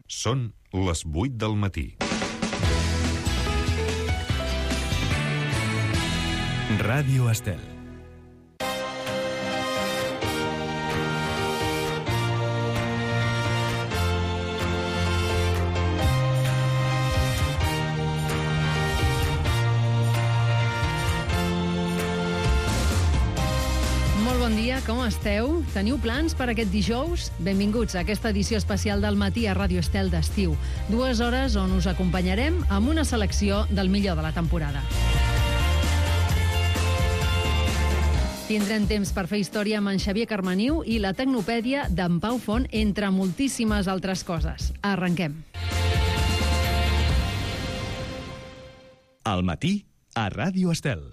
Són les 8 del matí. Ràdio Estel. Bon dia, com esteu? Teniu plans per aquest dijous? Benvinguts a aquesta edició especial del matí a Ràdio Estel d'estiu. 2 hores on us acompanyarem amb una selecció del millor de la temporada. Tindrem temps per fer història amb en Xavier Carmaniu i la Tecnopèdia d'en Pau Font, entre moltíssimes altres coses. Arrenquem. Al matí a Ràdio Estel.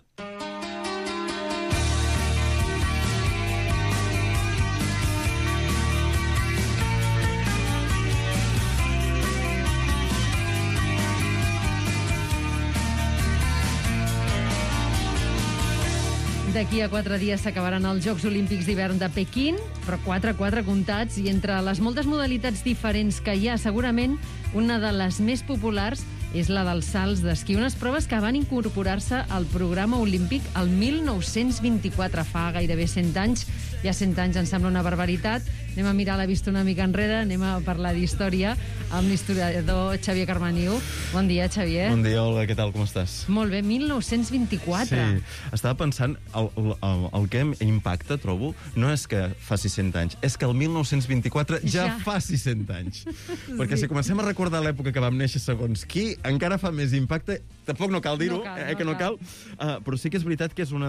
D'aquí a 4 dies s'acabaran els Jocs Olímpics d'hivern de Pequín, però 4 comptats, i entre les moltes modalitats diferents que hi ha, segurament una de les més populars és la dels salts d'esquí, unes proves que van incorporar-se al programa olímpic el 1924, fa gairebé 100 anys. Ja 100 anys em sembla una barbaritat. Anem a mirar la vista una mica enrere, anem a parlar d'història amb l'historiador Xavier Carmaniu. Bon dia, Xavier. Bon dia, Olga, què tal, com estàs? Molt bé, 1924. Sí, estava pensant, el que impacta, trobo, no és que faci 100 anys, és que el 1924 ja faci 100 anys. Perquè si comencem a recordar l'època que vam néixer segons qui, encara fa més impacte. Tampoc no cal dir-ho, no cal. Però sí que és veritat que és una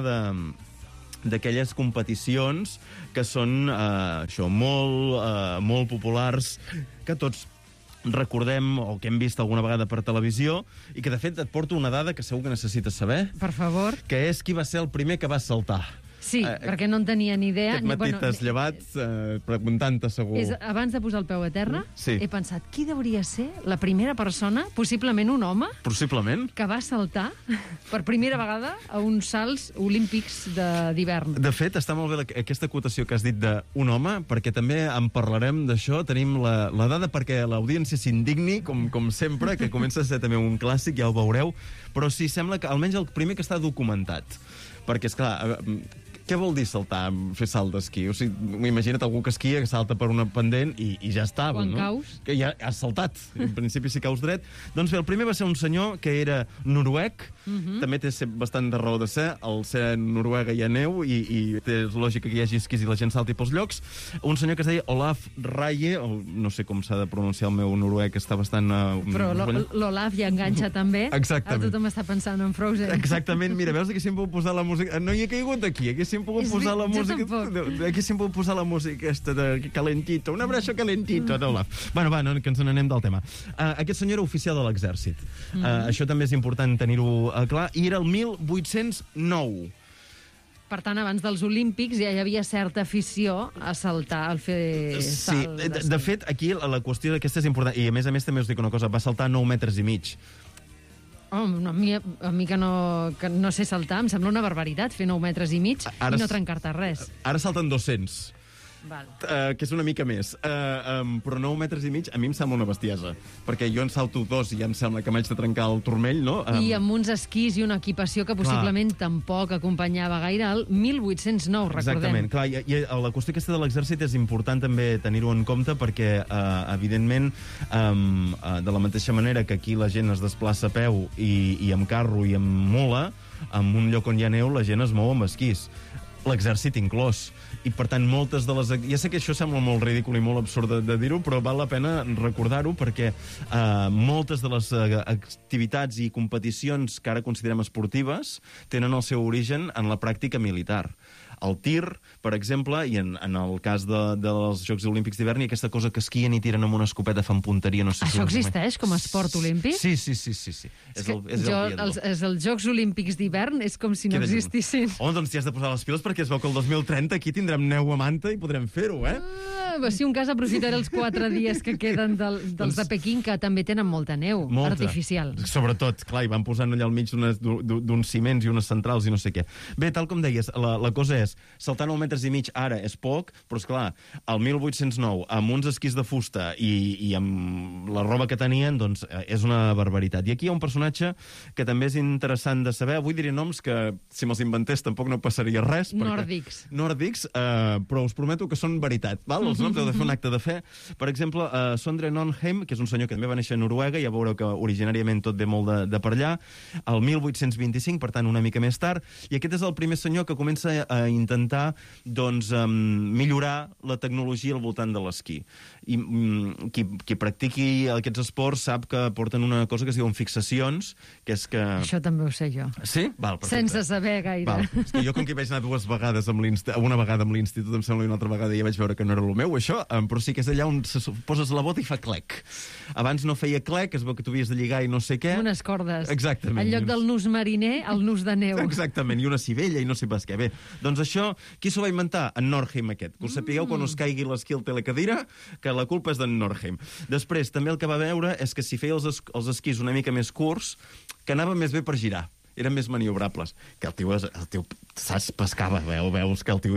d'aquelles competicions que són molt populars, que tots recordem o que hem vist alguna vegada per televisió, i que de fet et porto una dada que segur que necessites saber. Per favor. Que és qui va ser el primer que va saltar. Sí, perquè no en tenia ni idea. Aquest matí t'has llevat preguntant-te segur. Abans de posar el peu a terra, sí. He pensat, qui hauria ser la primera persona, possiblement un home, possiblement, que va saltar per primera vegada a uns salts olímpics d'hivern. De fet, està molt bé aquesta acotació que has dit d'un home, perquè també en parlarem d'això. Tenim la dada perquè l'audiència s'indigni, com sempre, que comença a ser també un clàssic, ja ho veureu, però sí, sembla que almenys el primer que està documentat. Perquè, esclar, què vol dir saltar, fer salt d'esquí? O sigui, imagina't algú que esquia, que salta per una pendent i ja està. Quan no? caus. Que ja has saltat. En principi, si caus dret. Doncs bé, el primer va ser un senyor que era noruec. També té bastant de raó de ser. Al ser Noruega hi ha neu i té lògica que hi hagi esquís i la gent salti pels llocs. Un senyor que es deia Olaf Raye, no sé com s'ha de pronunciar el meu noruec, està bastant... Però l'Olaf ja enganxa també. Exactament. Ara tothom està pensant en Frozen. Exactament. Mira, veus que sempre puc posar la música... No hi he caigut aquí, haguéssim pogut posar la música... Haguéssim pogut posar la música aquesta de calentito, un abraço calentito, Olaf. Bueno, va, que ens n'anem del tema. Aquest senyor era oficial de l'exèrcit. Això també és important tenir-ho clar. I era el 1809. Per tant, abans dels Olímpics ja hi havia certa afició a saltar, al fer salt. Sí, de fet, aquí la qüestió d'aquesta és important. I a més també us dic una cosa, va saltar 9 metres i mig. A mi que no sé saltar, em sembla una barbaritat fer 9 metres i mig i no trencar-te res. Ara salten 200. Val. Que és una mica més. Però 9 metres i mig a mi em sembla una bestiesa. Perquè jo en salto 2 i ja em sembla que m'haig de trencar el turmell, no? I amb uns esquís i una equipació que possiblement tampoc acompanyava gaire el 1809, recordem. Exactament. Clar, i la qüestió aquesta de l'exèrcit és important també tenir-ho en compte perquè, evidentment, de la mateixa manera que aquí la gent es desplaça a peu i amb carro i amb mula, en un lloc on hi ha neu la gent es mou amb esquís. L'exèrcit inclòs. I, per tant, moltes de les... Ja sé que això sembla molt ridícul i molt absurd de dir-ho, però val la pena recordar-ho perquè moltes de les activitats i competicions que ara considerem esportives tenen el seu origen en la pràctica militar. El tir, per exemple, i en el cas dels Jocs Olímpics d'hivern, i aquesta cosa que esquien i tiren amb una escopeta, fan punteria, no sé si... Això existeix com a esport olímpic? Sí. Els Jocs Olímpics d'hivern és com si no existissin. Home, doncs t'hi has de posar les piles perquè es veu que el 2030 aquí tindrem neu a manta i podrem fer-ho, Si un cas aprofitaré els 4 dies que queden dels de Pequín, que també tenen molta neu artificial. Sobretot, clar, i van posant allà al mig d'uns ciments i unes centrals i no sé què. Bé, tal com deies, la cosa és és, saltar 9 metres i mig ara és poc, però esclar, al 1809, amb uns esquís de fusta i amb la roba que tenien, doncs és una barbaritat. I aquí hi ha un personatge que també és interessant de saber. Avui diré noms que, si me'ls inventés, tampoc no passaria res. Nòrdics, però us prometo que són veritat. Val? Els noms heu de fer un acte de fe. Per exemple, Sondre Nordheim, que és un senyor que també va néixer a Noruega, ja veureu que originàriament tot ve molt de per allà, el 1825, per tant, una mica més tard, i aquest és el primer senyor que comença a intentar doncs, millorar la tecnologia al voltant de l'esquí. I qui practiqui aquests esports sap que porten una cosa que es diuen fixacions, que és que... Això també ho sé jo. Sí? Val, perfecte. Sense saber gaire. Val. És que jo, com que hi vaig anar una vegada amb l'institut, em sembla, i una altra vegada ja vaig veure que no era el meu, això, però sí que és allà on poses la bota i fa clec. Abans no feia clec, es veu que tu havies de lligar i no sé què. Unes cordes. Exactament. En lloc del nus mariner, el nus de neu. Exactament, i una civella i no sé pas què. Bé, doncs això, qui s'ho va inventar? En Nordheim aquest. Que us sapigueu quan us caigui l'esquí al telecadira, que la culpa és d'en Nordheim. Després, també el que va veure és que si feia els esquís una mica més curts, que anava més bé per girar. Eren més maniobrables. Que el tio saps, pescava, veus que el tio...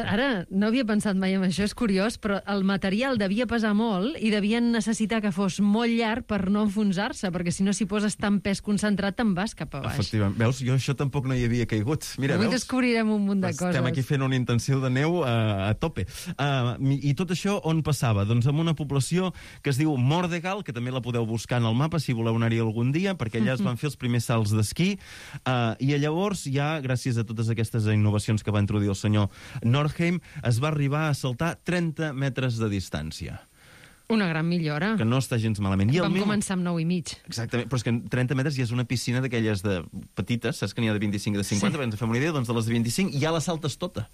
Ara, no havia pensat mai en això, és curiós, però el material devia pesar molt i devien necessitar que fos molt llarg per no enfonsar-se, perquè si no s'hi poses tant pes concentrat te'n vas cap a baix. Efectivament. Veus, jo això tampoc no hi havia caigut. Mira, avui veus? Descobrirem un munt de coses. Estem aquí fent una intenció de neu a tope. I tot això on passava? Doncs en una població que es diu Mordegal, que també la podeu buscar en el mapa si voleu anar-hi algun dia, perquè allà es van fer els primers salts d'esquí. I llavors, ja gràcies a totes aquestes innovacions que va introduir el senyor Nordheim, es va arribar a saltar 30 metres de distància. Una gran millora. Que no està gens malament. Vam començar amb 9,5. Exactament, però és que 30 metres ja és una piscina d'aquelles de petites, saps que n'hi ha de 25 i de 50, per ens fem una idea, doncs de les de 25 ja la saltes tota.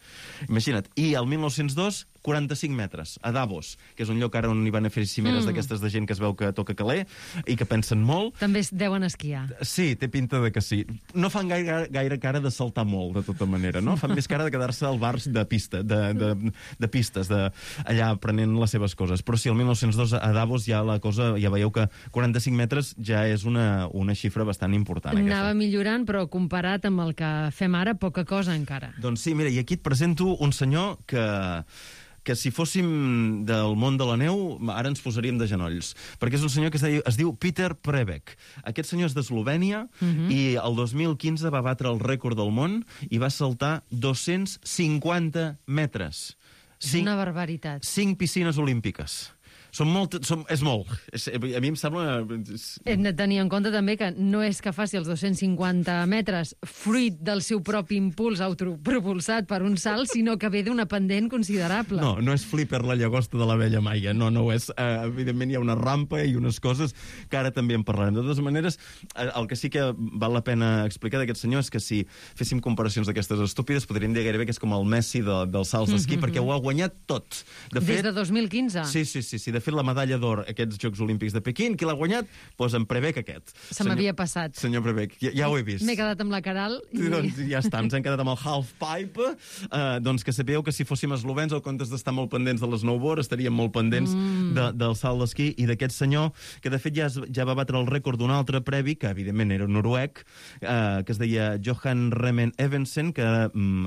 Imagina't. I el 1902, 45 metres, a Davos, que és un lloc ara on hi van a fer cimeres d'aquestes de gent que es veu que toca caler i que pensen molt. També es deuen esquiar. Sí, té pinta de que sí. No fan gaire cara de saltar molt, de tota manera, no? Fan més cara de quedar-se al bar de pista, de pistes, allà aprenent les seves coses. Però sí, el 1902 a Davos ja la cosa, ja veieu que 45 metres ja és una xifra bastant important. Anava millorant, però comparat amb el que fem ara, poca cosa encara. Doncs sí, mira, i aquí et presento un senyor que si fóssim del món de la neu, ara ens posaríem de genolls. Perquè és un senyor que es diu Peter Prebeck. Aquest senyor és d'Eslovènia i el 2015 va batre el rècord del món i va saltar 250 metres. És una barbaritat. 5 piscines olímpiques. És molt. A mi em sembla... Hem de tenir en compte també que no és que faci els 250 metres fruit del seu propi impuls autopropulsat per un salt, sinó que ve d'una pendent considerable. No és Flipper la llagosta de la vella Maia, no ho és. Evidentment hi ha una rampa i unes coses que ara també en parlarem. De totes maneres, el que sí que val la pena explicar d'aquest senyor és que si féssim comparacions d'aquestes estúpides, podríem dir gairebé que és com el Messi dels salts d'esquí, perquè ho ha guanyat tot. Des de 2015? Sí. De fet, la medalla d'or aquests Jocs Olímpics de Pequín, qui l'ha guanyat? Doncs en Prebeck aquest. Se m'havia passat. Senyor Prebeck, ja ho he vist. M'he quedat amb la Caral. Doncs ja està, ens hem quedat amb el halfpipe. Doncs que sapigueu que si fóssim eslovens, en comptes d'estar molt pendents de l'snowboard, estaríem molt pendents del salt d'esquí i d'aquest senyor, que de fet ja va batre el rècord d'un altre previ, que evidentment era noruec, que es deia Johan Remen Evensen, que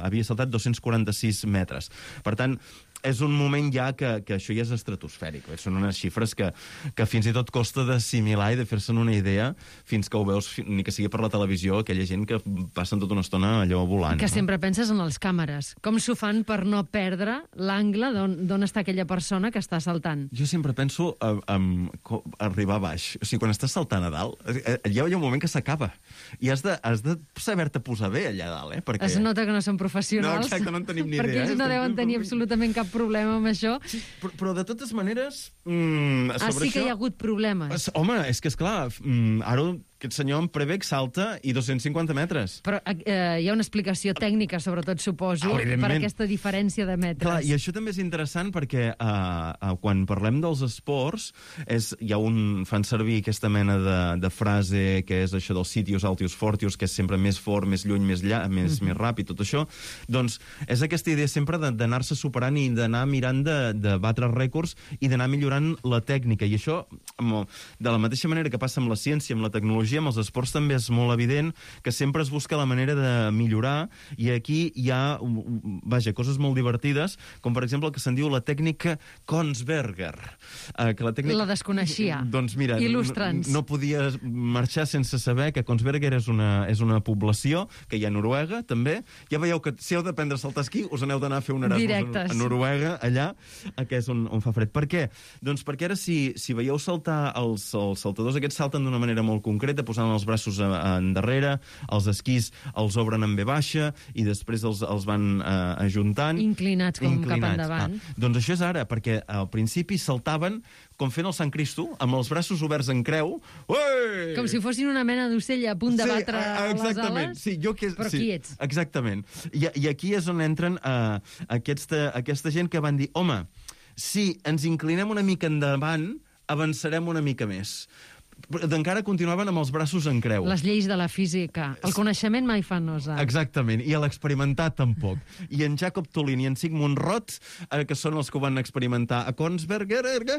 havia saltat 246 metres. Per tant, és un moment ja que això ja és estratosfèric. Són unes xifres que fins i tot costa d'assimilar i de fer-se'n una idea fins que ho veus, ni que sigui per la televisió, aquella gent que passen tota una estona allò volant. Que sempre penses en les càmeres. Com s'ho fan per no perdre l'angle d'on està aquella persona que està saltant? Jo sempre penso en arribar a baix. O sigui, quan estàs saltant a dalt, hi ha un moment que s'acaba. I has de saber-te posar bé allà dalt, Perquè... Es nota que no són professionals. No, exacte, no en tenim ni idea. Perquè ells no deuen tenir absolutament cap problema amb això. Sí, però de totes maneres... Sí que hi ha hagut problemes. Home, és que, esclar, ara aquest senyor en Prebeck salta i 250 metres. Però hi ha una explicació tècnica, sobretot, suposo, per aquesta diferència de metres. Clar, i això també és interessant perquè quan parlem dels esports, fan servir aquesta mena de frase que és això dels sitius altius fortius, que és sempre més fort, més lluny, més ràpid, tot això. Doncs és aquesta idea sempre d'anar-se superant i d'anar mirant de batre rècords i d'anar millorant la tècnica. I això, de la mateixa manera que passa amb la ciència, amb la tecnologia, tecnologia, amb els esports també és molt evident que sempre es busca la manera de millorar, i aquí hi ha, coses molt divertides, com per exemple el que se'n diu la tècnica Kongsberger. La desconeixia. Doncs mira, il·lustra'ns. no podia marxar sense saber que Kongsberger és una població que hi ha a Noruega, també. Ja veieu que si heu d'aprendre a saltar esquí, us n'heu d'anar a fer un Erasmus a Noruega, allà, que és on fa fred. Per què? Doncs perquè ara, si veieu saltar, els saltadors aquests salten d'una manera molt concreta, posant els braços endarrere, els esquís els obren en V baixa i després els van ajuntant. Inclinats cap endavant. Doncs això és ara, perquè al principi saltaven com fent el Sant Cristo, amb els braços oberts en creu. Ué! Com si fossin una mena d'ocell a punt de batre les ales. Sí, però qui ets? Exactament. I aquí és on entren aquesta gent que van dir, home, si ens inclinem una mica endavant, avançarem una mica més. Encara continuaven amb els braços en creu. Les lleis de la física. El coneixement mai fa nosa. Exactament, i l'experimentar tampoc. I en Jacob Tolin i en Sigmund Roth, que són els que ho van experimentar a Kongsberger,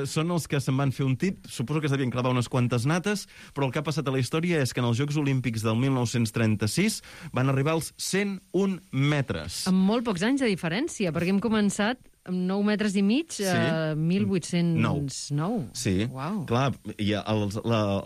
són els que se'n van fer un tip, suposo que s'havien clavat unes quantes nates, però el que ha passat a la història és que en els Jocs Olímpics del 1936 van arribar als 101 metres. Amb molt pocs anys de diferència, perquè hem començat amb 9 metres i mig, 1809. Sí, Uau. Clar, i els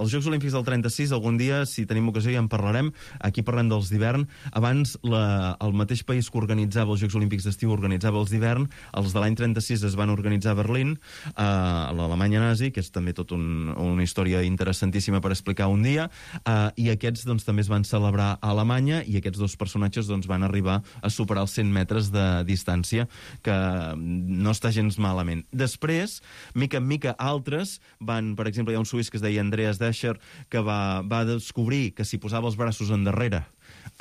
Jocs Olímpics del 36, algun dia, si tenim ocasió, ja en parlarem. Aquí parlem dels d'hivern. Abans, el mateix país que organitzava els Jocs Olímpics d'estiu organitzava els d'hivern. Els de l'any 36 es van organitzar a Berlín, a l'Alemanya nazi, que és també tot una història interessantíssima per explicar un dia, i aquests doncs, també es van celebrar a Alemanya, i aquests dos personatges doncs, van arribar a superar els 100 metres de distància, que no està gens malament. Després, mica en mica, altres van... Per exemple, hi ha un suís que es deia Andreas Descher, que va descobrir que si posava els braços endarrere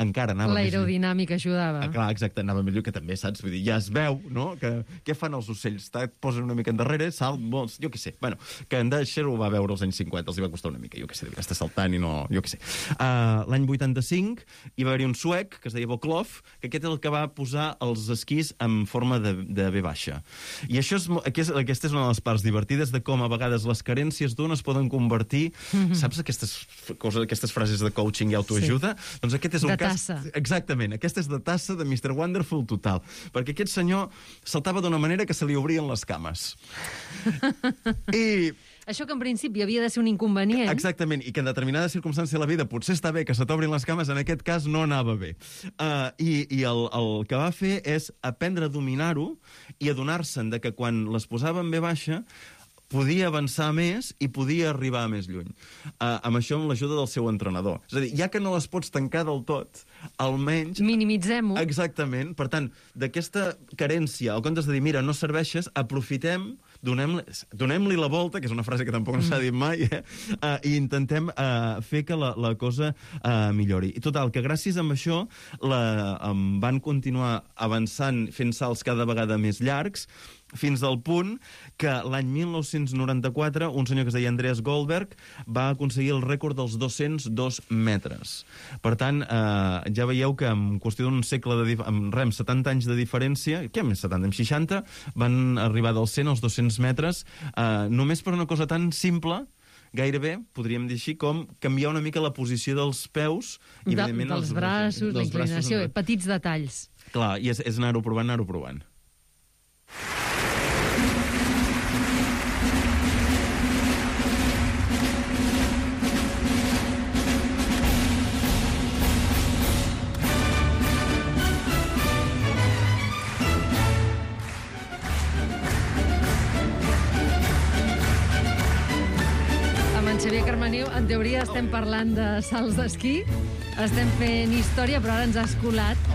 encara anava més... L'aerodinàmica ajudava. Clar, exacte, anava millor, que també, saps? Vull dir, ja es veu, no? Què fan els ocells? Et posen una mica endarrere, salt, molts, jo què sé. Bueno, que en Descher ho va veure als anys 50, els hi va costar una mica, jo què sé, devia estar saltant i no... Jo què sé. L'any 85 hi va haver un suec, que es deia Boklov, que aquest és el que va posar els esquís en forma de V baixa. I això aquesta és una de les parts divertides de com a vegades les carències d'un es poden convertir... Saps aquestes frases de coaching i autoajuda? Sí. Doncs aquest és un cas... Tassa. Exactament, aquesta és de tassa de Mr. Wonderful total, perquè aquest senyor saltava d'una manera que se li obrien les cames. I... Això que en principi havia de ser un inconvenient. Exactament, i que en determinada circumstància de la vida potser està bé que se t'obrin les cames, en aquest cas no anava bé. I el que va fer és aprendre a dominar-ho i adonar-se'n de que quan les posava en V baixa podia avançar més i podia arribar més lluny. Amb això, amb l'ajuda del seu entrenador. És a dir, ja que no les pots tancar del tot, almenys... Minimitzem-ho. Exactament. Per tant, d'aquesta carència, al comptes de dir, mira, no serveixes, aprofitem, donem-li la volta, que és una frase que tampoc no s'ha dit mai, i intentem fer que la cosa millori. I total, que gràcies a això van continuar avançant, fent salts cada vegada més llargs, fins al punt que l'any 1994 un senyor que es deia Andreas Goldberg va aconseguir el rècord dels 202 metres. Per tant, ja veieu que en qüestió d'un segle, amb 70 anys de diferència, què més 70, amb 60, van arribar dels 100 als 200 metres, només per una cosa tan simple, gairebé, podríem dir així, com canviar una mica la posició dels peus i, evidentment, dels braços, la inclinació, petits detalls. Clar, i és anar-ho provant, Xavier Carmeniu, en teoria estem parlant de salts d'esquí, estem fent història, però ara ens ha escolat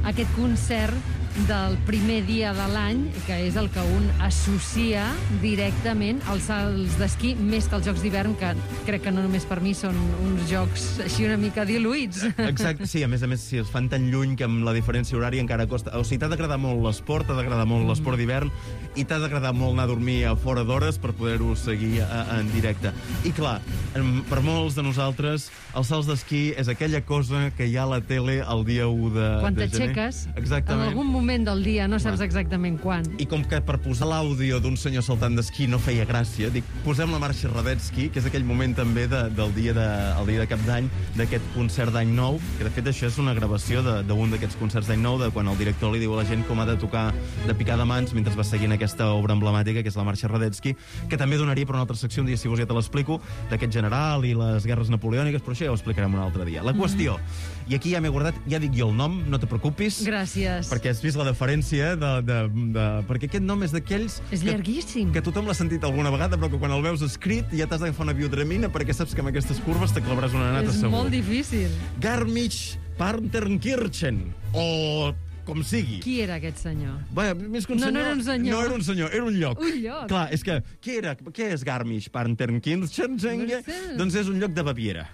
aquest concert del primer dia de l'any, que és el que un associa directament als salts d'esquí, més que als Jocs d'hivern, que crec que no només per mi són uns jocs així una mica diluïts. Exacte, sí, a més, si es fan tan lluny que amb la diferència horària encara costa... O sigui, t'ha d'agradar molt l'esport, t'ha d'agradar molt l'esport d'hivern, i t'ha d'agradar molt anar a dormir a fora d'hores per poder-ho seguir en directe. I clar, per molts de nosaltres, els salts d'esquí és aquella cosa que hi ha a la tele el dia 1 de gener. Quan t'aixeques, en algun moment moment del dia, no saps exactament quan. I com que per posar l'àudio d'un senyor saltant d'esquí no feia gràcia, dic, posem la marxa Radetzky, que és aquell moment també del dia de Cap d'Any, d'aquest concert d'Any Nou, que de fet això és una gravació d'un d'aquests concerts d'Any Nou, de quan el director li diu a la gent com ha de tocar de picar de mans mentre va seguint aquesta obra emblemàtica, que és la marxa Radetzky, que també donaria per una altra secció, un dia, si vols, ja te l'explico, d'aquest general i les guerres napoleòniques, però això ja ho explicarem un altre dia. La qüestió, i aquí ja m'he guardat, ja dic jo el nom, no te preocupis. Gràcies. Perquè has vist la deferència perquè aquest nom és d'aquells... És llarguíssim. Que tothom l'ha sentit alguna vegada, però que quan el veus escrit ja t'has d'agafar una biodramina perquè saps que amb aquestes curves te clavaràs una nata És segur. molt difícil. Garmisch-Partenkirchen, o com sigui. Qui era aquest senyor? Bé, més que un senyor... No era un senyor. No era un senyor, era un lloc. Un lloc. Clar, és que... Què és Garmisch-Partenkirchen? No sé. Doncs és un lloc de Baviera.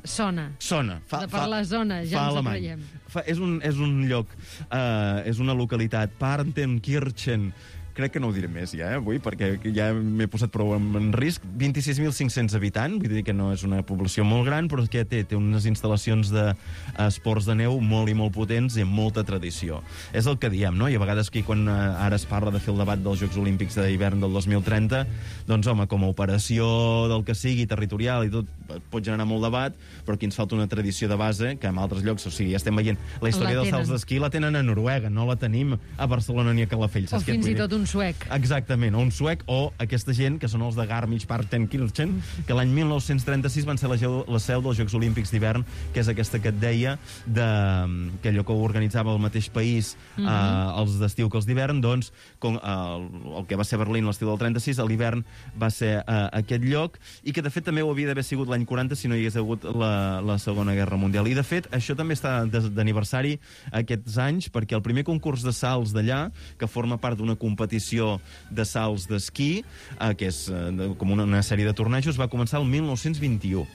Sona. Sona. Per la zona, ja ens ho creiem. És un lloc, és una localitat, Partenkirchen. Crec que no ho diré més ja, avui, perquè ja m'he posat prou en risc. 26.500 habitants, vull dir que no és una població molt gran, però que té unes instal·lacions d'esports de neu molt i molt potents i amb molta tradició. És el que diem, no? I a vegades aquí, quan ara es parla de fer el debat dels Jocs Olímpics d'hivern del 2030, doncs, home, com a operació del que sigui, territorial i tot, pot generar molt debat, però aquí ens falta una tradició de base, que en altres llocs, o sigui, ja estem veient la història dels salts d'esquí, la tenen a Noruega, no la tenim a Barcelona ni a Calafell. O fins i tot un suec. Exactament, o un suec, o aquesta gent, que són els de Garmisch-Partenkirchen, que l'any 1936 van ser la seu dels Jocs Olímpics d'hivern, que és aquesta que et deia, que allò que ho organitzava el mateix país, els d'estiu que els d'hivern, doncs, el que va ser Berlín l'estiu del 36, a l'hivern va ser aquest lloc, i que de fet també ho havia d'haver sigut l'any 40 si no hi hagués hagut la Segona Guerra Mundial. I de fet, això també està d'aniversari aquests anys, perquè el primer concurs de salts d'allà, que forma part d'una competició de salts d'esquí, que és com una sèrie de tornejos, va començar el 1921.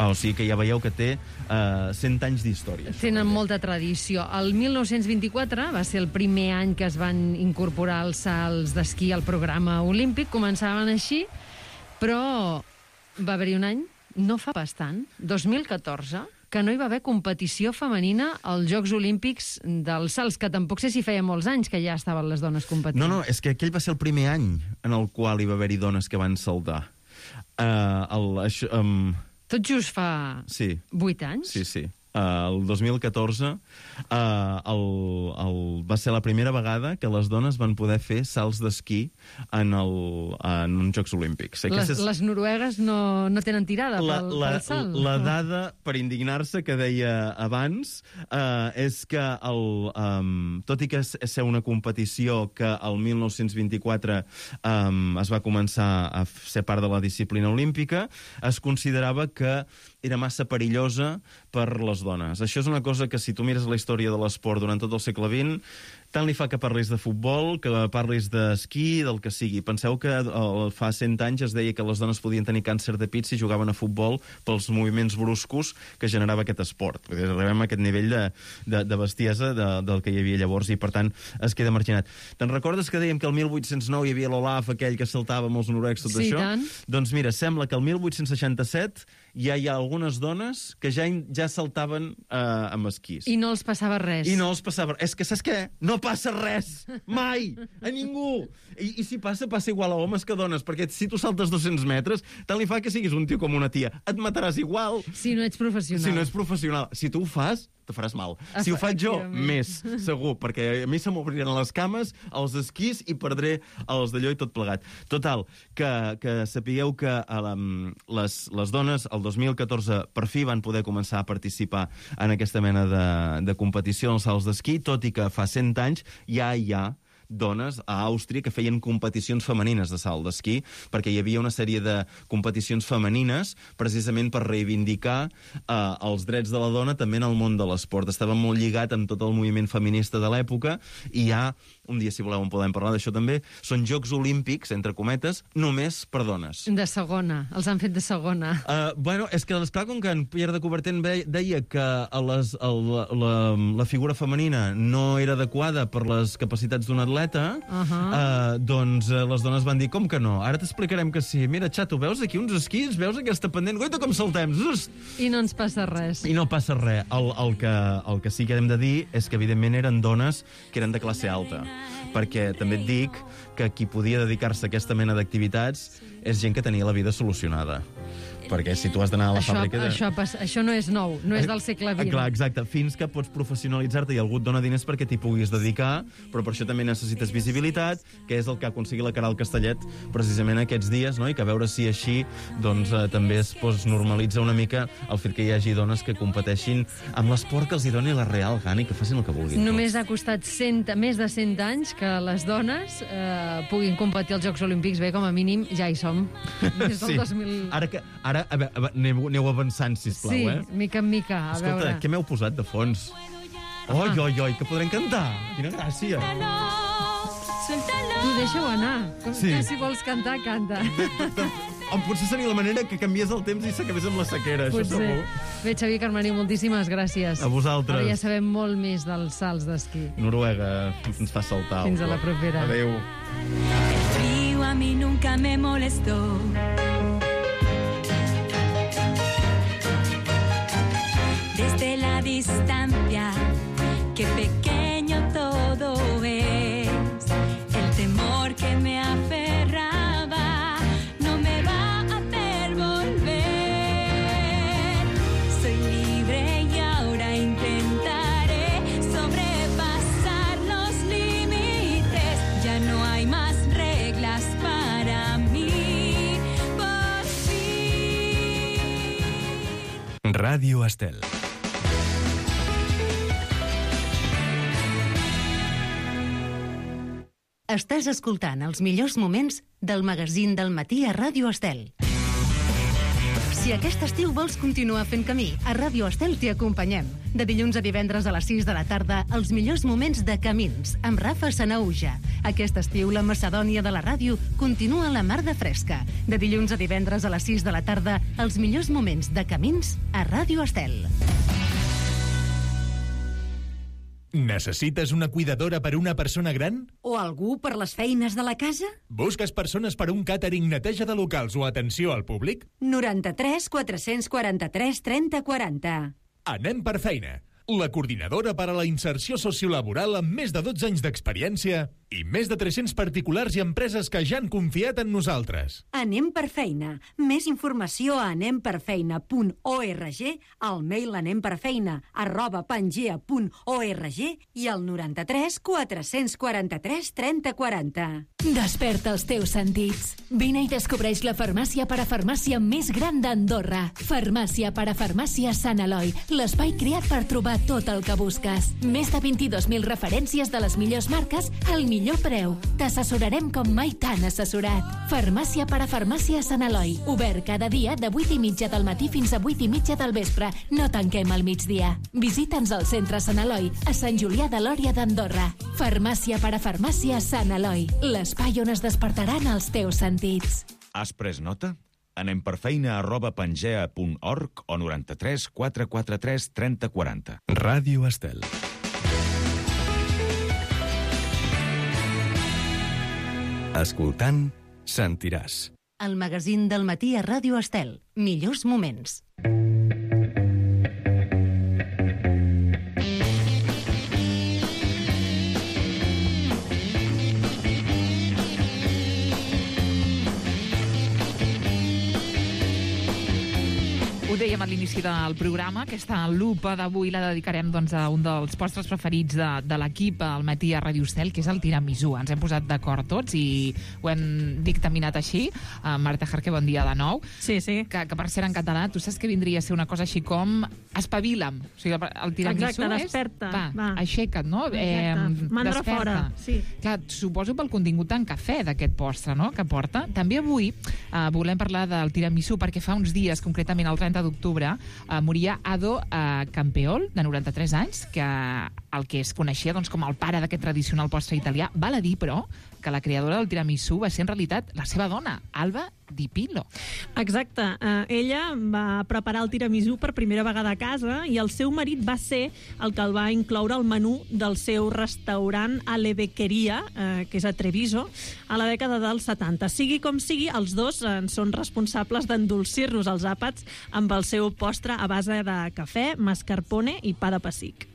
O sigui que ja veieu que té 100 anys d'història. Tenen molta tradició. El 1924 va ser el primer any que es van incorporar els salts d'esquí al programa olímpic. Començaven així, però va haver-hi un any, no fa bastant, 2014, que no hi va haver competició femenina als Jocs Olímpics dels salts, que tampoc sé si feia molts anys que ja estaven les dones competint. No, és que aquell va ser el primer any en el qual hi va haver-hi dones que van saltar. Tot just fa 8 anys? Sí. El 2014 va ser la primera vegada que les dones van poder fer salts d'esquí en uns Jocs Olímpics. Les noruegues no tenen tirada pel salt. La dada per indignar-se que deia abans és que tot i que és ser una competició que el 1924 es va començar a ser part de la disciplina olímpica, es considerava que era massa perillosa per les dones. Això és una cosa que, si tu mires la història de l'esport durant tot el segle XX, tant li fa que parlis de futbol, que parlis d'esquí, del que sigui. Penseu que fa 100 anys es deia que les dones podien tenir càncer de pit si jugaven a futbol pels moviments bruscos que generava aquest esport. Arribem a aquest nivell de bestiesa del que hi havia llavors i, per tant, es queda marginat. Te'n recordes que dèiem que el 1809 hi havia l'Olaf, aquell que saltava amb els noruecs, tot això? Tant. Doncs mira, sembla que el 1867 ja hi ha algunes dones que ja saltaven amb esquís. I no els passava res. És que, saps què? No passa res! Mai! A ningú! I si passa igual a homes que a dones, perquè si tu saltes 200 metres, tant li fa que siguis un tio com una tia. Et mataràs igual. Si no ets professional. Si tu ho fas, te faràs mal. Si ho faig jo, més, segur, perquè a mi se m'obriran les cames, els esquís i perdré els d'allò i tot plegat. Total, que sapigueu que les dones, el 2014, per fi van poder començar a participar en aquesta mena de competició en els salts d'esquí, tot i que fa 100 anys ja hi ha dones a Àustria que feien competicions femenines de salt d'esquí, perquè hi havia una sèrie de competicions femenines precisament per reivindicar els drets de la dona també en el món de l'esport. Estava molt lligat amb tot el moviment feminista de l'època i hi ha un dia, si voleu, en podem parlar d'això també, són Jocs Olímpics, entre cometes, només per dones. De segona, els han fet de segona. Bueno, és que, esclar, com que en Pierre de Coubertin deia que la figura femenina no era adequada per les capacitats d'un atleta, doncs les dones van dir, com que no? Ara t'explicarem que sí. Mira, xato, veus aquí uns esquís? Veus aquesta pendent? Goita, com saltem! I no ens passa res. I no passa res. El que sí que hem de dir és que, evidentment, eren dones que eren de classe alta. Perquè també et dic que qui podia dedicar-se a aquesta mena d'activitats és gent que tenia la vida solucionada. Perquè si tu has d'anar a la fàbrica... Això no és nou, no és del segle XX. Clar, exacte. Fins que pots professionalitzar-te i algú et dona diners perquè t'hi puguis dedicar, però per això també necessites visibilitat, que és el que ha aconseguit la Caral Castellet precisament aquests dies, no? I que a veure si així doncs, també es normalitza una mica el fet que hi hagi dones que competeixin amb l'esport que els hi doni la real gana i que facin el que vulguin. Només ha costat més de 100 anys que les dones puguin competir als Jocs Olímpics. Bé, com a mínim, ja hi som. Des del 2000... Ara, aneu avançant, sisplau, sí, mica en mica, a Escolta, veure. què m'heu posat de fons? Oi, que podrem cantar! Quina gràcia! Tu deixa-ho anar. Sí. Tu, si vols cantar, canta. Potser seria la manera que canviés el temps i s'acabés amb la sequera, això segur. Bé, Xavier Carmany, moltíssimes gràcies. A vosaltres. Ara ja sabem molt més dels salts d'esquí. Noruega ens fa saltar. Fins a la propera. Adéu. El frío a mí nunca me molestó. Desde la distancia, qué pequeño todo es. El temor que me aferraba no me va a hacer volver. Soy libre y ahora intentaré sobrepasar los límites. Ya no hay más reglas para mí. Por fin. Ràdio Estel. Estàs escoltant els millors moments del magazín del matí a Ràdio Estel. Si aquest estiu vols continuar fent camí, a Ràdio Estel t'hi acompanyem. De dilluns a divendres a les 6 de la tarda, els millors moments de camins, amb Rafa Sanauja. Aquest estiu, la Macedònia de la ràdio continua a la mar de fresca. De dilluns a divendres a les 6 de la tarda, els millors moments de camins a Ràdio Estel. Necessites una cuidadora per una persona gran? O algú per les feines de la casa? Busques persones per un càtering, neteja de locals o atenció al públic? 93 443 30 40. Anem per feina. La coordinadora per a la inserció sociolaboral amb més de 12 anys d'experiència i més de 300 particulars i empreses que ja han confiat en nosaltres. Anem per feina. Més informació a anemperfeina.org, al mail anemperfeina@pangea.org i al 93 443 30 40. Desperta els teus sentits. Vine i descobreix la farmàcia parafarmàcia més gran d'Andorra. Farmàcia parafarmàcia Sant Eloi, l'espai creat per trobar tot el que busques. Més de 22.000 referències de les millors marques al millor preu. T'assessorarem com mai t'han assessorat. Farmàcia parafarmàcia Sant Eloi. Obert cada dia de 8:30 del matí fins a 8:30 del vespre. No tanquem al migdia. Visita'ns al centre Sant Eloi, a Sant Julià de Lòria d'Andorra. Farmàcia parafarmàcia Sant Eloi. L'espai on es despertaran els teus sentits. Has pres nota? Anem per feina@pangea.org o 93 443 30 40. Ràdio Estel. Escoltant, sentiràs. El magazín del matí a Ràdio Estel. Millors moments. Ho dèiem a l'inici del programa, aquesta lupa d'avui la dedicarem doncs, a un dels postres preferits de l'equip al matí a Ràdio Estel, que és el tiramisú. Ens hem posat d'acord tots i ho hem dictaminat així. Marta Jarque, bon dia de nou. Sí. Que per ser en català, tu saps que vindria a ser una cosa així com espavila'm. O sigui, el tiramisú Exacte, desperta. Va, aixeca't, no? Mandra fora, sí. Clar, suposo pel contingut en cafè d'aquest postre, no?, que porta. També avui volem parlar del tiramisú perquè fa uns dies, concretament el 30 d'octubre, moria Ado Campeol, de 93 anys, que el que es coneixia doncs, com el pare d'aquest tradicional postre italià. Val a dir, però, que la creadora del tiramisú va ser en realitat la seva dona, Alba Di Pillo. Exacte. Ella va preparar el tiramisú per primera vegada a casa i el seu marit va ser el que el va incloure al menú del seu restaurant Alle Beccheria, que és a Treviso, a la dècada dels 70. Sigui com sigui, els dos són responsables d'endolcir-nos els àpats amb el seu postre a base de cafè, mascarpone i pa de pessic.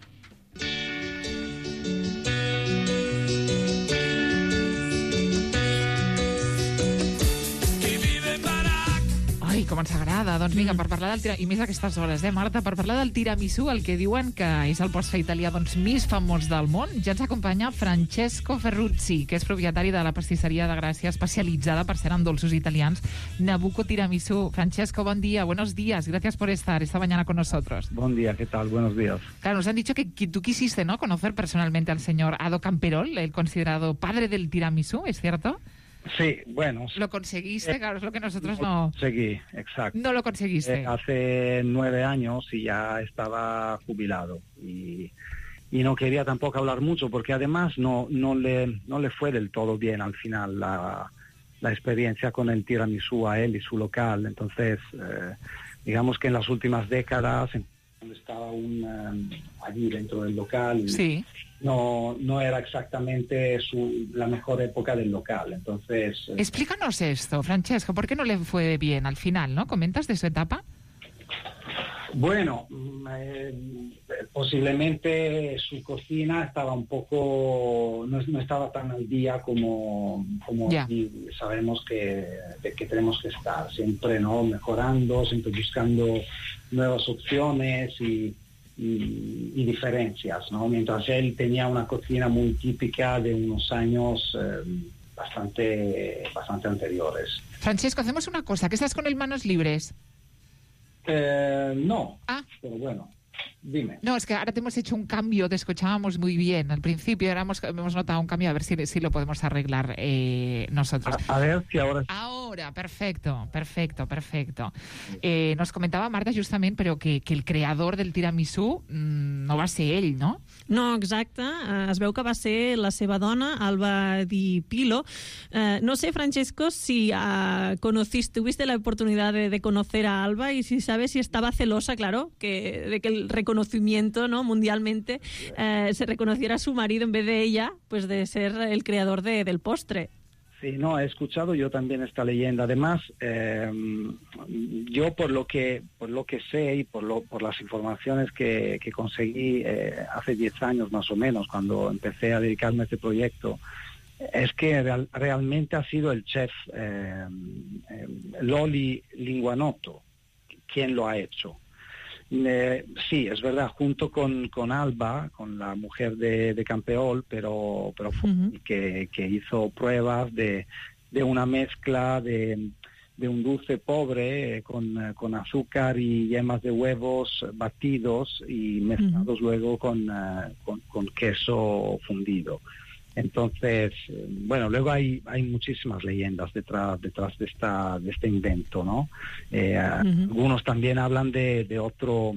Ai, com ens agrada. Doncs vinga, per parlar del tiramisú, i més a aquestes hores, Marta, per parlar del tiramisú, el que diuen que és el postre italià més famós del món, ja ens acompanya Francesco Ferruzzi, que és propietari de la pastisseria de Gràcia, especialitzada, per ser en dolços italians, Nabucco Tiramisú. Francesco, buen día, buenos días, gracias por estar esta mañana con nosotros. Buen día, ¿qué tal? Buenos días. Claro, nos han dicho que tú quisiste, ¿no?, conocer personalmente al señor Ado Camperol, el considerado padre del tiramisú, ¿es cierto? Sí, bueno. Lo conseguiste, claro, es lo que nosotros no... Conseguí, exacto. No lo conseguiste. Hace 9 años y ya estaba jubilado. Y no quería tampoco hablar mucho porque además no le fue del todo bien al final la experiencia con el tiramisú a él y su local. Entonces, digamos que en las últimas décadas, cuando estaba allí dentro del local... Sí. No era exactamente la mejor época del local, entonces... Explícanos esto, Francesco, ¿por qué no le fue bien al final, no? ¿Comentas de su etapa? Bueno, posiblemente su cocina estaba un poco... no estaba tan al día como aquí sabemos que tenemos que estar, siempre, ¿no?, mejorando, siempre buscando nuevas opciones y diferencias, ¿no? Mientras él tenía una cocina muy típica de unos años bastante anteriores. Francesco, hacemos una cosa, ¿que estás con el manos libres? No, pero bueno, dime. No, es que ahora te hemos hecho un cambio, te escuchábamos muy bien al principio, ahora hemos notado un cambio, a ver si lo podemos arreglar nosotros. A ver si ahora... Ahora, perfecto. Nos comentava Marta justament, però que el creador del tiramisú no va ser ell, no? No, exacte. Es veu que va ser la seva dona, Alba Di Pillo. No sé, Francesco, si tuviste la oportunidad de conocer a Alba y si sabes si estaba celosa, claro, de que el reconocimiento, ¿no?, mundialmente se reconociera a su marido en vez de ella, pues de ser el creador del postre. Sí, no, he escuchado yo también esta leyenda. Además, yo por lo que sé y por las informaciones que conseguí hace 10 años más o menos, cuando empecé a dedicarme a este proyecto, es que realmente ha sido el chef Loli Linguanotto quien lo ha hecho. Sí, es verdad, junto con Alba, con la mujer de Campeol, pero que hizo pruebas de una mezcla de un dulce pobre con azúcar y yemas de huevos batidos y mezclados luego con queso fundido. Entonces, bueno, luego hay muchísimas leyendas detrás de este invento, ¿no? Algunos también hablan de otro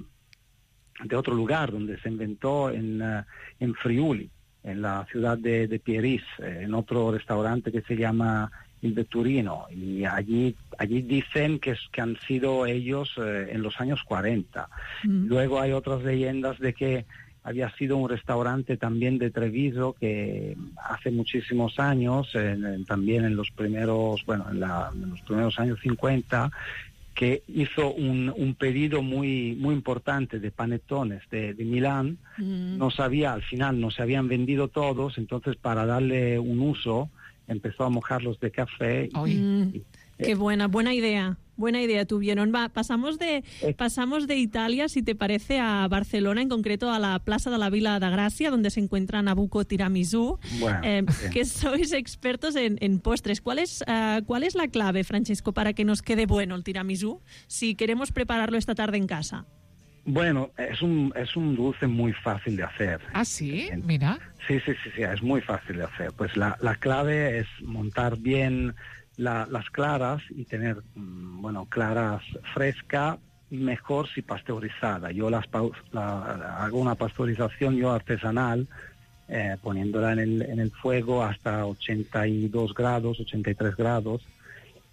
lugar donde se inventó en Friuli, en la ciudad de Pieris, en otro restaurante que se llama Il Vetturino, y allí dicen que han sido ellos en los años 40. Luego hay otras leyendas de que había sido un restaurante también de Treviso que hace muchísimos años, también en los primeros años 50, que hizo un pedido muy importante de panetones de Milán. Al final no se habían vendido todos, entonces para darle un uso empezó a mojarlos de café. Qué buena idea. Buena idea tuvieron. Pasamos de Italia, si te parece, a Barcelona, en concreto a la Plaza de la Vila de Gràcia, donde se encuentra Nabucco Tiramisú, que sois expertos en postres. ¿Cuál es la clave, Francesco, para que nos quede bueno el tiramisú, si queremos prepararlo esta tarde en casa? Bueno, es un dulce muy fácil de hacer. ¿Ah, sí? Mira. Sí, es muy fácil de hacer. Pues la clave es montar bien las claras y tener, claras frescas, mejor si pasteurizada. Yo hago una pasteurización artesanal, poniéndola en el fuego hasta 82 grados, 83 grados,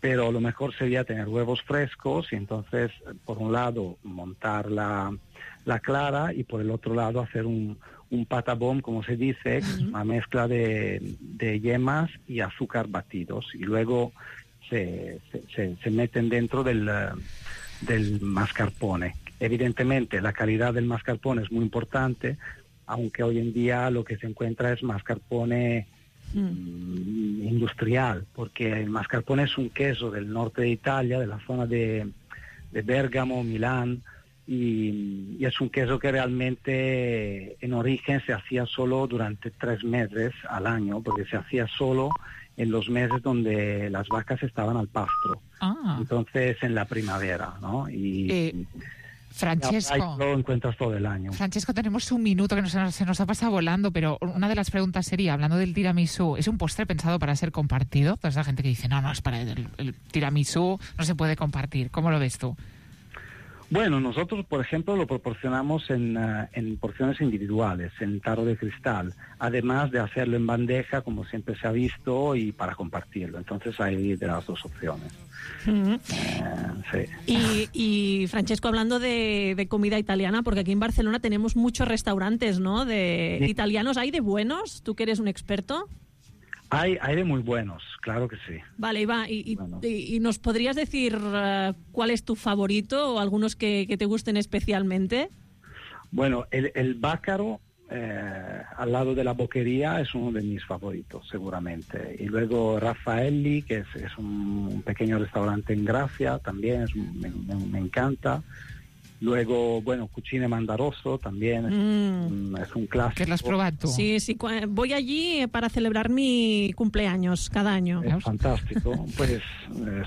pero lo mejor sería tener huevos frescos y entonces, por un lado, montar la clara y por el otro lado hacer un patacón, como se dice, que es una mezcla de yemas y azúcar batidos, y luego se meten dentro del mascarpone. Evidentemente la calidad del mascarpone es muy importante, aunque hoy en día lo que se encuentra es mascarpone industrial, porque el mascarpone es un queso del norte de Italia, de la zona de Bérgamo, Milán, y es un queso que realmente en origen se hacía solo durante 3 meses al año, porque se hacía solo en los meses donde las vacas estaban al pasto. Entonces en la primavera, ¿no? Y Francesco, lo encuentras todo el año. Francesco, tenemos un minuto que se nos ha pasado volando, pero una de las preguntas sería, hablando del tiramisú, ¿es un postre pensado para ser compartido? Toda esa gente que dice, no, es para el tiramisú, no se puede compartir. ¿Cómo lo ves tú? Bueno, nosotros, por ejemplo, lo proporcionamos en porciones individuales, en tarro de cristal, además de hacerlo en bandeja, como siempre se ha visto, y para compartirlo. Entonces hay de las dos opciones. Sí. Y Francesco, hablando de comida italiana, porque aquí en Barcelona tenemos muchos restaurantes, ¿no? Italianos, ¿hay de buenos? ¿Tú que eres un experto? Hay de muy buenos, claro que sí. Vale, Iva, ¿y nos podrías decir cuál es tu favorito o algunos que te gusten especialmente? Bueno, el Bácaro, al lado de la Boquería, es uno de mis favoritos, seguramente. Y luego Raffaelli, que es un pequeño restaurante en Gracia, también me encanta. Luego, bueno, Cucine Mandaroso también es un clásico. ¿Qué lo has probado tú? Sí, voy allí para celebrar mi cumpleaños cada año. Es fantástico. Pues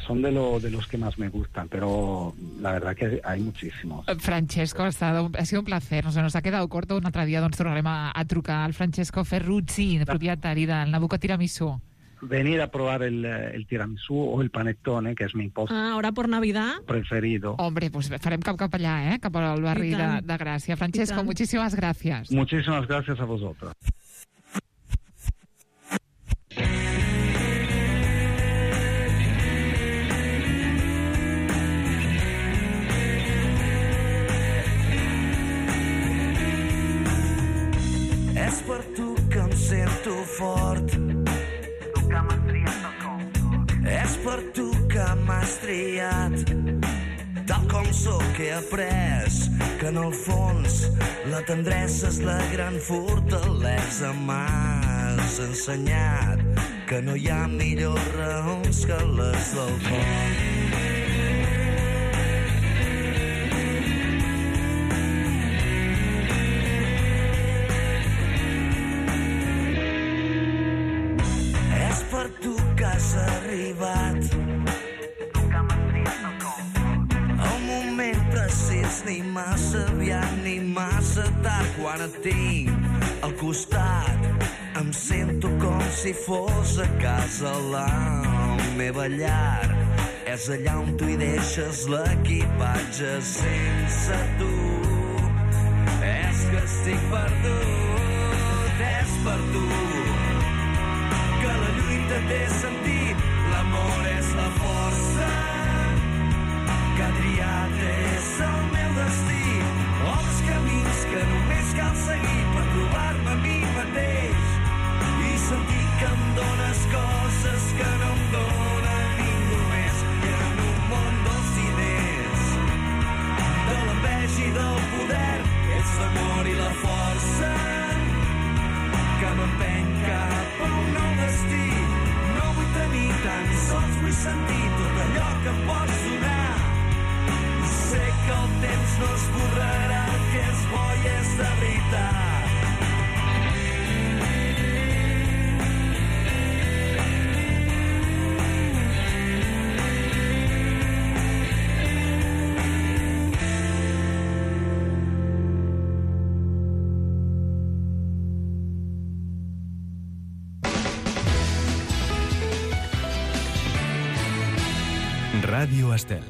son de los que más me gustan, pero la verdad que hay muchísimos. Francesco, ha sido un placer. Nos ha quedado corto. Un altre dia tornarem a trucar al Francesco Ferruzzi, propietari del Nabucco Tiramisú. Venir a probar el tiramisú o el panettone, que es mi postre ahora por Navidad preferido. Hombre, pues farem cap allà, cap al barri de Gràcia. Francesco, muchísimas gracias. Muchísimas gracias a vosotros. És per tu que em sento fort. És per tu que m'has triat. Tal com sóc he après que en el fons la tendresa és la gran fortalesa. M'has ensenyat que no hi ha millors raons que les del cor. Per tu que has arribat el moment precís, ni massa aviat ni massa tard. Quan et tinc al costat em sento com si fos a casa. La meva llar és allà on tu hi deixes l'equipatge. Sense tu és que estic perdut. És per tu que la lluita té sentit, l'amor és la força que ha triat és el meu destí. Els camins que només cal seguir per trobar-me a mi mateix i sentir que em dones coses que no em dona ningú més. I en un món dels diners, de l'enveja i del poder, és l'amor i la força que m'empeny cap a un nou destí. No vull tenir tan sols, vull sentir tot allò que em pots donar. Sé que el temps no esborrarà el que és bo i és de veritat. Ràdio Estel.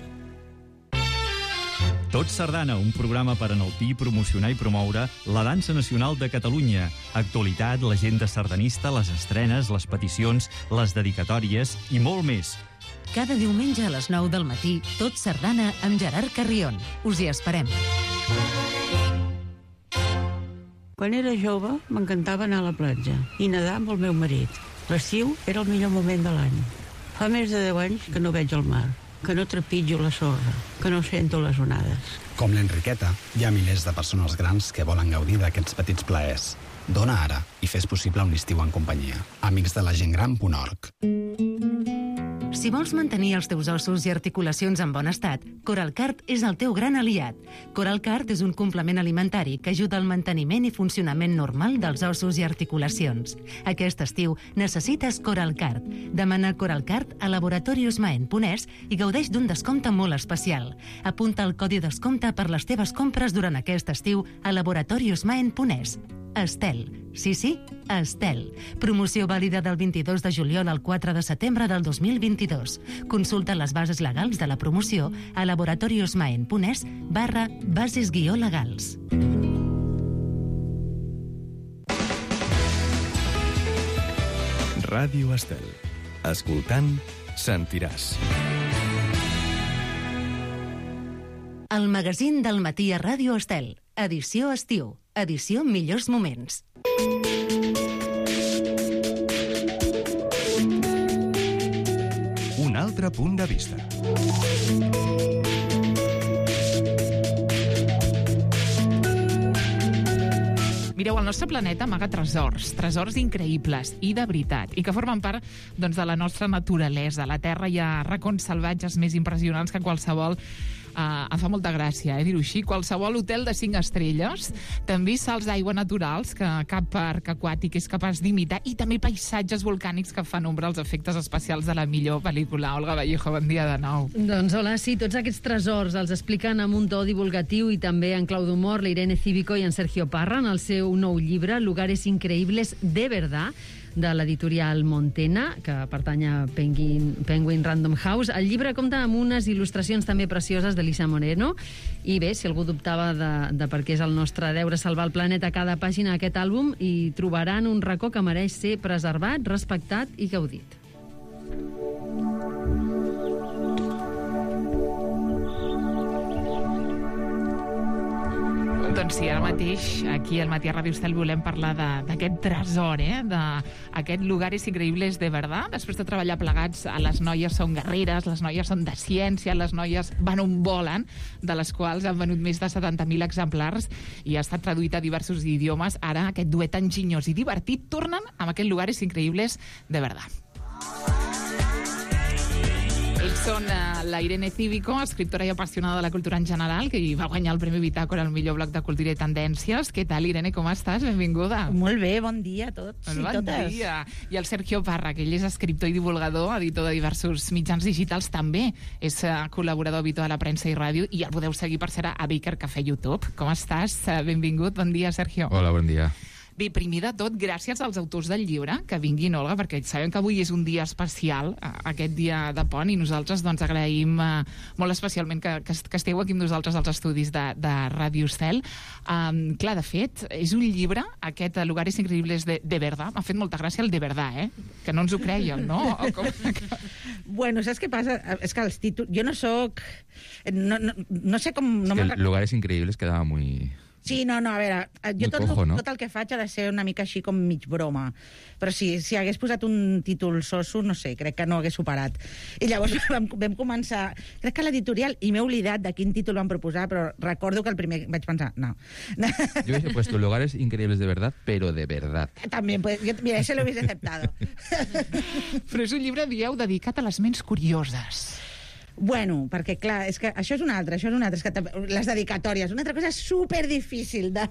Tot Sardana, un programa per enaltir, promocionar i promoure la dansa nacional de Catalunya. Actualitat, l'agenda sardanista, les estrenes, les peticions, les dedicatòries i molt més. Cada diumenge a les 9 del matí, Tot Sardana amb Gerard Carrion. Us hi esperem. Quan era jove, m'encantava anar a la platja i nedar amb el meu marit. L'estiu era el millor moment de l'any. Fa més de 10 anys que no veig el mar, que no trepitjo la sorra, que no sento les onades. Com l'Enriqueta, hi ha milers de persones grans que volen gaudir d'aquests petits plaers. Dona ara i fes possible un estiu en companyia. amicsdelagentgran.org. Si vols mantenir els teus ossos i articulacions en bon estat, Coralcart és el teu gran aliat. Coralcart és un complement alimentari que ajuda al manteniment i funcionament normal dels ossos i articulacions. Aquest estiu necessites Coralcart. Demana Coralcart a laboratoriosmaen.es i gaudeix d'un descompte molt especial. Apunta el codi descompte per les teves compres durant aquest estiu a laboratoriosmaen.es. Estel. Sí, Estel. Promoció vàlida del 22 de juliol al 4 de setembre del 2022. Consulta les bases legals de la promoció a laboratoriosmaen.es/bases-legals. Ràdio Estel. Escoltant, sentiràs. El magazín del matí a Ràdio Estel. Edició estiu. Edició millors moments. Un altre punt de vista. Mireu, el nostre planeta amaga tresors increïbles i de veritat, i que formen part de la nostra naturalesa. A la Terra hi ha racons salvatges més impressionants que qualsevol. Em fa molta gràcia, dir-ho així. Qualsevol hotel de 5 estrelles, també salts d'aigua naturals que cap parc aquàtic és capaç d'imitar, i també paisatges volcànics que fan ombra als efectes especials de la millor pel·lícula. Olga Vallejo, bon dia de nou. Doncs hola, sí, tots aquests tresors els expliquen amb un to divulgatiu i també en clau d'humor la Irene Cívico i en Sergio Parra en el seu nou llibre Lugares increíbles de verdad, de l'editorial Montena, que pertany a Penguin Random House. El llibre compta amb unes il·lustracions també precioses d'Elisa Moreno, i bé, si algú dubtava de per què és el nostre deure salvar el planeta a cada pàgina d'aquest àlbum, hi trobaran un racó que mereix ser preservat, respectat i gaudit. Doncs sí, ara mateix, aquí al Matí a Ràdio Estel volem parlar d'aquest tresor, d'aquest Lugares increïbles de verdad. Després de treballar plegats, les noies són guerreres, les noies són de ciència, les noies van on volen, de les quals han venut més de 70.000 exemplars i ha estat traduït a diversos idiomes. Ara, aquest duet enginyós i divertit tornen amb aquest Lugares increïbles de verdad. Ells són la Irene Cívico, escriptora i apassionada de la cultura en general, que va guanyar el Premi Bitàcora al millor blog de cultura i tendències. Què tal, Irene, com estàs? Benvinguda. Molt bé, bon dia a tots i bon totes. Dia. I el Sergio Parra, que ell és escriptor i divulgador, editor de diversos mitjans digitals, també és col·laborador habitual a premsa i ràdio, i el podeu seguir, per ser, a Baker Cafè YouTube. Com estàs? Benvingut, bon dia, Sergio. Hola, bon dia. Bé, primer de tot, gràcies als autors del llibre que vinguin, Olga, perquè sabem que avui és un dia especial, aquest dia de pont, i nosaltres agraïm molt especialment que esteu aquí amb nosaltres als estudis de Ràdio Estel. Clar, de fet, és un llibre, aquest Lugares increïbles de verdad. M'ha fet molta gràcia el de verdad, que no ens ho creiem, no? Bueno, saps què passa? És que els títols... Jo no soc... No sé com... Lugares increïbles quedava muy... Sí, no, a veure, jo tot el que faig ha de ser una mica així com mig broma. Però si hagués posat un títol soso, no sé, crec que no hagués superat. I llavors vam començar... Crec que l'editorial, i m'he oblidat de quin títol van proposar, però recordo que el primer vaig pensar, no. Yo hubiese puesto Lugares increíbles de verdad, pero de verdad. També, mira, ese lo hubiese aceptado. Però és un llibre, dieu, dedicat a les ments curioses. Bueno, perquè, clar, és que això és un altre, és que les dedicatòries, una altra cosa superdifícil de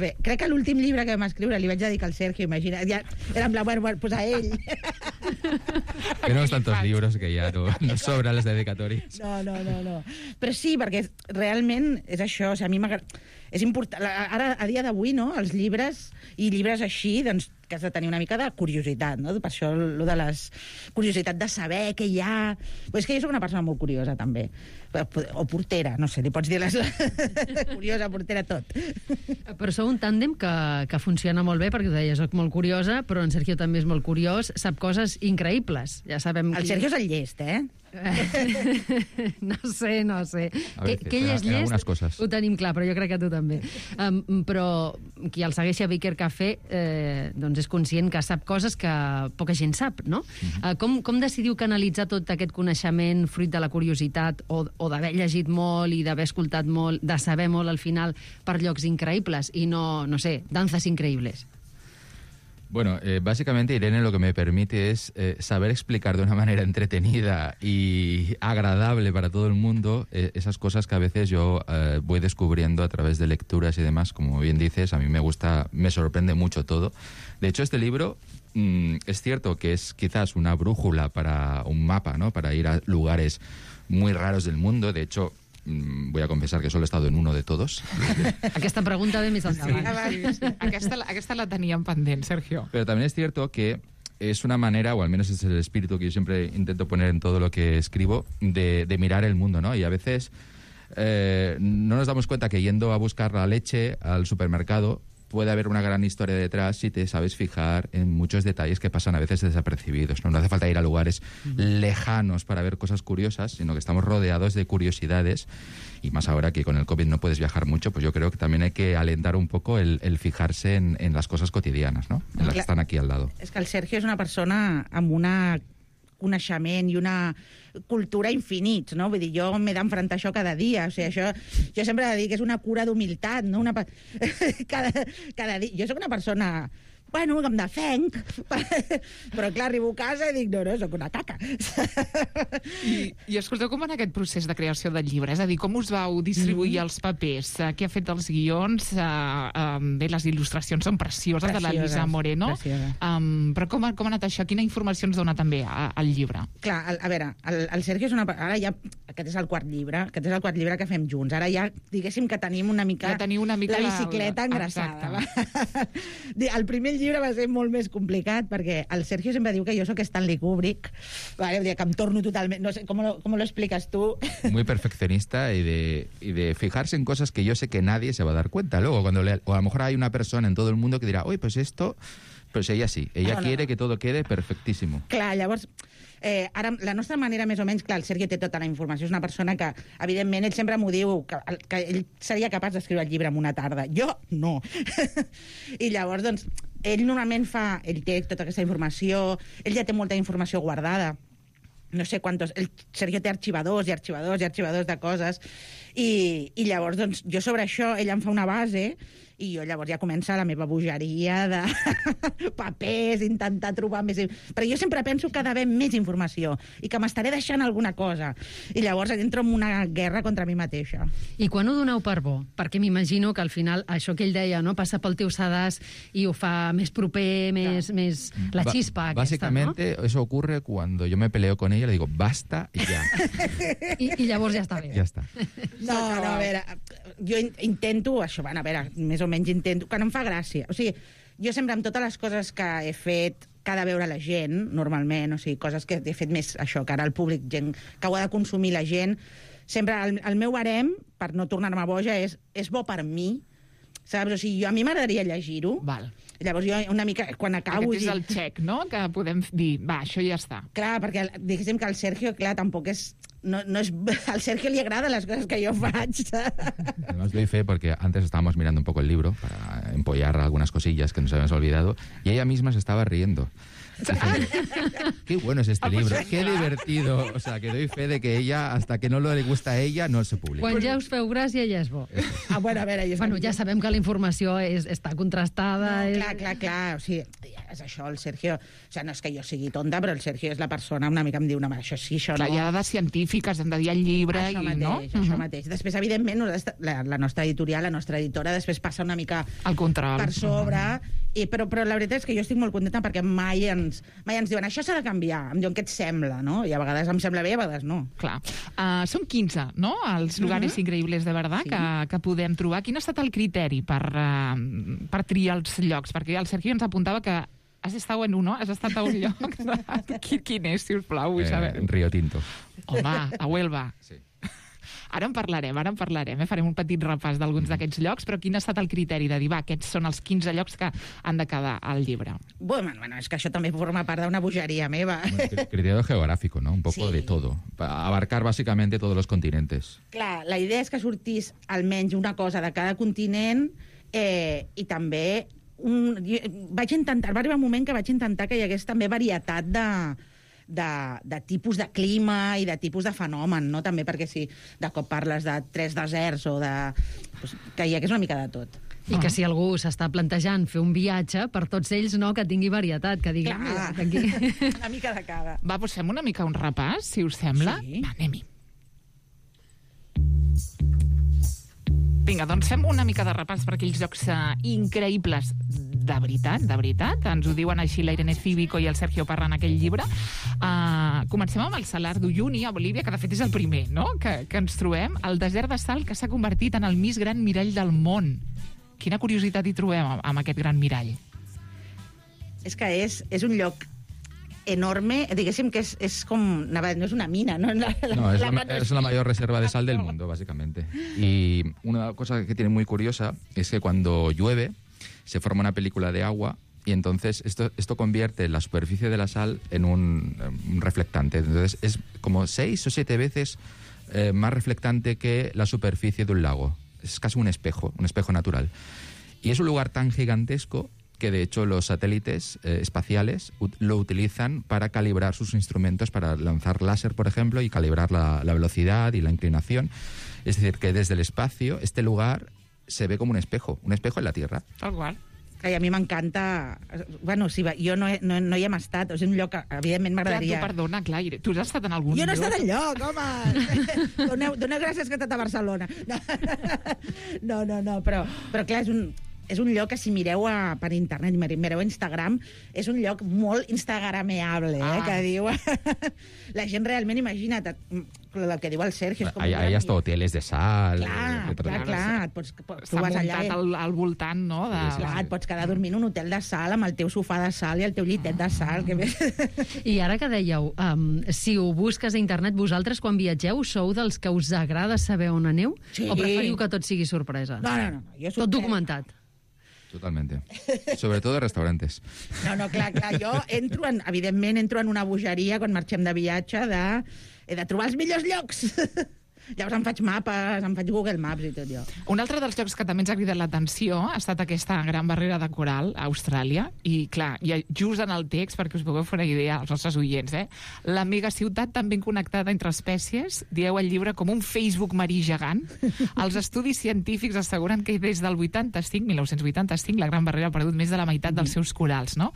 fer. Crec que l'últim llibre que vam escriure li vaig dedicar al Sergio, imagina, ja era en blanc, pues a ell. Tenemos tantos libros que ja no sobran les dedicatòries. No. Però sí, perquè realment és això, o sigui, a mi m'agrada... És important, ara, a dia d'avui, no?, els llibres i llibres així, doncs que has de tenir una mica de curiositat, no? Per això, lo de la curiositat de saber què hi ha... Però és que jo soc una persona molt curiosa, també. O portera, no sé, li pots dir les... curiosa, portera, tot. Però sou un tàndem que funciona molt bé, perquè ho deia, soc molt curiosa, però en Sergio també és molt curiós, sap coses increïbles. Ja sabem... El Sergio és el llest, eh? No sé. A veces, que ell és en algunas llest, cosas. ho tenim clar, però jo crec que tu també. Però qui el segueixi a Baker Café doncs és conscient que sap coses que poca gent sap, no? Com decidiu canalitzar tot aquest coneixement fruit de la curiositat o d'haver llegit molt i d'haver escoltat molt, de saber molt al final per llocs increïbles i no sé, danzas increïbles? Bueno, básicamente Irene lo que me permite es saber explicar de una manera entretenida y agradable para todo el mundo esas cosas que a veces yo voy descubriendo a través de lecturas y demás. Como bien dices, a mí me sorprende mucho todo. De hecho, este libro es cierto que es quizás una brújula para un mapa, ¿no? Para ir a lugares muy raros del mundo. De hecho, voy a confesar que solo he estado en uno de todos. Aquesta pregunta ve més endavant. Sí. Aquesta la teníem pendent, Sergio. Pero también es cierto que es una manera, o al menos es el espíritu que yo siempre intento poner en todo lo que escribo, de mirar el mundo, ¿no? Y a veces no nos damos cuenta que yendo a buscar la leche al supermercado puede haber una gran historia detrás si te sabes fijar en muchos detalles que pasan a veces desapercibidos, ¿no? No hace falta ir a lugares lejanos para ver cosas curiosas, sino que estamos rodeados de curiosidades, y más ahora que con el COVID no puedes viajar mucho, pues yo creo que también hay que alentar un poco el fijarse en las cosas cotidianas, ¿no? En las que están aquí al lado. És que el Sergio és una persona amb una coneixement i una cultura infinits, no? Vull dir, jo m'he d'enfrontar això cada dia. O sigui, això, jo sempre he de dir que és una cura d'humilitat, no? Cada dia. Jo sóc una persona... Bueno, em defenc, però clar, arribo a casa i dic, no, sóc una caca. I escolteu, com en aquest procés de creació del llibre? És a dir, com us vau distribuir els papers? Què ha fet els guions? Bé, les il·lustracions són precioses de la Lisa Moreno. Però com ha anat això? Quina informació ens dona també al llibre? Clar, a veure, el Sergio és una... Ara ja... Aquest és el quart llibre que fem junts. Ara ja, diguéssim que tenim una mica la bicicleta engraçada. El primer llibre va ser molt més complicat perquè el Sergio sempre diu que jo sóc Stanley Kubrick, vale? Que em torno totalment... No sé, ¿cómo lo explicas tú? Muy perfeccionista y de fijarse en cosas que yo sé que nadie se va a dar cuenta. Luego, cuando o a lo mejor hay una persona en todo el mundo que dirá, oye, pues esto... Pues ella sí, ella quiere que todo quede perfectísimo. Clar, llavors... Ara, la nostra manera, més o menys, clar, el Sergio té tota la informació, és una persona que, evidentment, ell sempre m'ho diu, que ell seria capaç d'escriure el llibre en una tarda. Jo, no. I llavors, doncs, ell normalment ell té tota aquesta informació, ell ja té molta informació guardada, no sé quantos... El Sergio té arxivadors i arxivadors i arxivadors de coses, i llavors, doncs, jo sobre això, ell em fa una base, i jo llavors ja comença la meva bogeria de papers, intentar trobar més... Però jo sempre penso que ha d'haver més informació i que m'estaré deixant alguna cosa. I llavors entro en una guerra contra mi mateixa. I quan ho doneu per bo? Perquè m'imagino que al final això que ell deia, no, passa pel teu sedàs i ho fa més proper, més la xispa aquesta, básicamente, ¿no? Eso ocurre cuando yo me peleo con ella, le digo, basta y ya. I llavors ja està bé. Ja està. No, a veure, jo intento això, a veure, més o menys intento, que no em fa gràcia. O sigui, jo sempre amb totes les coses que he fet que ha de veure la gent, normalment, o sigui, coses que he fet més això, que ara el públic, gent que ho ha de consumir la gent, sempre el meu barem, per no tornar-me boja, és bo per mi, saps? O sigui, a mi m'agradaria llegir-ho. Val. Llavors jo una mica, quan acabo... Aquest és el check, no?, que podem dir, va, això ja està. Clar, perquè diguéssim que el Sergio, clar, tampoc és... No es, al Sergio le agradan las cosas que yo faig. Además doy fe porque antes estábamos mirando un poco el libro para empollar algunas cosillas que nos habíamos olvidado y ella misma se estaba riendo. Qué bueno es este libro, qué divertido. O sea, que doy fe de que ella, hasta que no le gusta a ella, no se publica. Quan ja us feu gràcia, ja és bo. Bueno, a veure... Ja sabem que la informació està contrastada. No, clar. O sigui, és això, el Sergio... O sigui, no és que jo sigui tonta, però el Sergio és la persona una mica em diu, no, això sí, això no... Clar, hi ha dades científiques, hem de dir el llibre això i mateix, no? Això mateix. Després, evidentment, la nostra editorial, la nostra editora, després passa una mica el control per sobre, però la veritat és que jo estic molt contenta perquè mai ens diuen, això s'ha de canviar, em diuen què et sembla, no? I a vegades em sembla bé, a vegades no. Clar. Són 15, no?, els lugares increïbles de verdad que podem trobar. Quin ha estat el criteri per triar els llocs? Perquè el Sergio ens apuntava que Has estat en uno? Has estat a un lloc? Quin és, si us plau, vull saber. Rio Tinto. Home, a Huelva. Sí. Ara en parlarem. Farem un petit repàs d'alguns d'aquests llocs, però quin ha estat el criteri de dir, va, aquests són els 15 llocs que han de quedar al llibre? Bueno, és que això també forma part d'una bogeria meva. Bueno, criterio geográfico, ¿no? Un poco de todo. Abarcar bàsicament todos los continentes. Clar, la idea és que sortís almenys una cosa de cada continent i també va arribar un moment que vaig intentar que hi hagués també varietat de tipus de clima i de tipus de fenomen, no? També perquè si de cop parles de 3 deserts o que hi hagués una mica de tot. I que si algú s'està plantejant fer un viatge, per tots ells, no, que tingui varietat, que digui... Clar, una mica de cada. Va, doncs fem una mica un repàs, si us sembla. Sí. Va, anem-hi. Vinga, doncs fem una mica de repàs per aquells llocs increïbles de veritat. Ens ho diuen així la Irene Cívico i el Sergio Parra en aquell llibre. Comencem amb el Salar d'Uyuni, a Bolívia, que de fet és el primer, no?, que ens trobem. El desert de sal que s'ha convertit en el més gran mirall del món. Quina curiositat hi trobem amb aquest gran mirall? És que és un lloc enorme, diguéssim que és com... No és una mina, ¿no? Es la mayor reserva de sal del mundo, básicamente. Y una cosa que tiene muy curiosa es que cuando llueve se forma una película de agua y entonces esto convierte la superficie de la sal en un reflectante. Entonces es como 6 o 7 veces más reflectante que la superficie de un lago. Es casi un espejo natural. Y es un lugar tan gigantesco que de hecho los satélites espaciales lo utilizan para calibrar sus instrumentos, para lanzar láser, por ejemplo, y calibrar la velocidad y la inclinación. Es decir, que desde el espacio este lugar se ve como un espejo en la Tierra. Tal qual. I a mi m'encanta... Bueno, sí, jo no hi hem estat, és un lloc que evidentment m'agradaria... Clar, tu perdona, clar, tu has estat en algun lloc? Jo no he estat enlloc, home! Doneu gràcies que he estat a Barcelona. No, però clar, és un lloc que si mireu per internet, mireu a Instagram, és un lloc molt instagrameable, que diu... La gent realment, imagina't, el que diu el Sergio... Hay hasta hoteles de sal... Clar, tu vas allà... S'ha muntat al voltant, no? Clar, et pots quedar dormint en un hotel de sal amb el teu sofà de sal i el teu llitet de sal. I ara que dèieu, si ho busques a internet, vosaltres quan viatgeu sou dels que us agrada saber on aneu? Sí. O preferiu que tot sigui sorpresa? No. Tot documentat. Totalmente. Sobre todo restaurantes. No, clar, jo evidentment entro en una bogeria quan marxem de viatge he de trobar els millors llocs. Llavors em faig mapes, em faig Google Maps i tot jo. Un altre dels llocs que també ens ha cridat l'atenció ha estat aquesta gran barrera de coral a Austràlia. I, clar, just en el text, perquè us pugueu fer una idea als nostres oients, la megaciutat tan ben connectada entre espècies, dieu el llibre com un Facebook marí gegant. Els estudis científics asseguren que des del 1985, la gran barrera ha perdut més de la meitat dels seus corals, no?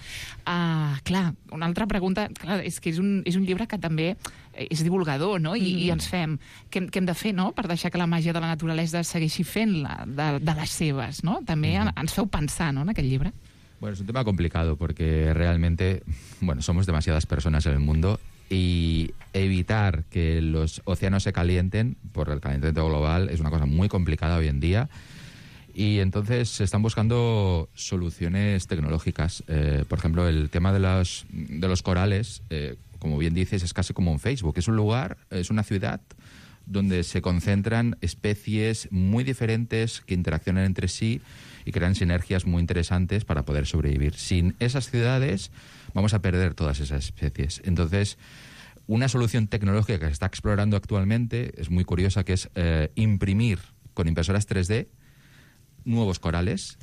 Clar, una altra pregunta, és que és un llibre que també és divulgador, no? I ens fem... Què hem de fer, no?, per deixar que la màgia de la naturalesa segueixi fent-la de les seves, no? També ens feu pensar, ¿no?, en aquest llibre. Bueno, es un tema complicado porque realmente, somos demasiadas personas en el mundo y evitar que los océanos se calienten por el calentamiento global es una cosa muy complicada hoy en día. Y entonces se están buscando soluciones tecnológicas. Por ejemplo, el tema de los corales, como bien dices, es casi como un Facebook. Es un lugar, es una ciudad donde se concentran especies muy diferentes que interaccionan entre sí y crean sinergias muy interesantes para poder sobrevivir. Sin esas ciudades vamos a perder todas esas especies. Entonces, una solución tecnológica que se está explorando actualmente es muy curiosa, que es imprimir con impresoras 3D nuevos corales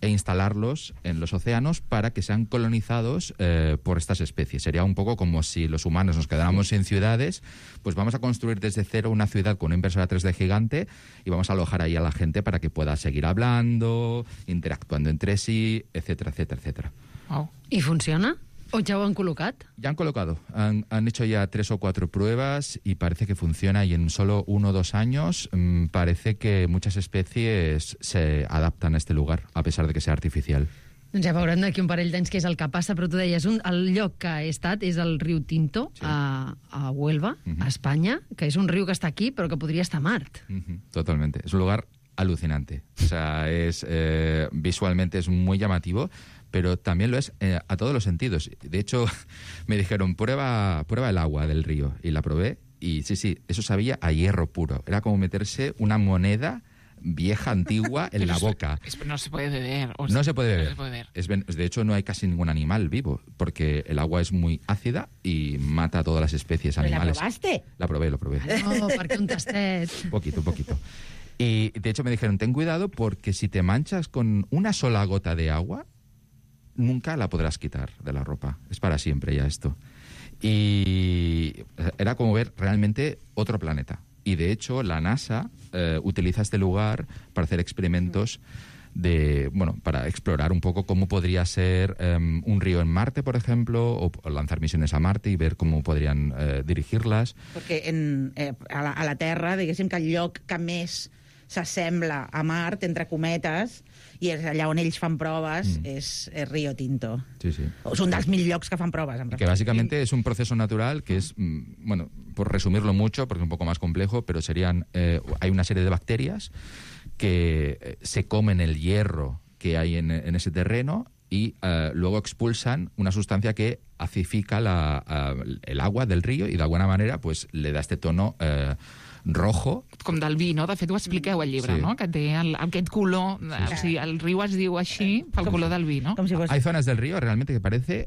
e instalarlos en los océanos para que sean colonizados por estas especies. Sería un poco como si los humanos nos quedáramos sin ciudades, pues vamos a construir desde cero una ciudad con una impresora 3D gigante y vamos a alojar ahí a la gente para que pueda seguir hablando, interactuando entre sí, etcétera, etcétera, etcétera. Oh. ¿Y funciona? ¿O ya lo han colocado? Ya han colocado. Han hecho ya 3 o 4 pruebas y parece que funciona, y en solo 1 o 2 años parece que muchas especies se adaptan a este lugar, a pesar de que sea artificial. Doncs ja veurem d'aquí un parell d'anys què és el que passa, però tu deies, el lloc que he estat és el riu Tinto, sí, a Huelva, a Espanya, que és un riu que està aquí, però que podria estar a Mart. Totalmente. Es un lugar alucinante. O sea, visualmente es muy llamativo, pero también lo es a todos los sentidos. De hecho, me dijeron, prueba el agua del río, y la probé, y sí, eso sabía a hierro puro. Era como meterse una moneda vieja, antigua, en la boca. No se puede beber. No se puede beber. De hecho, no hay casi ningún animal vivo, porque el agua es muy ácida y mata a todas las especies animales. ¿La probaste? La probé. No, perquè un tastet. Un poquito. Y de hecho me dijeron, ten cuidado porque si te manchas con una sola gota de agua, nunca la podrás quitar de la ropa. Es para siempre ya esto. Y era como ver realmente otro planeta. Y de hecho la NASA utiliza este lugar para hacer experimentos para explorar un poco cómo podría ser un río en Marte, por ejemplo, o lanzar misiones a Marte y ver cómo podrían dirigirlas. Perquè a la Terra, diguéssim que el lloc que més s'assembla a Mart, entre cometes, i és allà on ells fan proves, és Río Tinto. Sí. És un dels 1000 llocs que fan proves. Que básicamente es un proceso natural que es, por resumirlo mucho, porque es un poco más complejo, pero hay una serie de bacterias que se comen el hierro que hay en ese terreno y luego expulsan una sustancia que acidifica el agua del río y de alguna manera pues le da este tono rojo. Com del vi, no? De fet, ho expliqueu al llibre, no? Que té aquest color... O sigui, el riu es diu així pel color del vi, no? Hay zonas del río realmente que parece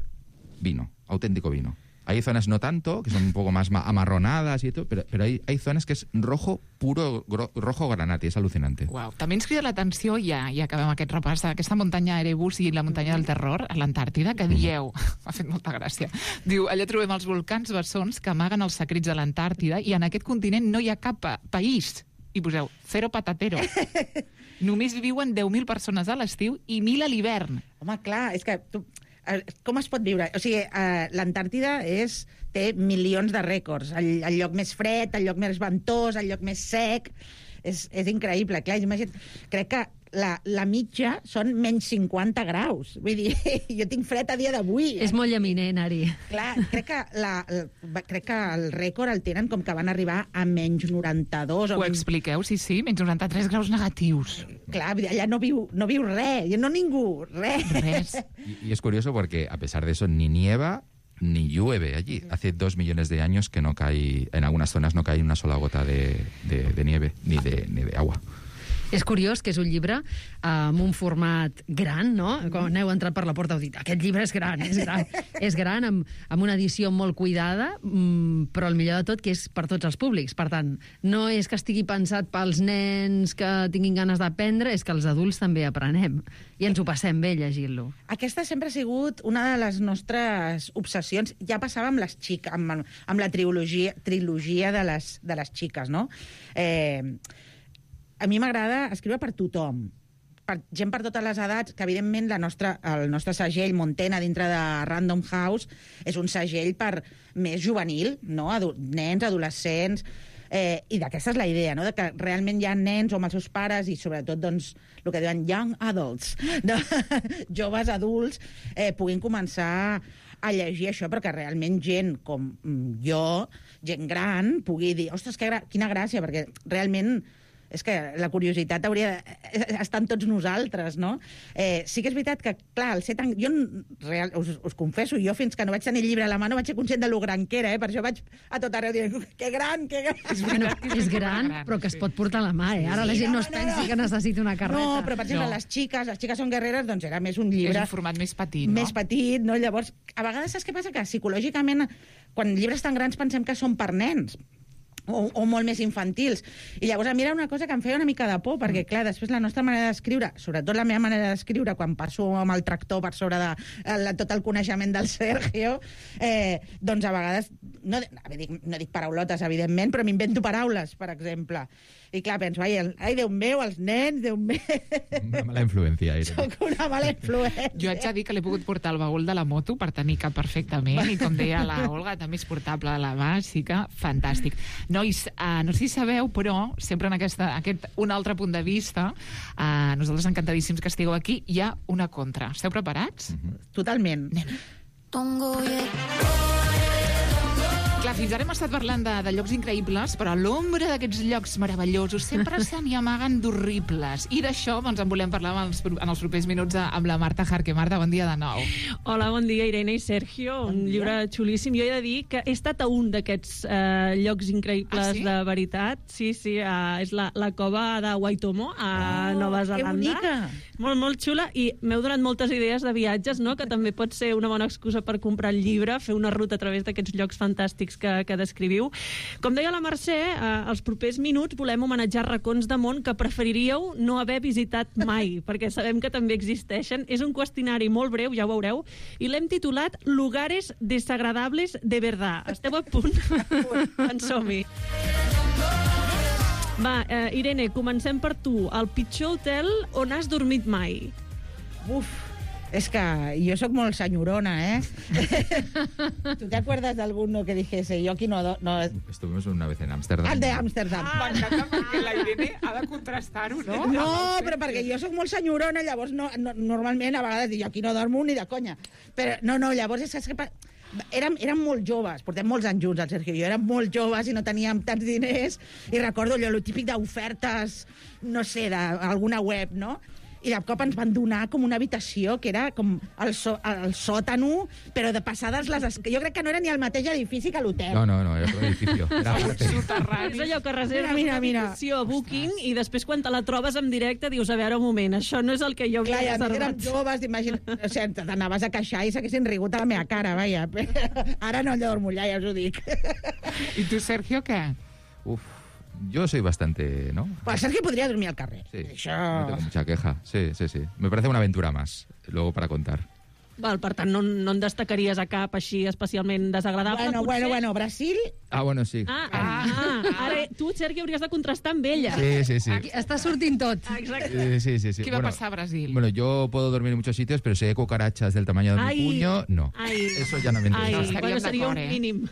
vino, auténtico vino. Hay zonas no tanto, que son un poco más amarronadas y todo, pero hay zonas que es rojo puro, rojo granate, és al·lucinante. Uau. També ens crida l'atenció, ja acabem aquest repàs, aquesta muntanya Erebus i la muntanya del terror, a l'Antàrtida, que dieu, m'ha fet molta gràcia, diu, allà trobem els volcans bessons que amaguen els secrets de l'Antàrtida i en aquest continent no hi ha cap país. I poseu, cero patatero. Només viuen 10.000 persones a l'estiu i 1.000 a l'hivern. Home, clar, és que... Com es pot viure? O sigui, l'Antàrtida té milions de rècords. El lloc més fred, el lloc més ventós, el lloc més sec. És increïble. Clar, imagina't, crec que la mitja són menys 50 graus. Vull dir, jo tinc fred a dia d'avui. És molt llaminent, Ari. Clar, crec que el rècord el tenen com que van arribar a menys 92. Ho expliqueu, sí, menys 93 graus negatius. Clar, allà no viu res, no ningú, res. Y es curioso porque a pesar de eso ni nieva ni llueve allí. Hace 2 millones de años que no cae, en algunas zonas no cae una sola gota de nieve ni de agua. És curiós que és un llibre amb un format gran, no? Quan aneu entrat per la porta heu dit, aquest llibre és gran. És gran, amb una edició molt cuidada, però el millor de tot que és per tots els públics. Per tant, no és que estigui pensat pels nens que tinguin ganes d'aprendre, és que els adults també aprenem. I ens ho passem bé llegint-lo. Aquesta sempre ha sigut una de les nostres obsessions. Ja passava amb les xiques, amb la trilogia de les xiques, no? A mi m'agrada escriure per tothom, per gent per totes les edats, que evidentment el nostre segell Montena dintre de Random House és un segell per més juvenil, no? Nens, adolescents, i d'aquesta és la idea, no? De que realment hi ha nens o amb els seus pares i sobretot doncs, el que diuen young adults, no? Joves adults, puguin començar a llegir això, però que realment gent com jo, gent gran, pugui dir, ostres, quina gràcia, perquè realment és que la curiositat hauria d'estar en tots nosaltres, no? Sí que és veritat que, clar, el ser tan... Jo, us confesso, jo fins que no vaig tenir el llibre a la mà no vaig ser conscient de lo gran que era, per això vaig a tot arreu dient, que gran, que gran. Bueno, és gran, però que es pot portar a la mà, Ara la gent no es pensi que necessita una carreta. No, però per exemple, les xiques són guerreres, doncs era més un llibre... És un format més petit, no? Més petit, no? Llavors, a vegades saps què passa? Que psicològicament, quan llibres tan grans pensem que són per nens, o molt més infantils. I llavors a mi era una cosa que em feia una mica de por, perquè clar, després la nostra manera d'escriure, sobretot la meva manera d'escriure, quan passo amb el tractor per sobre de tot el coneixement del Sergio, doncs a vegades, no dic paraulotes, evidentment, però m'invento paraules, per exemple. I clar, penso, ai, Déu meu, els nens, Déu meu... Una mala influència. Soc una mala influència. Jo haig de dir que l'he pogut portar al baúl de la moto per tenir cap perfectament, i com deia la Olga, també és portable a la mà, sí que fantàstic. Nois, no sé si sabeu, però sempre en aquest un altre punt de vista, nosaltres encantadíssims que estigueu aquí, hi ha una contra. Esteu preparats? Totalment. Tongo, Clar, fins ara hem estat parlant de llocs increïbles, però a l'ombra d'aquests llocs meravellosos sempre se n'hi amaguen d'horribles. I d'això doncs, en volem parlar en els propers minuts amb la Marta Jarque. Marta, bon dia de nou. Hola, bon dia, Irene i Sergio. Un llibre xulíssim. Jo he de dir que he estat a un d'aquests llocs increïbles de veritat. Sí, és la cova de Waitomo, a Nova Zelanda. Que bonica! Molt, molt xula, i m'heu donat moltes idees de viatges, no?, que també pot ser una bona excusa per comprar el llibre, fer una ruta a través d'aquests llocs fantàstics que descriviu. Com deia la Mercè, als propers minuts volem homenatjar racons de món que preferiríeu no haver visitat mai, perquè sabem que també existeixen. És un qüestionari molt breu, ja ho veureu, i l'hem titulat Lugares desagradables de verdad. Esteu a punt? En som-hi. Va, Irene, comencem per tu. El pitjor hotel on has dormit mai? Uf, es que yo soy molt señorona, ¿eh? ¿Tú te acuerdas de alguno que dijese, yo aquí no... Estuvimos una vez en Ámsterdam. El de Ámsterdam. M'encanta perquè la Irene ha de contrastar-ho, no? No, però perquè jo soc molt senyorona, llavors normalment a vegades dic, jo aquí no dormo ni de conya. Però no, llavors és que... Érem molt joves, portem molts anys junts, el Sergio i jo, érem molt joves i no teníem tants diners, i recordo allò, el típic d'ofertes, no sé, d'alguna web, no? I de cop ens van donar com una habitació que era com el sòtano, però de passades jo crec que no era ni el mateix edifici que l'hotel. No, era otro edificio. Era és allò que reserves una habitació a Booking i després quan te la trobes en directe dius, a veure, un moment, això no és el que jo havia reservat. Clar, érem joves, imagina't, o sigui, t'anaves a queixar i s'haguessin rigut a la meva cara, vaja. Ara no dormo allà, ja us ho dic. I tu, Sergio, què? Yo soy bastante, ¿no? Pues Sergio podría dormir al carrer. Sí, no tengo mucha queja. Sí. Me parece una aventura más, luego para contar. Val, per tant, no en destacaries a cap així especialment desagradable? Bueno, Brasil... Ah, bueno, sí. Ara tu, Sergi, hauries de contrastar amb ella. Sí. Aquí està sortint tot. Exacte. Sí. ¿Qué va a pasar a Brasil? Bueno, yo puedo dormir en muchos sitios, pero si hay cucarachas del tamaño de mi puño, no. Eso ya no me interesa. Bueno, sería un mínim.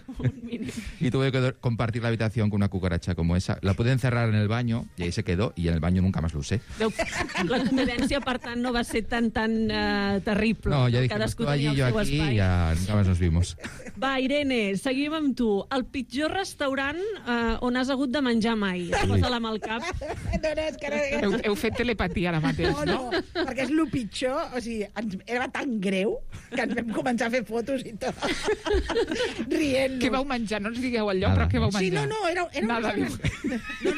Y tuve que compartir la habitación con una cucaracha como esa. La pude encerrar en el baño y ahí se quedó, y en el baño nunca más lo usé. La convivència, per tant, no va ser tan terrible. No, ja dijimos, tú allí, yo aquí, y ya nunca más nos vimos. Va, Irene, seguim amb tu. El pitjor restaurant on has hagut de menjar mai. Posa-la amb el cap. No, és que... Heu fet telepatia ara mateix, no? No, perquè és el pitjor. O sigui, era tan greu que ens vam començar a fer fotos i tot. Rient-nos. Què vau menjar? No ens digueu el lloc, però què vau menjar? Sí, era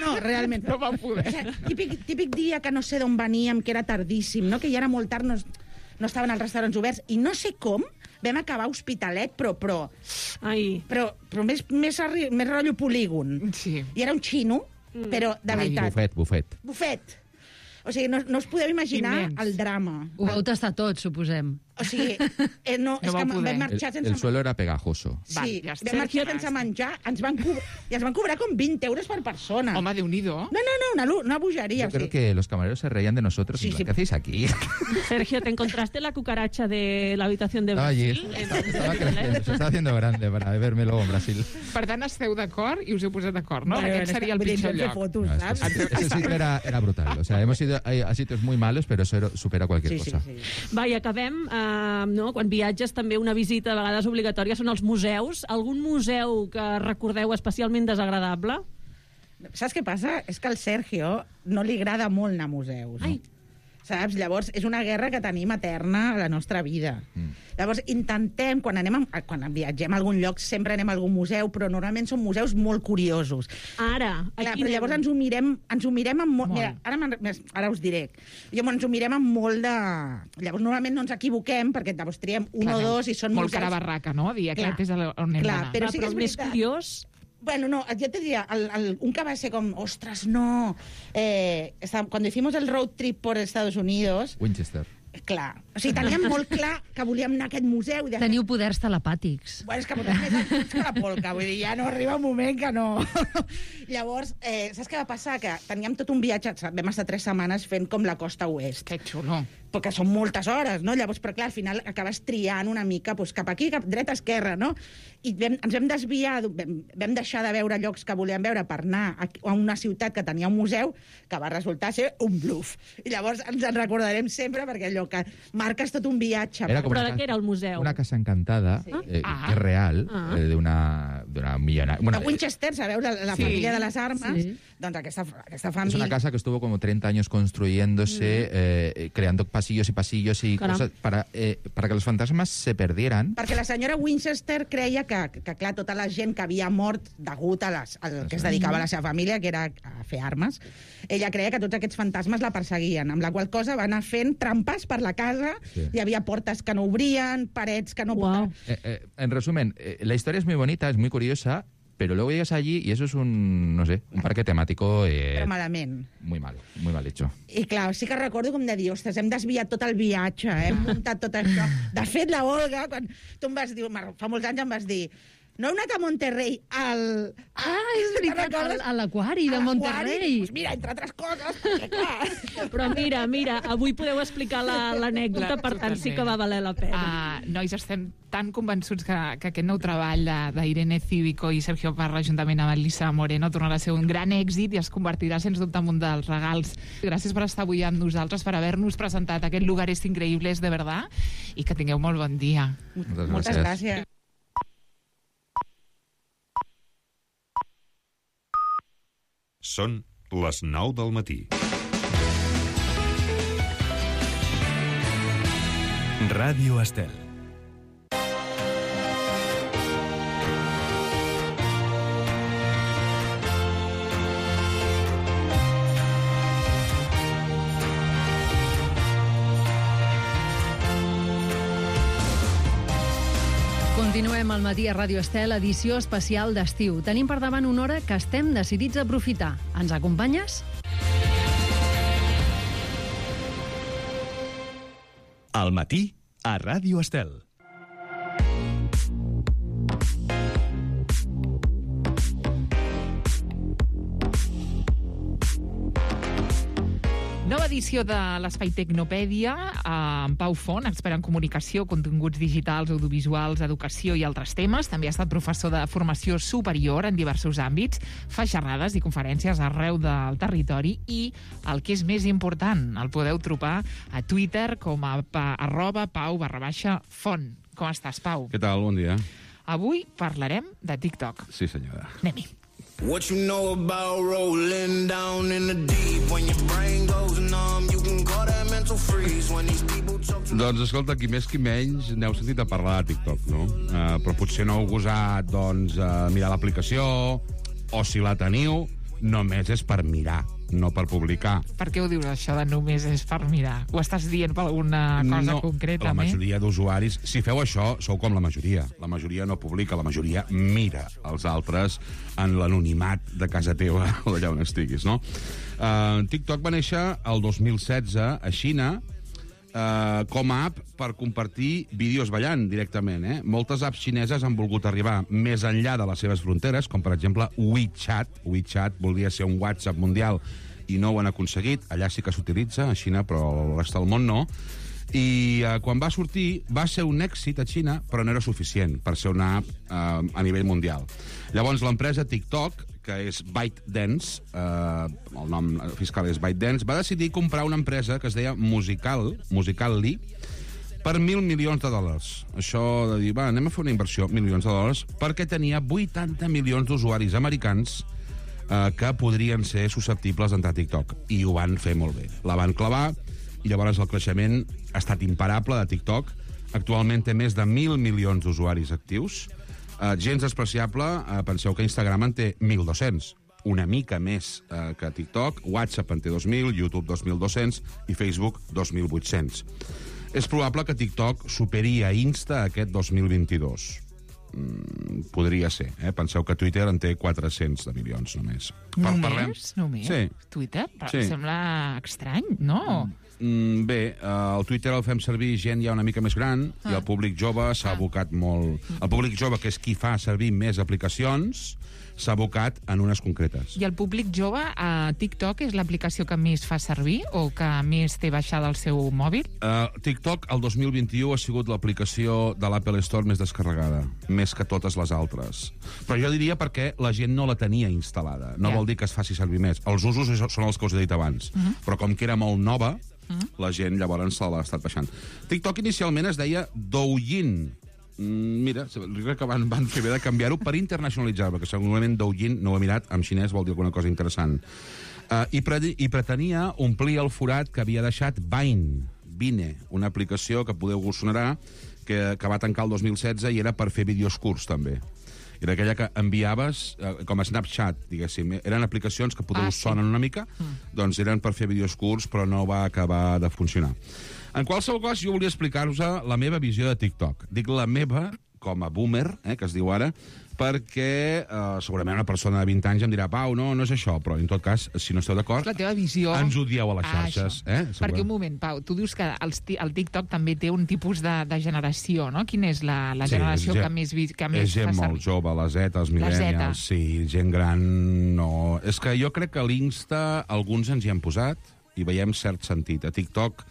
No, realment. No vau poder. Típic dia que no sé d'on veníem, que era tardíssim, no? Que ja era molt tard, no estaven els restaurants oberts, i no sé com vam acabar a Hospitalet, però més rotllo polígon. Sí. I era un xino, però de veritat. Bufet. O sigui, no us podeu imaginar el drama. Ho vau tastar tot, suposem. O sigui, no és que vam marxar sense... El suelo era pegajoso. Sí, vam marxar sense menjar, i ens van cobrar com 20 euros per persona. Home, Déu-n'hi-do. No, una bogeria. Yo creo que los camareros se reían de nosotros. Sí. ¿Qué hacéis aquí? Sergio, ¿te encontraste la cucaracha de la habitación de Brasil? Estaba creciendo, se estaba haciendo grande para verme luego en Brasil. Per tant, esteu d'acord i us heu posat d'acord, no? Aquest seria el pitjor lloc. Ese sitio era brutal. O sea, hemos ido a sitios muy malos, pero eso supera cualquier cosa. Va, i acabem... quan viatges també una visita a vegades obligatòria són els museus. Algun museu que recordeu especialment desagradable? Saps què passa? És que al Sergio no li agrada molt anar a museus. Saps? Llavors, és una guerra que tenim eterna a la nostra vida. Llavors, intentem, quan viatgem a algun lloc, sempre anem a algun museu, però normalment són museus molt curiosos. Ara, aquí però llavors ens ho mirem amb molt... Mira, ara us diré. Ens ho mirem amb molt de... Llavors, normalment no ens equivoquem, perquè llavors triem un o dos i són molt cara barraca, no? Dir, aquest és on hem d'anar. Però sí que és més curiós... Bueno, no, yo te diría, un que va a ser como, ostras, no. Cuando hicimos el road trip por Estados Unidos... Winchester. Clar. O sigui, teníem molt clar que volíem anar a aquest museu. Teniu poders telepàtics. Bueno, és que portem més anys que la polca, vull dir, ja no arriba un moment que no... Llavors, saps què va passar? Que teníem tot un viatge, vam estar 3 setmanes fent com la costa oest. Que xulo. Perquè són moltes hores, no? Llavors, però clar, al final acabes triant una mica cap aquí, cap dreta, esquerra, no? I ens vam desviar, vam deixar de veure llocs que volíem veure per anar a una ciutat que tenia un museu, que va resultar ser un bluff. I llavors ens en recordarem sempre, perquè allò que marques tot un viatge. Era com Però de què era el museu? Una casa encantada, que és real, d'una milionària... De Winchester, sabeu, la família de les armes, doncs aquesta família... Es una casa que estuvo como 30 años construyéndose, creando pasillos y pasillos y cosas para que los fantasmas se perdieran. Perquè la senyora Winchester creia que clar, tota la gent que havia mort degut al que es dedicava a la seva família, que era a fer armes, ella creia que tots aquests fantasmes la perseguien, amb la qual cosa va anar fent trampes per la casa, hi havia portes que no obrien, parets que no... En resumen, la historia es muy bonita, es muy curiosa, pero luego llegas allí y eso es un parque temático... Però malament. Muy mal hecho. I clar, sí que recordo com de dir, ostres, hem desviat tot el viatge, hem muntat tot això. De fet, la Olga, quan tu em vas dir, fa molts anys em vas dir, no heu anat a Monterrey és veritat, a l'aquari de Monterrey. Doncs mira, entre altres coses, perquè clar... Però mira, avui podeu explicar l'anècdota, per tant sí que va valer la pena. Nois, estem tan convençuts que aquest nou treball d'Irene Cívico i Sergio Parra, juntament amb Elisa Moreno, tornarà a ser un gran èxit i es convertirà, sens dubte, en un dels regals. Gràcies per estar avui amb nosaltres, per haver-nos presentat aquest Lugares Increïbles de verdad, i que tingueu molt bon dia. Moltes gràcies. Són les 9 del matí. Ràdio Estel. Continuem al matí a Ràdio Estel, edició especial d'estiu. Tenim per davant una hora que estem decidits a aprofitar. Ens acompanyes? Al matí a Ràdio Estel. Nova edició de l'Espai Tecnopèdia amb Pau Font, expert en comunicació, continguts digitals, audiovisuals, educació i altres temes. També ha estat professor de formació superior en diversos àmbits, fa xerrades i conferències arreu del territori i, el que és més important, el podeu trobar a Twitter com a @pau_font. Com estàs, Pau? Què tal? Bon dia. Avui parlarem de TikTok. Sí, senyora. Anem-hi. What you know about rolling down in the deep? When your brain goes numb, you can call that mental freeze. When these people talk to... Doncs escolta, qui més qui menys n'heu sentit a parlar de TikTok, no? Però potser no heu gosat, doncs, mirar l'aplicació, o si la teniu, només és per mirar, no per publicar. Per què ho dius, això de només és per mirar? Ho estàs dient per alguna cosa concreta? La majoria d'usuaris, si feu això, sou com la majoria. La majoria no publica, la majoria mira els altres en l'anonimat de casa teva o d'allà on estiguis, no? TikTok va néixer el 2016 a Xina com a app per compartir vídeos ballant directament. Moltes apps xineses han volgut arribar més enllà de les seves fronteres, com per exemple WeChat. WeChat voldria ser un WhatsApp mundial i no ho han aconseguit. Allà sí que s'utilitza, a Xina, però el rest del món no. I quan va sortir va ser un èxit a Xina, però no era suficient per ser una app a nivell mundial. Llavors l'empresa TikTok, que és ByteDance, el nom fiscal és ByteDance, va decidir comprar una empresa que es deia Musical.ly per $1.000 milions. Això de dir, anem a fer una inversió, $1.000.000, perquè tenia 80 milions d'usuaris americans que podrien ser susceptibles d'entrar a TikTok. I ho van fer molt bé. La van clavar, i llavors el creixement ha estat imparable de TikTok. Actualment té més de 1.000 milions d'usuaris actius. Gens despreciable, penseu que Instagram en té 1.200, una mica més que TikTok, WhatsApp en té 2.000, YouTube 2.200 i Facebook 2.800. És probable que TikTok superi a Insta aquest 2022. Podria ser, Penseu que Twitter en té 400 de milions només. Només? Sí. Twitter? Sí. Sembla estrany, no? Bé, el Twitter el fem servir gent ja una mica més gran i el públic jove s'ha abocat molt... El públic jove, que és qui fa servir més aplicacions, s'ha abocat en unes concretes. I el públic jove, a TikTok és l'aplicació que més fa servir o que més té baixada al seu mòbil? TikTok, el 2021, ha sigut l'aplicació de l'Apple Store més descarregada, més que totes les altres. Però jo diria perquè la gent no la tenia instal·lada. No vol dir que es faci servir més. Els usos són els que us he dit abans. Però com que era molt nova, la gent llavors se l'ha estat baixant. TikTok inicialment es deia Douyin. Mira, crec que van fer bé de canviar-ho per internacionalitzar, perquè segurament Douyin, no ho he mirat, en xinès vol dir alguna cosa interessant. I pretenia omplir el forat que havia deixat Vine, una aplicació que podeu sonarà, que va tancar el 2016 i era per fer vídeos curts, també. Era aquella que enviaves com a Snapchat, diguéssim. Eren aplicacions que potser us sonen una mica, doncs eren per fer vídeos curts, però no va acabar de funcionar. En qualsevol cas, jo volia explicar-vos la meva visió de TikTok. Dic la meva, com a boomer, que es diu ara, perquè segurament una persona de 20 anys em dirà Pau, no és això, però en tot cas, si no esteu d'acord, la teva visió... ens odieu a les xarxes. Perquè un moment, Pau, tu dius que el TikTok també té un tipus de generació, no? Quina és la generació que més fa servir? És gent molt jove, la Z, els millennials, sí, gent gran, no... És que jo crec que l'Insta, alguns ens hi han posat i veiem cert sentit. A TikTok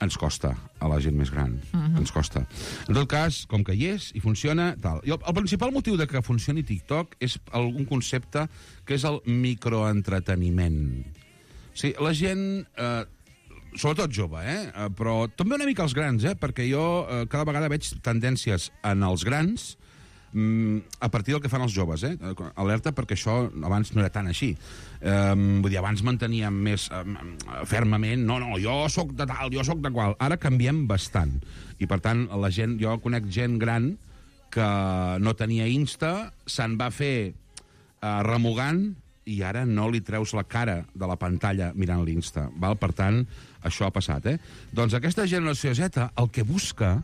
ens costa, a la gent més gran. Ens costa. En tot cas, com que hi és i funciona, tal. I el principal motiu de que funcioni TikTok és un concepte que és el microentreteniment. O sigui, la gent, sobretot jove, però també una mica els grans, perquè jo cada vegada veig tendències en els grans a partir del que fan els joves, alerta, perquè això abans no era tan així. Vull dir, abans manteníem més fermament, no, jo sóc de tal, jo sóc de qual. Ara canviem bastant. I, per tant, jo conec gent gran que no tenia Insta, se'n va fer remugant i ara no li treus la cara de la pantalla mirant l'Insta. Per tant, això ha passat. Doncs aquesta generació Z el que busca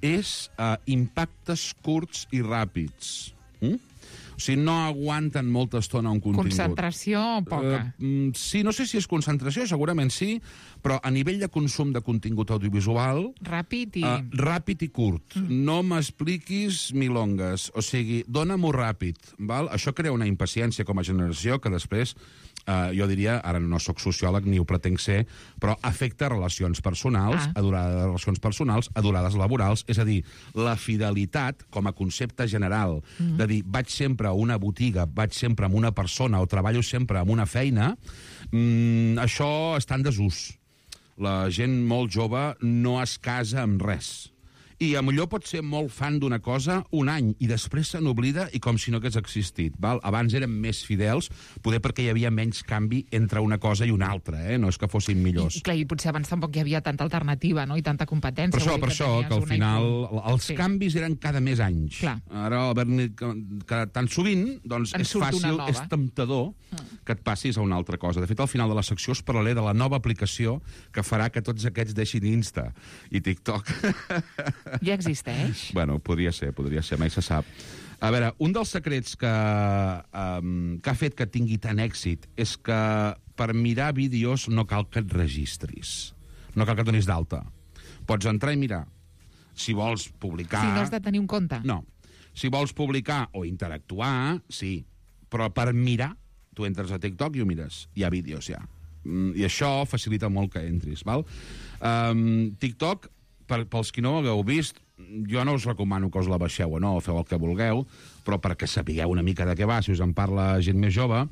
és impactes curts i ràpids. O sigui, no aguanten molta estona un contingut. Concentració poca. Sí, no sé si és concentració, segurament sí, però a nivell de consum de contingut audiovisual... Ràpid i curt. No m'expliquis milongues. O sigui, dóna-m'ho ràpid. Val? Això crea una impaciència com a generació que després... jo diria, ara no sóc sociòleg ni ho pretenc ser, però afecta relacions personals, a durades laborals, és a dir, la fidelitat com a concepte general, de dir, vaig sempre a una botiga, vaig sempre amb una persona o treballo sempre amb una feina, això està en desús. La gent molt jove no es casa amb res. I millor pot ser molt fan d'una cosa un any i després se n'oblida i com si no hagués existit. Val? Abans érem més fidels, poder perquè hi havia menys canvi entre una cosa i una altra, no és que fossin millors. I clar, i potser abans tampoc hi havia tanta alternativa, no? I tanta competència. Per això, que al final els canvis eren cada més anys. Clar. Ara, tan sovint, doncs és fàcil, és temptador que et passis a una altra cosa. De fet, al final de la secció us parlaré de la nova aplicació que farà que tots aquests deixin Insta i TikTok. Ja existeix? Bueno, podria ser, mai se sap. A veure, un dels secrets que ha fet que tingui tant èxit és que per mirar vídeos no cal que et registris. No cal que et donis d'alta. Pots entrar i mirar. Si vols publicar... Si no has de tenir un compte. No. Si vols publicar o interactuar, sí. Però per mirar, tu entres a TikTok i ho mires. Hi ha vídeos, ja. I això facilita molt que entris, val? TikTok... Pels qui no ho hagueu vist, jo no us recomano que us la baixeu o no, feu el que vulgueu, però perquè sapigueu una mica de què va, si us en parla gent més jove,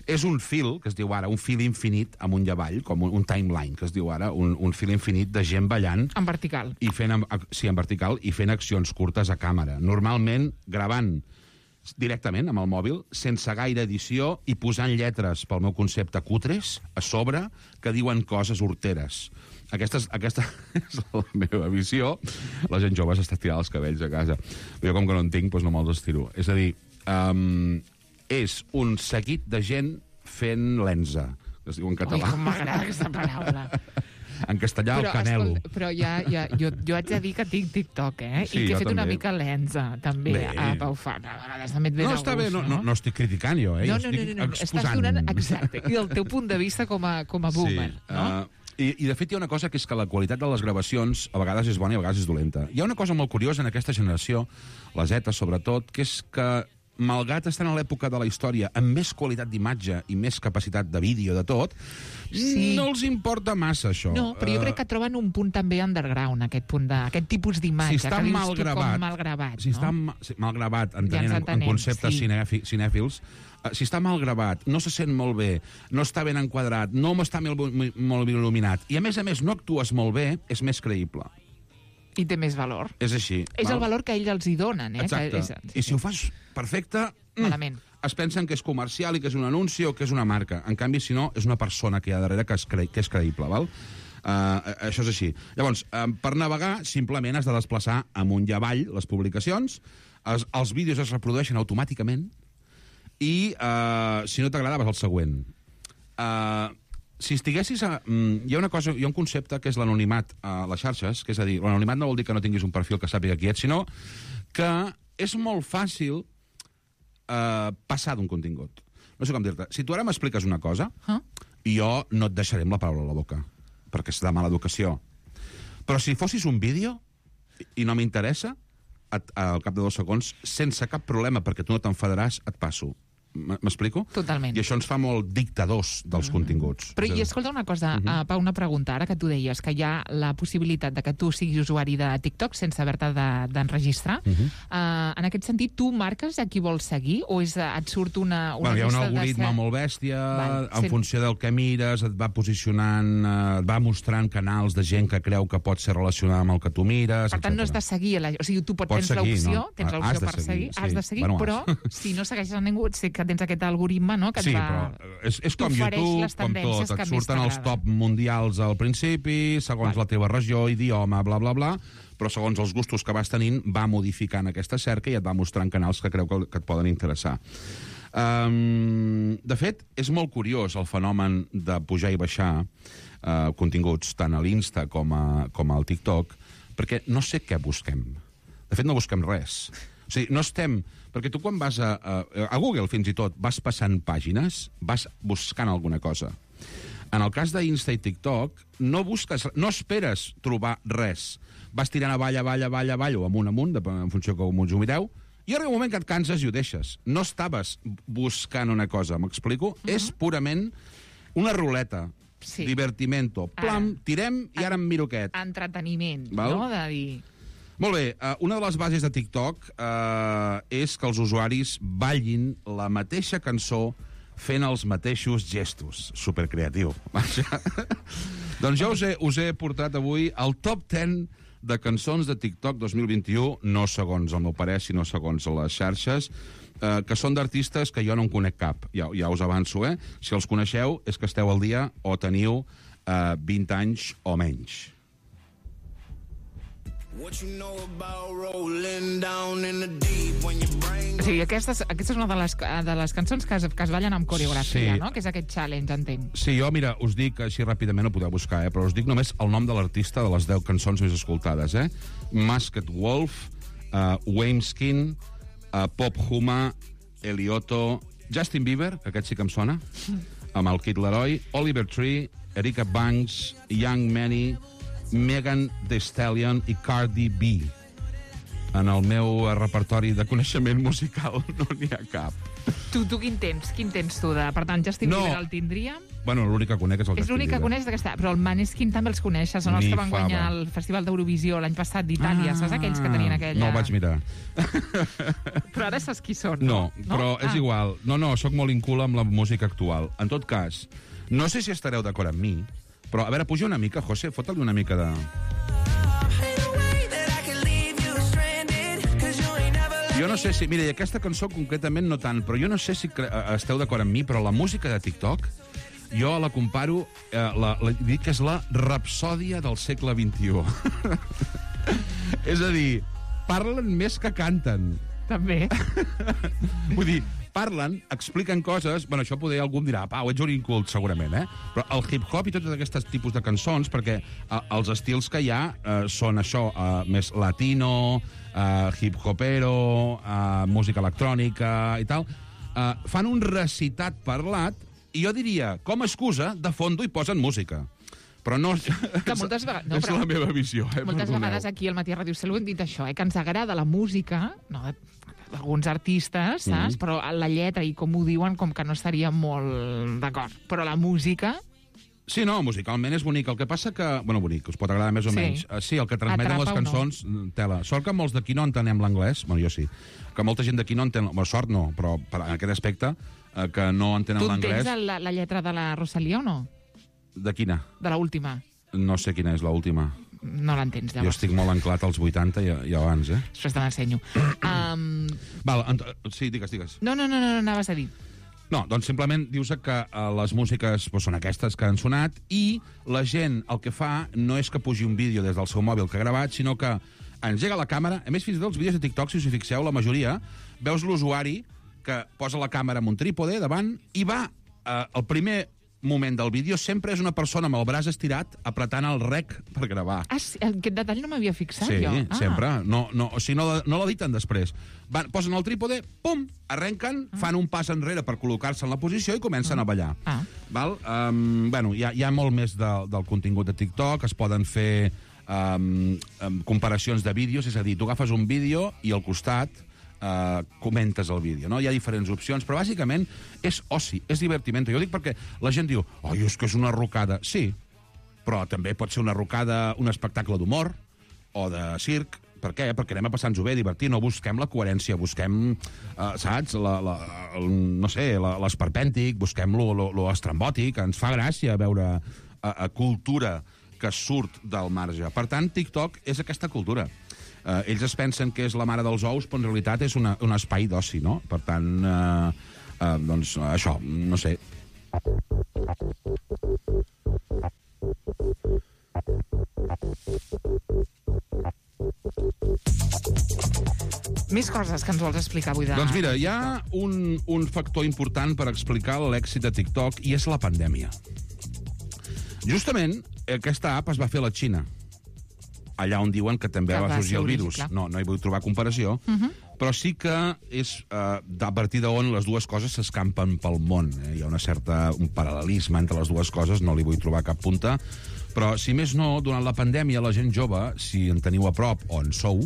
és un fil, que es diu ara, un fil infinit amunt i avall, com un timeline, que es diu ara, un fil infinit de gent ballant. En vertical. Sí, en vertical, i fent accions curtes a càmera. Normalment gravant directament amb el mòbil, sense gaire edició, i posant lletres, pel meu concepte, cutres, a sobre, que diuen coses horteres. Aquesta és la meva visió. La gent jove s'està estirant els cabells a casa. Jo, com que no en tinc, doncs no me'ls estiro. És a dir, és un seguit de gent fent lenza, que es diu en català. Ui, com m'agrada aquesta paraula. En castellà, el canelo. Però jo haig de dir que tinc TikTok, Sí, i que he fet també. una mica lenza, també, a Pau Fan. A vegades també et ve de gust, està bé, no estic criticant jo, No, estic exposant. estàs donant, exacte, i el teu punt de vista com a boomer, no? I de fet hi ha una cosa que és que la qualitat de les gravacions a vegades és bona i a vegades és dolenta. Hi ha una cosa molt curiosa en aquesta generació, la Z sobretot, que és que malgrat estan a l'època de la història amb més qualitat d'imatge i més capacitat de vídeo, de tot, no els importa massa, això. No, però jo crec que troben un punt també underground, aquest tipus d'imatge. Si està mal gravat, si està mal gravat, entenent en conceptes cinèfils, si està mal gravat, no se sent molt bé, no està ben enquadrat, no està molt ben il·luminat, i a més no actues molt bé, és més creïble. I té més valor. És així. És el valor que ells els hi donen. Exacte. I si ho fas perfecte, malament. Es pensen que és comercial i que és un anunci o que és una marca. En canvi, si no, és una persona que hi ha darrere que és creïble, val? Això és així. Llavors, per navegar, simplement has de desplaçar amunt i avall les publicacions, els vídeos es reprodueixen automàticament i, si no t'agrada, vas al següent. Si estiguessis hi ha un concepte que és l'anonimat a les xarxes, que és a dir, l'anonimat no vol dir que no tinguis un perfil que sàpiga qui ets, sinó que és molt fàcil passar d'un contingut. No sé com dir-te. Si tu ara m'expliques una cosa, jo no et deixaré amb la paraula a la boca, perquè és de mala educació. Però si fossis un vídeo i no m'interessa, al cap de 2 segons, sense cap problema, perquè tu no t'enfadaràs, et passo. M'explico? Totalment. I això ens fa molt dictadors dels continguts. Però, i escolta una cosa, Pau, una pregunta, ara que tu deies que hi ha la possibilitat de que tu siguis usuari de TikTok sense haver-te d'enregistrar. En aquest sentit, tu marques a qui vols seguir o et surt una hi ha un algoritme molt bèstia, en funció del que mires, et va posicionant, et va mostrant canals de gent que creu que pot ser relacionada amb el que tu mires, Per tant, no has de seguir, o sigui, tu tens l'opció per seguir, has de seguir, però si no segueixes a ningú, sé que tens aquest algoritme, no?, que et va... però és com YouTube, com tot. Et surten els top mundials al principi, segons la teva regió, idioma, bla, bla, bla, però segons els gustos que vas tenint, va modificant aquesta cerca i et va mostrant canals que creu que et poden interessar. De fet, és molt curiós el fenomen de pujar i baixar continguts tant a l'Insta com al TikTok, perquè no sé què busquem. De fet, no busquem res. O sigui, no estem... Perquè tu quan vas a Google, fins i tot, vas passant pàgines, vas buscant alguna cosa. En el cas d'Insta i TikTok, no esperes trobar res. Vas tirant avall o amunt, en funció com us ho mireu, i arriba un moment que et canses i ho deixes. No estaves buscant una cosa, m'explico? És purament una ruleta. Divertimento. Plam, tirem i ara em miro aquest. Entreteniment, no?, de dir... Molt bé, una de les bases de TikTok és que els usuaris ballin la mateixa cançó fent els mateixos gestos. Supercreatiu. Doncs jo us he portat avui el top 10 de cançons de TikTok 2021, no segons el meu parer, sinó segons les xarxes, que són d'artistes que jo no en conec cap. Ja us avanço, Si els coneixeu és que esteu al dia o teniu 20 anys o menys. O sigui, aquesta és una de les cançons que es ballen amb coreografia, no? Que és aquest challenge, entenc. Sí, jo, mira, us dic, així ràpidament ho podeu buscar, però us dic només el nom de l'artista de les 10 cançons més escoltades, Masked Wolf, Wamskin, Pop Huma, Elioto, Justin Bieber, que aquest sí que em sona, amb el Kid Laroi, Oliver Tree, Erika Banks, Young Manny, Megan Thee Stallion i Cardi B. En el meu repertori de coneixement musical no n'hi ha cap. Tu quin tens? Per tant, Justin Bieber el tindríem? Bueno, l'únic que conec és el Justin Bieber. És l'únic que coneix d'aquesta... Però el Maneskin també els coneixes, són els que van guanyar el Festival d'Eurovisió l'any passat d'Itàlia. Saps aquells que tenien aquella... No ho vaig mirar. Però ara saps qui són, no? Però és igual. No, sóc molt incul amb la música actual. En tot cas, no sé si estareu d'acord amb mi, però, a veure, puja una mica, José, fota-li una mica de... Jo no sé si... Mira, i aquesta cançó concretament no tant, però jo no sé si esteu d'acord amb mi, però la música de TikTok, jo la comparo, dic que és la rapsòdia del segle XXI. És a dir, parlen més que canten. També. Vull dir, parlen, expliquen coses... Bueno, això poder algú em dirà, Pau, ets un incult, segurament, Però el hip-hop i tots aquests tipus de cançons, perquè els estils que hi ha són això, més latino, hip-hopero, música electrònica i tal, fan un recitat parlat, i jo diria, com a excusa, de fondo hi posen música. Però no... Que moltes vegades... No, és la meva visió, moltes vegades aquí al Matí a Ràdio Estel ho hem dit això, que ens agrada la música, no, alguns artistes, saps? Però la lletra i com ho diuen, com que no estaria molt d'acord. Però la música... Sí, no, musicalment és bonic. El que passa que... Bueno, bonic, us pot agradar més o menys. Sí, el que transmeten les cançons, tela. Sort que molts d'aquí no entenem l'anglès, bueno, jo sí, que molta gent d'aquí no entén... Bueno, sort no, però en aquest aspecte, que no entenen l'anglès... Tu entens la lletra de la Rosalía o no? De quina? De l'última. No sé quina és l'última. No l'entens, llavors. Jo estic molt anclat als 80 i abans, Després te l'ensenyo. Sí, digues. No, anaves a dir. No, doncs simplement dius que les músiques són aquestes que han sonat i la gent el que fa no és que pugi un vídeo des del seu mòbil que ha gravat, sinó que engega la càmera. A més, fins i tot els vídeos de TikTok, si us hi fixeu, la majoria, veus l'usuari que posa la càmera amb un trípode davant i va, el primer moment del vídeo sempre és una persona amb el braç estirat apretant el rec per gravar. Aquest detall no m'havia fixat, jo. Sí, sempre. O sigui, no l'editen després. Posen el trípode, pum, arrenquen, fan un pas enrere per col·locar-se en la posició i comencen a ballar. Val? Bueno, hi ha molt més del contingut de TikTok, es poden fer comparacions de vídeos, és a dir, tu agafes un vídeo i al costat comentes el vídeo, no? Hi ha diferents opcions, però bàsicament és oci, és divertiment. Jo ho dic perquè la gent diu, és que és una rucada. Sí, però també pot ser una rucada, un espectacle d'humor o de circ. Per què? Perquè anem a passar-nos-ho bé, divertir, no busquem la coherència, busquem, saps, no sé, l'esperpèntic, busquem lo estrambòtic, ens fa gràcia veure cultura que surt del marge. Per tant, TikTok és aquesta cultura. Ells es pensen que és la mare dels ous, però en realitat és un espai d'oci, no? Per tant, doncs, això, no sé. Més coses que ens vols explicar avui. Doncs mira, hi ha un factor important per explicar l'èxit de TikTok i és la pandèmia. Justament, aquesta app es va fer a la Xina, allà on diuen que també va sorgir el virus. No hi vull trobar comparació, però sí que és a partir d'on les dues coses s'escampen pel món. Hi ha un paral·lelisme entre les dues coses, no li vull trobar cap punta, però si més no, durant la pandèmia la gent jove, si en teniu a prop o en sou,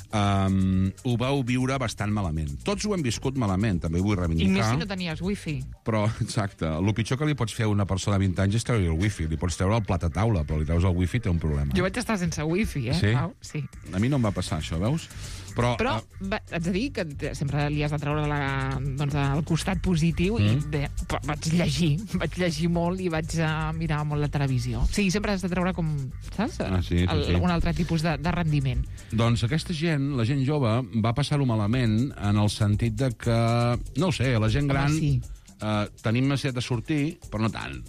ho vau viure bastant malament. Tots ho hem viscut malament, també ho vull reivindicar. I més si no tenies wifi. Però, exacte, el pitjor que li pots fer a una persona de 20 anys és treure el wifi. Li pots treure el plat a taula, però li treus el wifi té un problema. Jo vaig estar sense wifi, Sí? Pau? Sí. A mi no em va passar això, veus? Però haig de dir que sempre li has de treure el costat positiu i vaig llegir molt i vaig mirar molt la televisió. Sí, sempre has de treure com, saps? Un altre tipus de rendiment. Doncs aquesta gent, la gent jove, va passar-ho malament en el sentit de que, no ho sé, la gent gran tenim necessitat de sortir, però no tant.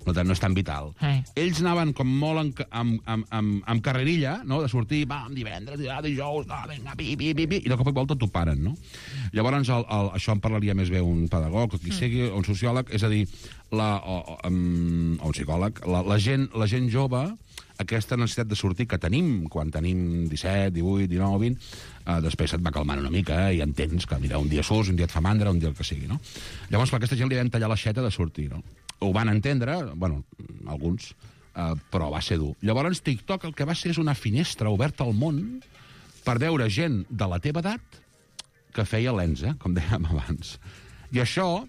No és tan vital. Ells anaven com molt amb carrerilla, no?, de sortir, divendres, dijous, vinga, i de cop i volta t'ho paren, no? Llavors, això en parlaria més bé un pedagog, o qui sigui, un sociòleg, és a dir, o un psicòleg, la gent jove, aquesta necessitat de sortir que tenim quan tenim 17, 18, 19, 20, després se't va calmant una mica i entens que, mira, un dia surts, un dia et fa mandra, un dia el que sigui, no? Llavors, a aquesta gent li vam tallar l'aixeta de sortir, no? Ho van entendre, bueno, alguns, però va ser dur. Llavors, TikTok el que va ser és una finestra oberta al món per veure gent de la teva edat que feia lensa, com dèiem abans. I això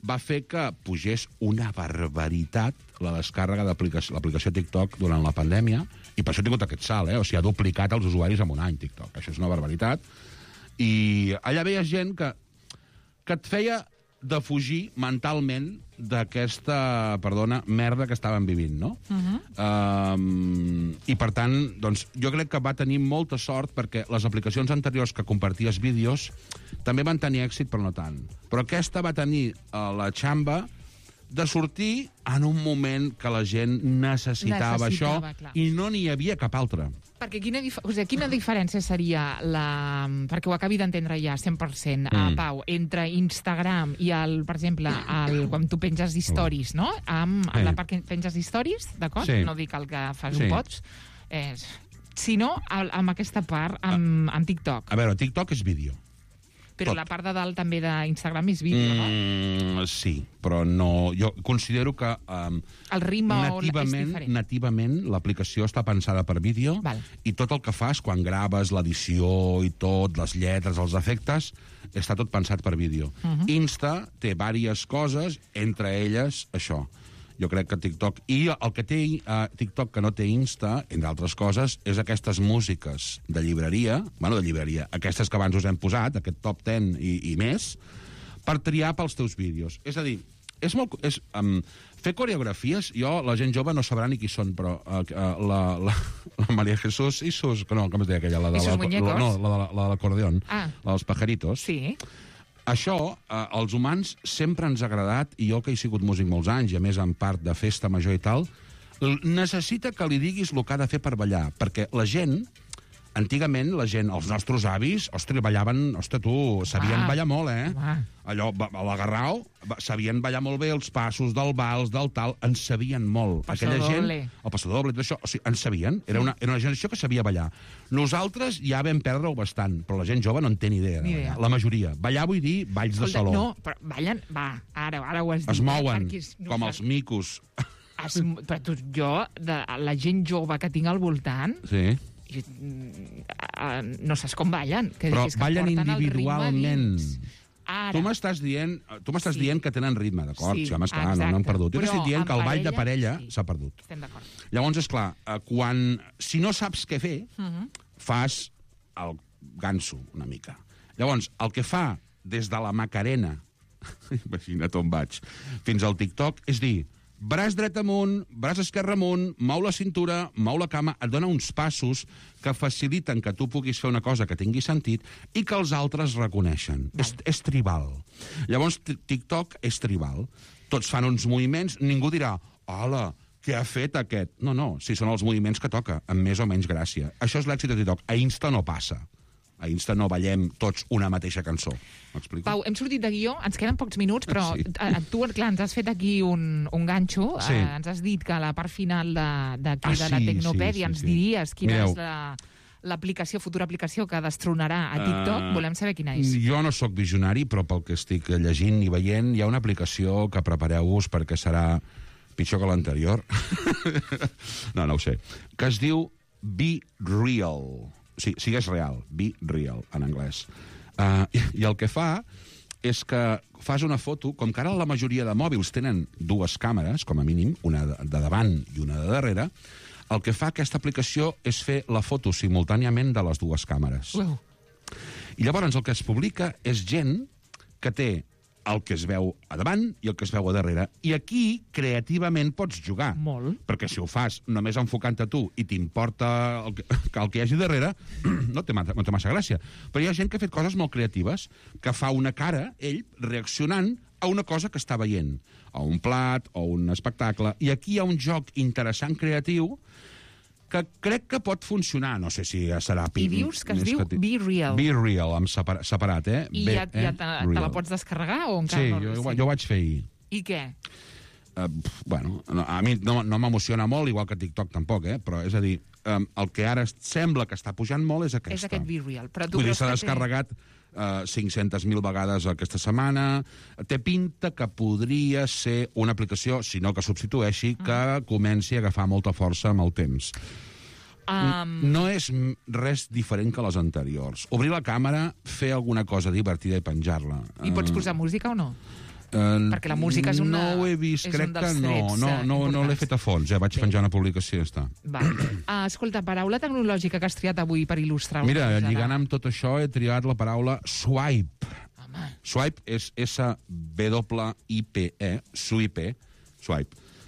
va fer que pugés una barbaritat la descàrrega de l'aplicació TikTok durant la pandèmia, i per això ha tingut aquest salt, o sigui, ha duplicat els usuaris en un any, TikTok. Això és una barbaritat. I allà veies gent que et feia de fugir mentalment d'aquesta, merda que estaven vivint, no? I, per tant, doncs, jo crec que va tenir molta sort perquè les aplicacions anteriors que comparties vídeos també van tenir èxit, però no tant. Però aquesta va tenir la xamba de sortir en un moment que la gent necessitava això, clar. I no n'hi havia cap altre. Perquè quina diferència seria, perquè ho acabi d'entendre ja 100%, Pau, entre Instagram i, per exemple, quan tu penges stories, no? Amb la part que penges stories, d'acord? Sí. No dic el que fas un pots, sinó amb aquesta part, amb TikTok. A veure, TikTok és vídeo. Però la part de dalt també d'Instagram és vídeo, no? Sí, però no... Jo considero que el ritme és diferent. Nativament l'aplicació està pensada per vídeo i tot el que fas quan graves l'edició i tot, les lletres, els efectes, està tot pensat per vídeo. Insta té diverses coses, entre elles això. Jo crec que TikTok... I el que té TikTok que no té Insta, entre altres coses, és aquestes músiques de llibreria, aquestes que abans us hem posat, aquest top 10 i més, per triar pels teus vídeos. És a dir, fer coreografies, la gent jove no sabrà ni qui són, però la María Jesús Isus, com es deia aquella? Isus Muñecos? No, la de l'acordeón, la dels pajaritos. Sí. Això, als humans, sempre ens ha agradat, i jo que he sigut músic molts anys, i a més en part de festa major i tal, necessita que li diguis el que ha de fer per ballar, perquè la gent, antigament, els nostres avis, ballaven, sabien ballar molt, Allò, a l'agarrau, sabien ballar molt bé els passos del vals, del tal, en sabien molt. Aquella gent, el passador doble, tot això, en sabien, era una generació que sabia ballar. Nosaltres ja vam perdre-ho bastant, però la gent jove no en té ni idea. La majoria. Ballar vull dir balls de saló. No, però ballen, ara ho has dit. Es mouen, com els micos. Però la gent jove que tinc al voltant... Sí. No saps com ballen. Però ballen individualment. Tu m'estàs dient que tenen ritme, d'acord? Sí, esclar, no han perdut. Jo t'estic dient que el ball de parella s'ha perdut. Estem d'acord. Llavors, esclar, si no saps què fer, fas el ganso, una mica. Llavors, el que fa des de la Macarena, imagina't on vaig, fins al TikTok, és dir, braç dret amunt, braç esquerre amunt, mou la cintura, mou la cama, et dona uns passos que faciliten que tu puguis fer una cosa que tingui sentit i que els altres reconeixen. És tribal. Llavors, TikTok és tribal. Tots fan uns moviments, ningú dirà, hola, què ha fet aquest? No, si són els moviments que toca, amb més o menys gràcia. Això és l'èxit de TikTok. A Insta no passa. A Insta no ballem tots una mateixa cançó. M'explico? Pau, hem sortit de guió, ens queden pocs minuts, però tu, clar, ens has fet aquí un ganxo, ens has dit que a la part final de la Tecnopèdia ens diries quina és futura aplicació que destronarà a TikTok. Volem saber quina és. Jo no sóc visionari, però pel que estic llegint i veient, hi ha una aplicació que prepareu-vos perquè serà pitjor que l'anterior. No ho sé. Que es diu Be Real. Sí, sigues real, be real, en anglès. I el que fa és que fas una foto, com que ara la majoria de mòbils tenen dues càmeres, com a mínim, una de davant i una de darrere, el que fa aquesta aplicació és fer la foto simultàniament de les dues càmeres. I llavors el que es publica és gent que té el que es veu a davant i el que es veu a darrere. I aquí, creativament, pots jugar. Molt. Perquè si ho fas només enfocant-te tu i t'importa el que hi hagi darrere, no té massa gràcia. Però hi ha gent que ha fet coses molt creatives, que fa una cara, ell, reaccionant a una cosa que està veient, a un plat o un espectacle. I aquí hi ha un joc interessant, creatiu, que crec que pot funcionar. No sé si serà... I dius que es diu Be Real. Be Real, amb separat, I ja te la pots descarregar o encara no? Sí, jo ho vaig fer ahir. I què? A mi no m'emociona molt, igual que TikTok tampoc, però és a dir, el que ara sembla que està pujant molt és aquesta. És aquest Be Real. Vull dir, s'ha descarregat 500.000 vegades aquesta setmana. Té pinta que podria ser una aplicació, si no que substitueixi, que comenci a agafar molta força amb el temps. No és res diferent que les anteriors. Obrir la càmera, fer alguna cosa divertida i penjar-la. I pots posar música o no? Perquè la música és no ho he vist, crec que no l'he fet a fons, vaig penjar una publicació i ja està. Escolta, paraula tecnològica que has triat avui per il·lustrar. Mira, lligant amb tot això he triat la paraula swipe. Swipe és S-W-I-P-E, swipe.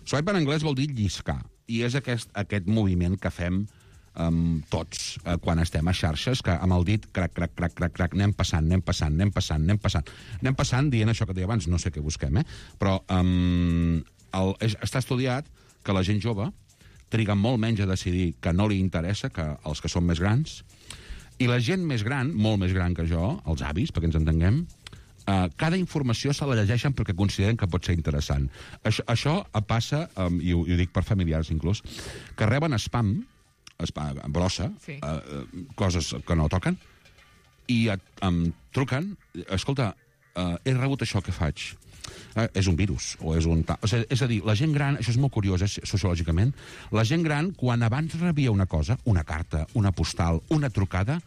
Swipe en anglès vol dir lliscar, i és aquest moviment que fem tots, quan estem a xarxes, que amb el dit, crac, crac, crac, crac, crac, anem passant, dient això que deia abans, no sé què busquem, però està estudiat que la gent jove triga molt menys a decidir que no li interessa que els que són més grans, i la gent més gran, molt més gran que jo, els avis, perquè ens entenguem, cada informació se la llegeixen perquè consideren que pot ser interessant. Això passa, i ho dic per familiars inclús, que reben spam, brossa, coses que no toquen, i em truquen, escolta, he rebut això, què faig? És un virus, o és un... És a dir, la gent gran, això és molt curiós, sociològicament, la gent gran, quan abans rebia una cosa, una carta, una postal, una trucada,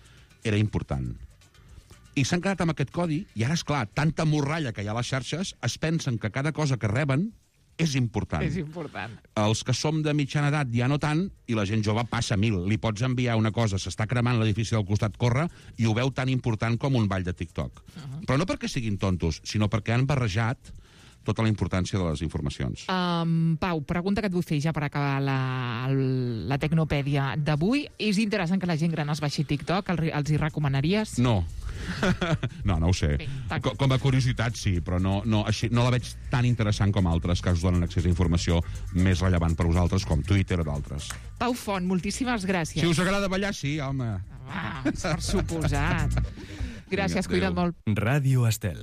era important. I s'han quedat amb aquest codi, i ara, esclar, tanta morralla que hi ha a les xarxes, es pensen que cada cosa que reben és important. És important. Els que som de mitjana edat ja no tant, i la gent jove passa 1000. Li pots enviar una cosa, s'està cremant l'edifici del costat, corre, i ho veu tan important com un ball de TikTok. Però no perquè siguin tontos, sinó perquè han barrejat tota la importància de les informacions. Pau, pregunta que et vull fer ja per acabar la tecnopèdia d'avui. És interessant que la gent gran es baixi TikTok? Els hi recomanaries? No. No ho sé. Com a curiositat, sí, però no la veig tan interessant com altres que us donen accés a informació més rellevant per vosaltres, com Twitter o d'altres. Pau Font, moltíssimes gràcies. Si us agrada ballar, sí, home. Per suposat. Gràcies, cuida't molt. Ràdio Estel.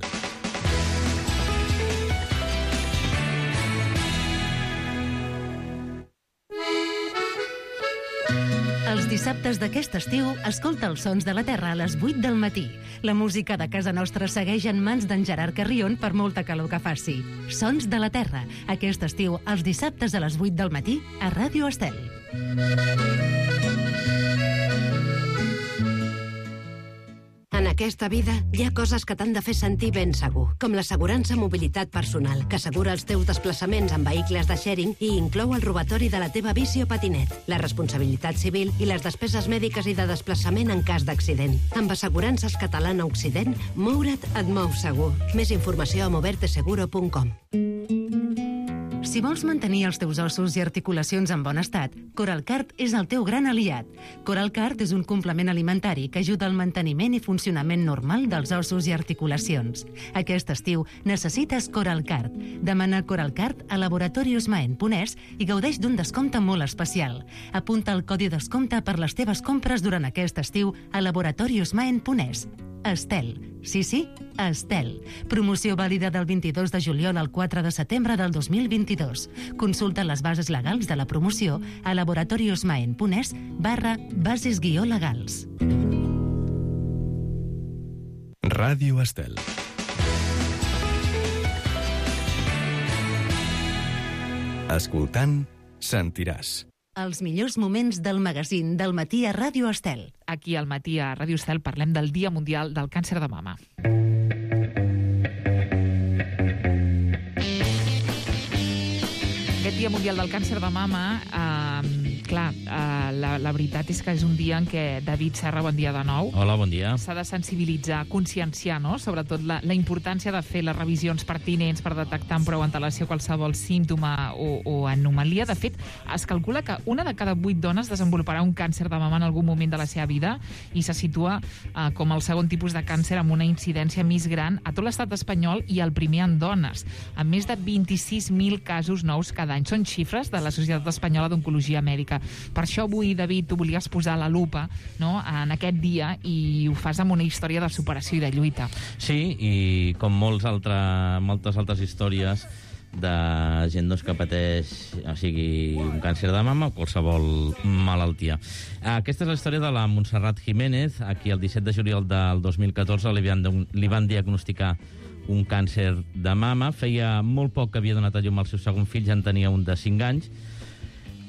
Els dissabtes d'aquest estiu, escolta els sons de la Terra a les 8 del matí. La música de casa nostra segueix en mans d'en Gerard Carrion per molta calor que faci. Sons de la Terra, aquest estiu, els dissabtes a les 8 del matí, a Ràdio Estel. En aquesta vida hi ha coses que t'han de fer sentir ben segur, com l'assegurança mobilitat personal, que assegura els teus desplaçaments en vehicles de sharing i inclou el robatori de la teva bici o patinet, la responsabilitat civil i les despeses mèdiques i de desplaçament en cas d'accident. Amb Assegurances Catalana Occident, moure't et mou segur. Més informació a moverteseguro.com. Si vols mantenir els teus ossos i articulacions en bon estat, Coralcart és el teu gran aliat. Coralcart és un complement alimentari que ajuda al manteniment i funcionament normal dels ossos i articulacions. Aquest estiu necessites Coralcart. Demana Coralcart a laboratoriosmaen.es i gaudeix d'un descompte molt especial. Apunta el codi descompte per les teves compres durant aquest estiu a laboratoriosmaen.es. Estel. Sí, Estel. Promoció vàlida del 22 de juliol al 4 de setembre del 2022. Consulta les bases legals de la promoció a laboratoriosmaen.es/bases-legals. Ràdio Estel. Escoltant, sentiràs. Els millors moments del magazín del matí a Ràdio Estel. Aquí al matí a Ràdio Estel parlem del Dia Mundial del Càncer de Mama. Aquest Dia Mundial del Càncer de Mama, la veritat és que és un dia en què David Serra, bon dia de nou. Hola, bon dia. S'ha de sensibilitzar, conscienciar, no?, sobretot la importància de fer les revisions pertinents per detectar amb prou antelació qualsevol símptoma o anomalia. De fet, es calcula que una de cada 8 dones desenvoluparà un càncer de mama en algun moment de la seva vida i se situa com el segon tipus de càncer amb una incidència més gran a tot l'estat espanyol i el primer en dones, amb més de 26.000 casos nous cada any. Són xifres de la Societat Espanyola d'Oncologia Mèdica. Per això avui, David, tu volies posar la lupa, no?, en aquest dia, i ho fas amb una història de superació i de lluita. Sí, i com moltes altres històries de gent que pateix, o sigui, un càncer de mama o qualsevol malaltia. Aquesta és la història de la Montserrat Jiménez, a qui el 17 de juliol del 2014 li van diagnosticar un càncer de mama. Feia molt poc que havia donat a llum al seu segon fill, ja en tenia un de 5 anys.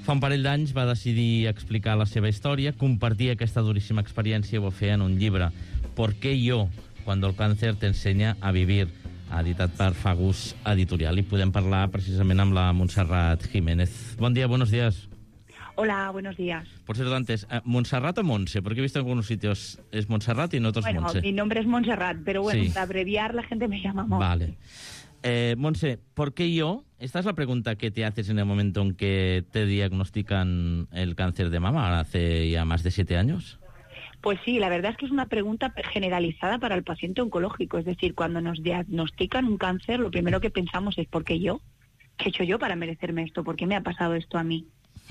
Fa un parell d'anys va decidir explicar la seva història, compartir aquesta duríssima experiència i ho va fer en un llibre. ¿Por qué yo? Cuando el cáncer te enseña a vivir, editat per Fagus Editorial. I podem parlar precisament amb la Montserrat Jiménez. Bon dia, buenos días. Hola, buenos días. Por ser antes, ¿Montserrat o Monse? Porque he visto en algunos sitios es Montserrat y en otros Monse. Mi nombre es Montserrat, pero bueno, sí. Para abreviar la gente me llama Monse. Vale. Monse, ¿por qué yo? Esta es la pregunta que te haces en el momento en que te diagnostican el cáncer de mama, hace ya más de 7 años. Pues sí, la verdad es que es una pregunta generalizada para el paciente oncológico. Es decir, cuando nos diagnostican un cáncer, lo primero que pensamos es ¿por qué yo? ¿Qué he hecho yo para merecerme esto? ¿Por qué me ha pasado esto a mí?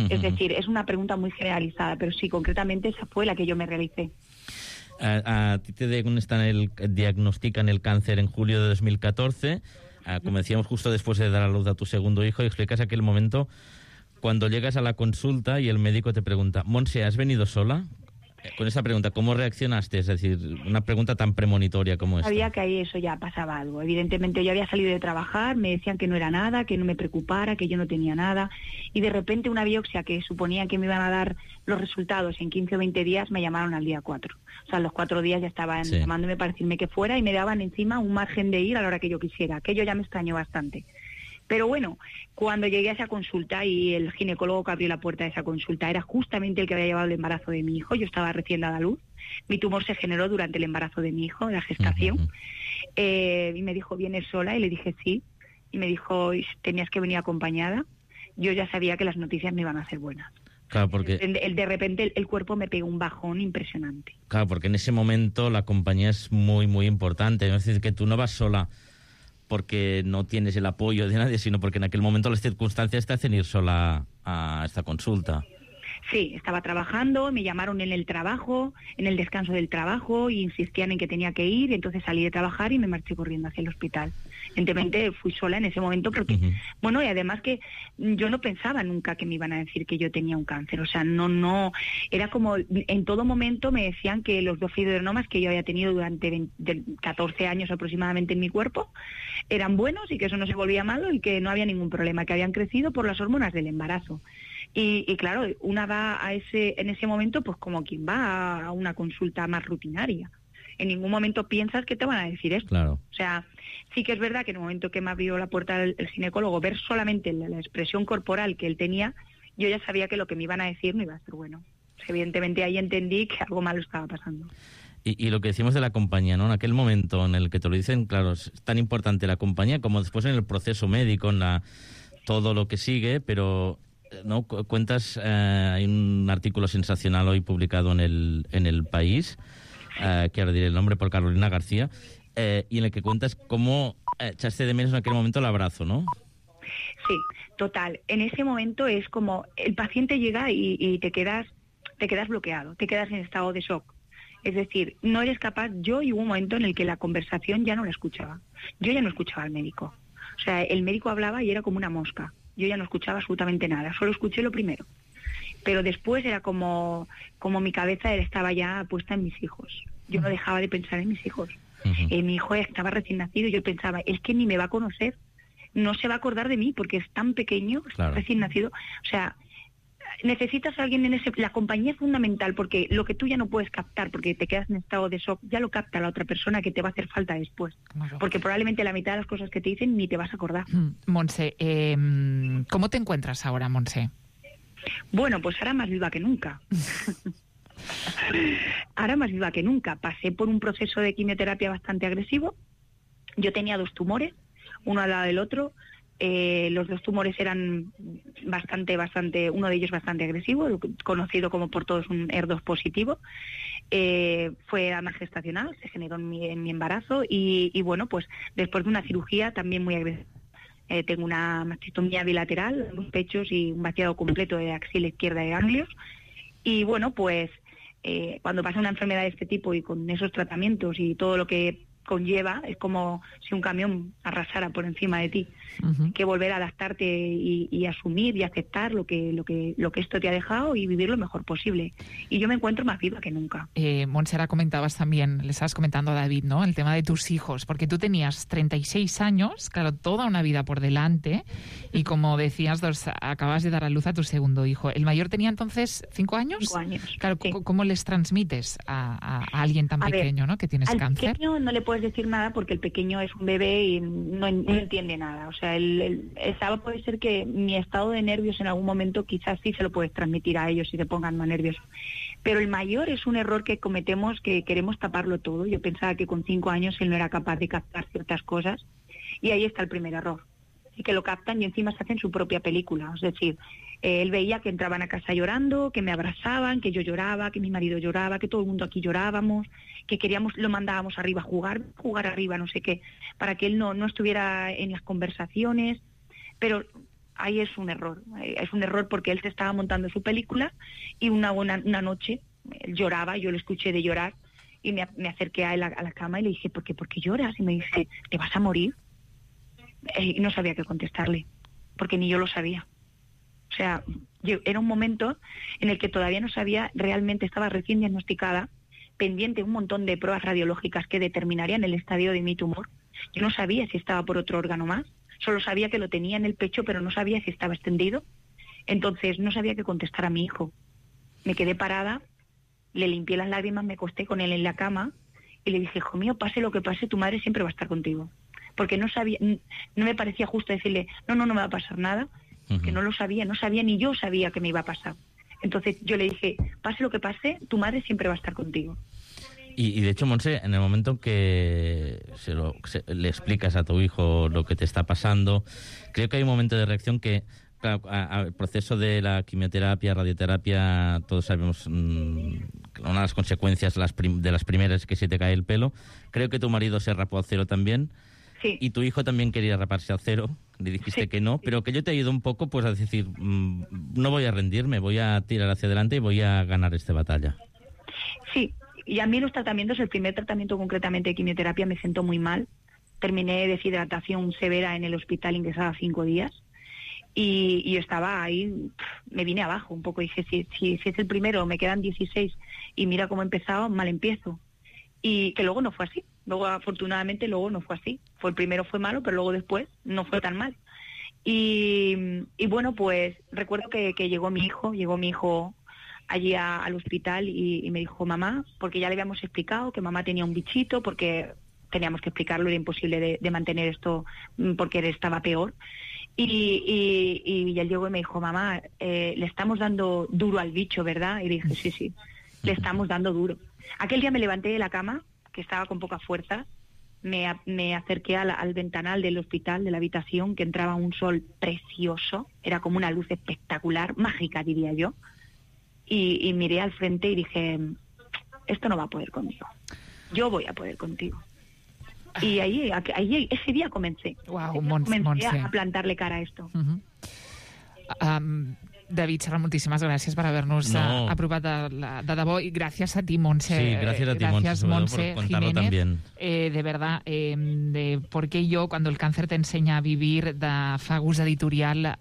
Es decir, es una pregunta muy generalizada, pero sí, concretamente esa fue la que yo me realicé. A ti te diagnostican el cáncer en julio de 2014, como decíamos, justo después de dar a luz a tu segundo hijo, y explicas aquel momento cuando llegas a la consulta y el médico te pregunta, Monse, ¿has venido sola? Con esa pregunta, ¿cómo reaccionaste? Es decir, una pregunta tan premonitoria como esta. Sabía que ahí eso ya pasaba algo. Evidentemente yo había salido de trabajar, me decían que no era nada, que no me preocupara, que yo no tenía nada, y de repente una biopsia que suponía que me iban a dar los resultados en 15 o 20 días, me llamaron al día 4. O sea, a los 4 días ya estaban llamándome para decirme que fuera y me daban encima un margen de ir a la hora que yo quisiera. Aquello ya me extrañó bastante. Pero bueno, cuando llegué a esa consulta y el ginecólogo que abrió la puerta de esa consulta era justamente el que había llevado el embarazo de mi hijo, yo estaba recién dada a luz, mi tumor se generó durante el embarazo de mi hijo, la gestación, y me dijo, ¿vienes sola? Y le dije sí, y me dijo, tenías que venir acompañada. Yo ya sabía que las noticias no iban a ser buenas. Claro, porque... De repente el cuerpo me pegó un bajón impresionante. Claro, porque en ese momento la compañía es muy, muy importante. Es decir, que tú no vas sola porque no tienes el apoyo de nadie, sino porque en aquel momento las circunstancias te hacen ir sola a esta consulta. Sí, estaba trabajando, me llamaron en el trabajo, en el descanso del trabajo, y insistían en que tenía que ir, entonces salí de trabajar y me marché corriendo hacia el hospital. Evidentemente fui sola en ese momento porque, bueno, y además que yo no pensaba nunca que me iban a decir que yo tenía un cáncer, o sea, no, era como, en todo momento me decían que los 2 fibroadenomas que yo había tenido durante 14 años aproximadamente en mi cuerpo eran buenos y que eso no se volvía malo y que no había ningún problema, que habían crecido por las hormonas del embarazo. Y claro, una va en ese momento pues como quien va a una consulta más rutinaria. En ningún momento piensas que te van a decir esto. Claro. O sea, sí que es verdad que en el momento que me abrió la puerta el ginecólogo, ver solamente la expresión corporal que él tenía, yo ya sabía que lo que me iban a decir no iba a ser bueno. O sea, evidentemente ahí entendí que algo malo estaba pasando. Y lo que decimos de la compañía, ¿no? En aquel momento en el que te lo dicen, claro, es tan importante la compañía como después en el proceso médico, en todo lo que sigue, pero... ¿no? Cuentas, hay un artículo sensacional hoy publicado en el País, que ahora diré el nombre, por Carolina García, y en el que cuentas cómo echaste de menos en aquel momento el abrazo, ¿no? Sí, total. En ese momento es como el paciente llega y te quedas bloqueado, te quedas en estado de shock. Es decir, no eres capaz. Yo hubo un momento en el que la conversación ya no la escuchaba. Yo ya no escuchaba al médico. O sea, el médico hablaba y era como una mosca. Yo ya no escuchaba absolutamente nada, solo escuché lo primero. Pero después era como mi cabeza estaba ya puesta en mis hijos. Yo no dejaba de pensar en mis hijos. Mi hijo estaba recién nacido y yo pensaba, es que ni me va a conocer, no se va a acordar de mí porque es tan pequeño, claro, recién nacido. O sea, necesitas a alguien en ese... La compañía es fundamental porque lo que tú ya no puedes captar porque te quedas en estado de shock, ya lo capta la otra persona que te va a hacer falta después. Claro. Porque probablemente la mitad de las cosas que te dicen ni te vas a acordar. Montse, ¿cómo te encuentras ahora, Montse? Bueno, pues ahora más viva que nunca. Ahora más viva que nunca. Pasé por un proceso de quimioterapia bastante agresivo. Yo tenía 2 tumores, uno al lado del otro. Los 2 tumores eran bastante, uno de ellos bastante agresivo, conocido como por todos un HER2 positivo. Fue además gestacional, se generó en mi embarazo y bueno, pues después de una cirugía también muy agresiva. Tengo una mastectomía bilateral en los pechos y un vaciado completo de axila izquierda de ganglios. Y bueno, pues cuando pasa una enfermedad de este tipo y con esos tratamientos y todo lo que conlleva, es como si un camión arrasara por encima de ti. Hay que volver a adaptarte y asumir y aceptar lo que esto te ha dejado y vivir lo mejor posible. Y yo me encuentro más viva que nunca. Montserrat, comentabas también, le estabas comentando a David, ¿no?, el tema de tus hijos, porque tú tenías 36 años, claro, toda una vida por delante, y como decías, acabas de dar a luz a tu segundo hijo. ¿El mayor tenía entonces 5 años? 5 años. Claro, sí. ¿Cómo les transmites a alguien tan pequeño, ¿no?, que tienes cáncer? Al pequeño no le puedes decir nada porque el pequeño es un bebé y no entiende nada. O sea, puede ser que mi estado de nervios en algún momento quizás sí se lo puedes transmitir a ellos y se pongan más nerviosos. Pero el mayor es un error que cometemos, que queremos taparlo todo. Yo pensaba que con 5 años él no era capaz de captar ciertas cosas y ahí está el primer error. Y que lo captan y encima se hacen su propia película. Es decir, él veía que entraban a casa llorando, que me abrazaban, que yo lloraba, que mi marido lloraba, que todo el mundo aquí llorábamos, que lo mandábamos arriba a jugar arriba, no sé qué, para que él no estuviera en las conversaciones. Pero ahí es un error porque él se estaba montando su película y una noche él lloraba, yo lo escuché de llorar y me acerqué a él a la cama y le dije, ¿por qué lloras? Y me dice, ¿te vas a morir? Y no sabía qué contestarle, porque ni yo lo sabía. O sea, era un momento en el que todavía no sabía, realmente estaba recién diagnosticada, pendiente un montón de pruebas radiológicas que determinarían el estadio de mi tumor. Yo no sabía si estaba por otro órgano más, solo sabía que lo tenía en el pecho, pero no sabía si estaba extendido. Entonces no sabía qué contestar a mi hijo. Me quedé parada, le limpié las lágrimas, me acosté con él en la cama y le dije, hijo mío, pase lo que pase, tu madre siempre va a estar contigo. Porque no me parecía justo decirle, no me va a pasar nada, que no lo sabía, ni yo sabía que me iba a pasar. Entonces yo le dije, pase lo que pase, tu madre siempre va a estar contigo. Y de hecho, Montse, en el momento en que le explicas a tu hijo lo que te está pasando, creo que hay un momento de reacción que, claro, al proceso de la quimioterapia, radioterapia, todos sabemos una de las consecuencias de las primeras es que se te cae el pelo. Creo que tu marido se rapó al cero también. Sí. Y tu hijo también quería raparse al cero. Le dijiste que no, pero que yo te he ido un poco pues a decir, no voy a rendirme, voy a tirar hacia adelante y voy a ganar esta batalla. Sí. Y a mí los tratamientos, el primer tratamiento concretamente de quimioterapia me sentó muy mal. Terminé de deshidratación severa en el hospital, ingresada 5 días. Y yo estaba ahí, me vine abajo un poco. Dije, si es el primero, me quedan 16 y mira cómo he empezado, mal empiezo. Y que luego no fue así. Luego, afortunadamente, no fue así. El primero fue malo, pero luego después no fue tan mal. Y bueno, pues recuerdo que llegó mi hijo allí al hospital y me dijo, mamá, porque ya le habíamos explicado que mamá tenía un bichito, porque teníamos que explicarlo, era imposible de mantener esto porque él estaba peor. Y él llegó y me dijo, mamá, le estamos dando duro al bicho, ¿verdad? Y le dije, sí, le estamos dando duro. Aquel día me levanté de la cama, que estaba con poca fuerza, me acerqué al ventanal del hospital, de la habitación, que entraba un sol precioso, era como una luz espectacular, mágica diría yo. Y miré al frente y dije, esto no va a poder conmigo, yo voy a poder contigo. Y ahí ese día comencé. Comencé a plantarle cara a esto. David Serra, moltíssimes gràcies per haver-nos apropat de debò i gràcies a ti, Montse. Sí, gracias a ti, Montse, por contarlo también. De verdad, de por qué yo, cuando el cáncer te enseña a vivir, de Fagus Editorial.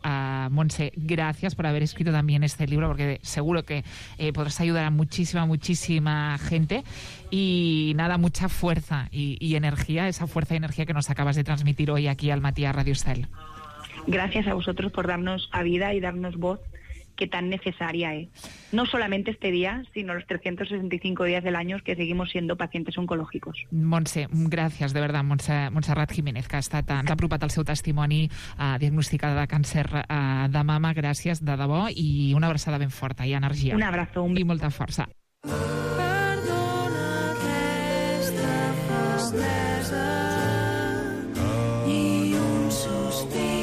Montse, gracias por haber escrito también este libro, porque seguro que podrás ayudar a muchísima gente. Y nada, mucha fuerza y energía, esa fuerza y energía que nos acabas de transmitir hoy aquí al Matí a Radio Estel. Gracias a vosotros por darnos a vida y darnos voz, que tan necesaria es. No solamente este día, sino los 365 días del año que seguimos siendo pacientes oncològicos. Montse, gràcies, de verdad, Montserrat Jiménez, que ens ha apropat el seu testimoni diagnosticada de càncer de mama. Gràcies, de debò, i una abraçada ben forta i energia. Un abrazo. I molta força. Perdona aquesta festesa i un sospir.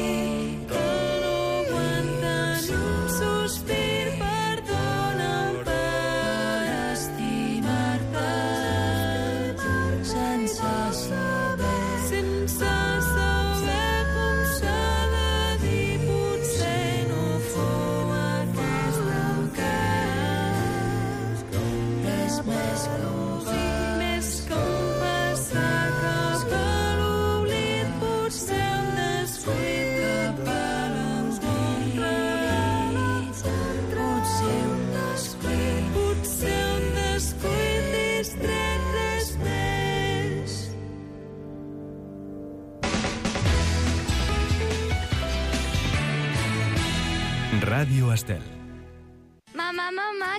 Radio Estel. Mamá,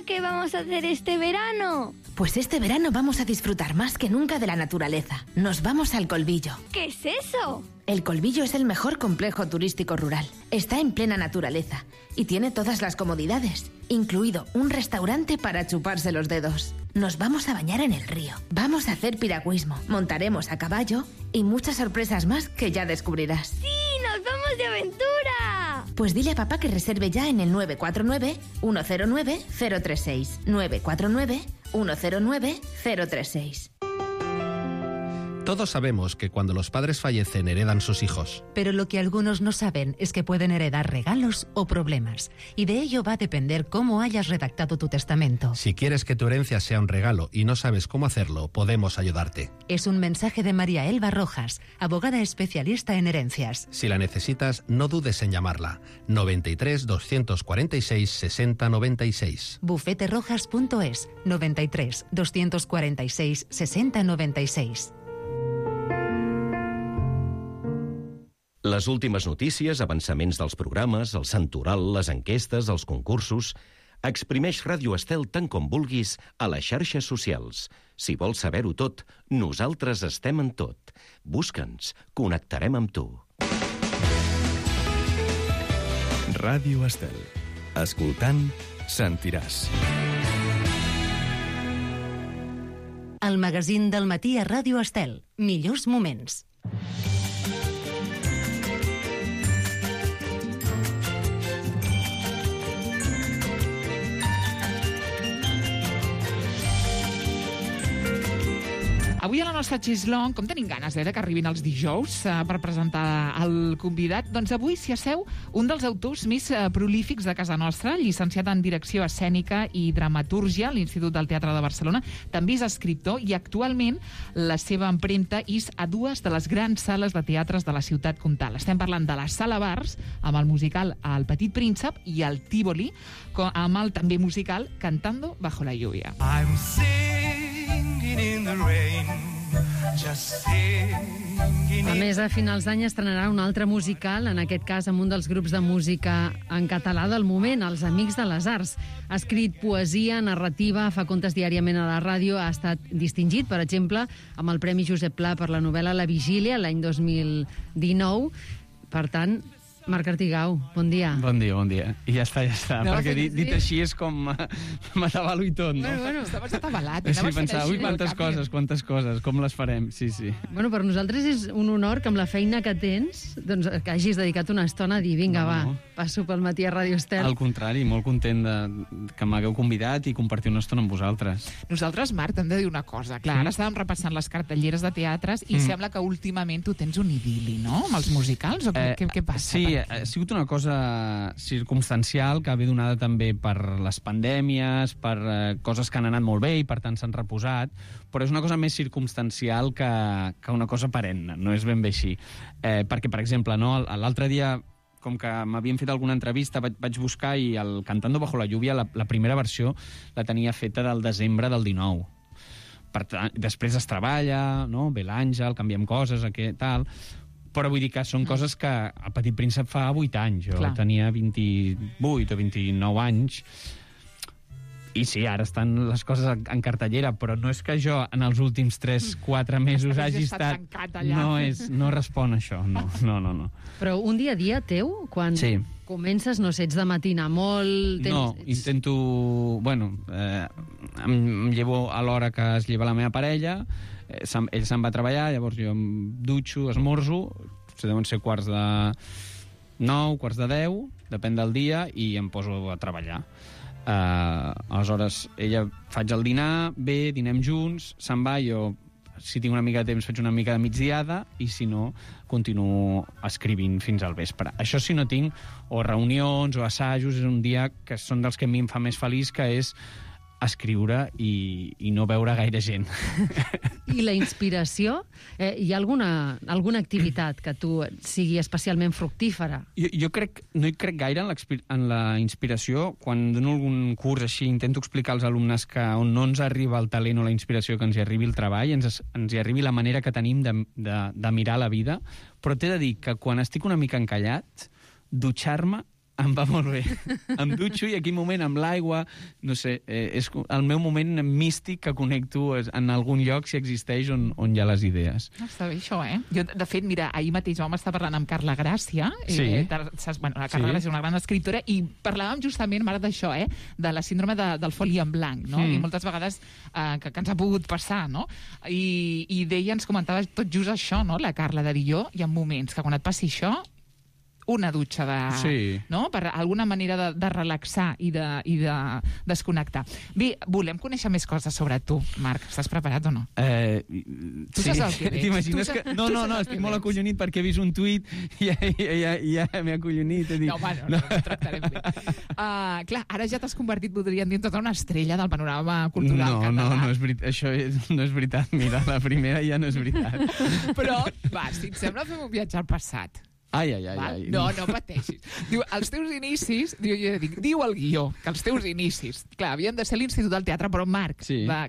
¿qué vamos a hacer este verano? Pues este verano vamos a disfrutar más que nunca de la naturaleza. Nos vamos al Colbillo. ¿Qué es eso? El Colbillo es el mejor complejo turístico rural. Está en plena naturaleza y tiene todas las comodidades, incluido un restaurante para chuparse los dedos. Nos vamos a bañar en el río, vamos a hacer piragüismo, montaremos a caballo y muchas sorpresas más que ya descubrirás. ¡Sí! ¡Nos vamos de aventura! Pues dile a papá que reserve ya en el 949-109-036. 949-109-036. Todos sabemos que cuando los padres fallecen heredan sus hijos. Pero lo que algunos no saben es que pueden heredar regalos o problemas. Y de ello va a depender cómo hayas redactado tu testamento. Si quieres que tu herencia sea un regalo y no sabes cómo hacerlo, podemos ayudarte. Es un mensaje de María Elba Rojas, abogada especialista en herencias. Si la necesitas, no dudes en llamarla. 93 246 60 96. bufeterojas.es 93 246 60 96. Les últimes notícies, avançaments dels programes, el santoral, les enquestes, els concursos... Exprimeix Ràdio Estel tant com vulguis a les xarxes socials. Si vols saber-ho tot, nosaltres estem en tot. Busca'ns, connectarem amb tu. Ràdio Estel. Escoltant, sentiràs. El magazín del matí a Ràdio Estel. Millors moments. Avui a la nostra Xeslong, com tenim ganes que arribin els dijous per presentar el convidat, doncs avui s'hi asseu un dels autors més prolífics de casa nostra, llicenciat en Direcció Escènica i Dramatúrgia a l'Institut del Teatre de Barcelona. També és escriptor i actualment la seva empremta és a dues de les grans sales de teatres de la ciutat comtal. Estem parlant de la Sala Bars, amb el musical El Petit Príncep, i el Tívoli, amb el també musical Cantando bajo la lluvia. I'm singing in the rain, just singing. A més, a finals d'any estrenarà un altre musical, en aquest cas amb un dels grups de música en català del moment, els Amics de les Arts. Ha escrit poesia, narrativa, fa contes diàriament a la ràdio, ha estat distingit, per exemple, amb el Premi Josep Pla per la novel·la La Vigília, l'any 2019. Per tant, Marc Artigau, bon dia. Bon dia, bon dia. I ja està, no, perquè dit així és com m'atabalo i tot, no? Bueno, estaves atabalat. Sí, pensava, ui, quantes coses, com les farem? Sí. Bueno, per nosaltres és un honor que amb la feina que tens, doncs que hagis dedicat una estona a dir, vinga, passo pel matí a Ràdio Estel. Al contrari, molt content que m'hagueu convidat i compartir una estona amb vosaltres. Nosaltres, Marc, t'hem de dir una cosa. Clar, ara estàvem repassant les cartelleres de teatres i sembla que últimament tu tens un idil·li, no?, amb els musicals, o què passa? Sí, ha sigut una cosa circumstancial que ve donada també per les pandèmies, per coses que han anat molt bé i per tant s'han reposat, però és una cosa més circumstancial que una cosa perenne, no és ben bé així. Perquè, per exemple, l'altre dia, com que m'havien fet alguna entrevista, vaig buscar i el Cantando bajo la lluvia, la primera versió, la tenia feta del desembre del 19. Després es treballa, no? Ve l'Àngel, canviem coses, tal... Però vull dir que són coses que el Petit Príncep fa 8 anys. Jo tenia 28 o 29 anys. I sí, ara estan les coses en cartellera, però no és que jo en els últims 3-4 mesos hagi estat... No respon a això, no. Però un dia a dia teu, quan comences, no sé, ets de matinar molt... No, intento... Bueno, em llevo a l'hora que es lleva la meva parella, ell se'n va a treballar, llavors jo em dutxo, esmorzo, deuen ser 8:45, 9:45, depèn del dia, i em poso a treballar. Aleshores, ella faig el dinar, ve, dinem junts, se'n va, jo, si tinc una mica de temps, faig una mica de migdiada, i si no, continuo escrivint fins al vespre. Això si no tinc o reunions o assajos, és un dia que són dels que a mi em fa més feliç, que és escriure i no veure gaire gent. I la inspiració? Hi ha alguna activitat que tu sigui especialment fructífera? Jo no hi crec gaire en la inspiració. Quan dono algun curs així, intento explicar als alumnes que on no ens arriba el talent o la inspiració, que ens hi arribi el treball, ens hi arribi la manera que tenim de mirar la vida. Però t'he de dir que quan estic una mica encallat, dutxar-me em va molt bé. Em dutxo i aquell moment amb l'aigua, no sé, és el meu moment místic que connecto en algun lloc, si existeix, on hi ha les idees. Està bé això, Jo, de fet, mira, ahir mateix vam estar parlant amb Carla Gràcia. La Carla Gràcia és una gran escriptora, i parlàvem justament, ara d'això, de la síndrome del foli en blanc, no? I moltes vegades que ens ha pogut passar, no? I deia, ens comentava tot just això, no? La Carla, de dir, jo, hi ha moments que quan et passi això, una dutxa no? Per alguna manera de relaxar i de desconnectar. Bé, volem conèixer més coses sobre tu, Marc. Estàs preparat o no? Tu saps el que veig? T'imagines que... No, estic molt acollonit perquè he vist un tuit i ja m'he acollonit. No, ho tractarem bé. Clar, ara ja t'has convertit, podríem dir, en tota una estrella del panorama cultural català. No és veritat. Això no és veritat. Mira, la primera ja no és veritat. Però, va, si et sembla, fem un viatge al passat. Ai. No pateixis. Diu, els teus inicis, diu el guió, que els teus inicis, clar, havien de ser l'Institut del Teatre, però Marc,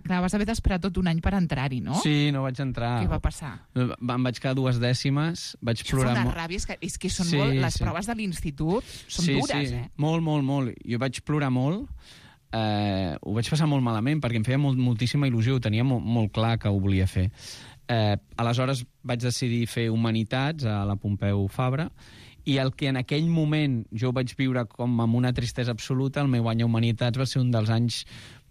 vas haver d'esperar tot un any per entrar-hi, no? Sí, no vaig entrar. Què va passar? Em vaig quedar 2 dècimes, vaig plorar molt. Una ràbia, és que són molt... Les proves de l'institut són dures, eh? Molt. Jo vaig plorar molt, ho vaig passar molt malament, perquè em feia moltíssima il·lusió, ho tenia molt clar que ho volia fer. Aleshores vaig decidir fer Humanitats a la Pompeu Fabra i el que en aquell moment jo vaig viure com amb una tristesa absoluta, el meu any a Humanitats va ser un dels anys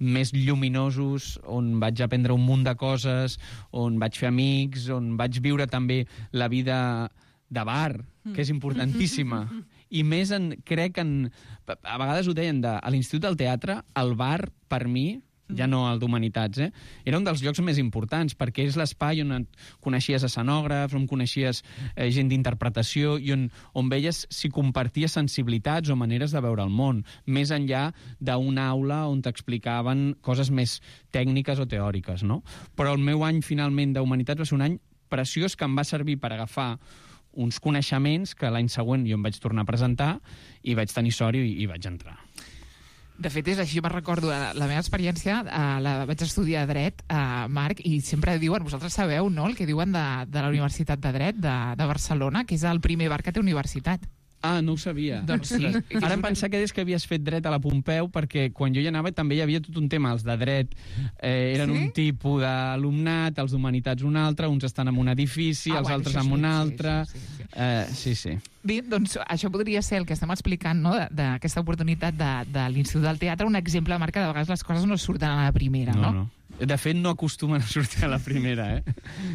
més lluminosos, on vaig aprendre un munt de coses, on vaig fer amics, on vaig viure també la vida de bar, que és importantíssima. I més, crec, a vegades ho deien, a l'Institut del Teatre, el bar, per mi, ja no el d'Humanitats, era un dels llocs més importants, perquè és l'espai on coneixies escenògrafs, on coneixies gent d'interpretació i on veies si comparties sensibilitats o maneres de veure el món, més enllà d'una aula on t'explicaven coses més tècniques o teòriques, no? Però el meu any, finalment, d'Humanitats va ser un any preciós que em va servir per agafar uns coneixements que l'any següent jo em vaig tornar a presentar i vaig tenir sort i vaig entrar. De fet, és així, me'n recordo, la meva experiència, vaig estudiar Dret, Marc, i sempre diuen, vosaltres sabeu, no?, el que diuen de la Universitat de Dret de Barcelona, que és el primer bar que té universitat. Ah, no ho sabia. Doncs sí. Ara em pensava que que havies fet dret a la Pompeu, perquè quan jo hi anava també hi havia tot un tema. Els de dret eren un tipus d'alumnat, els d'Humanitats un altre, uns estan en un edifici, els altres en un altre... Sí. Bé, doncs això podria ser el que estem explicant, no?, d'aquesta oportunitat de l'Institut del Teatre, un exemple, Marc, que de vegades les coses no surten a la primera, no? De fet, no acostumen a sortir a la primera,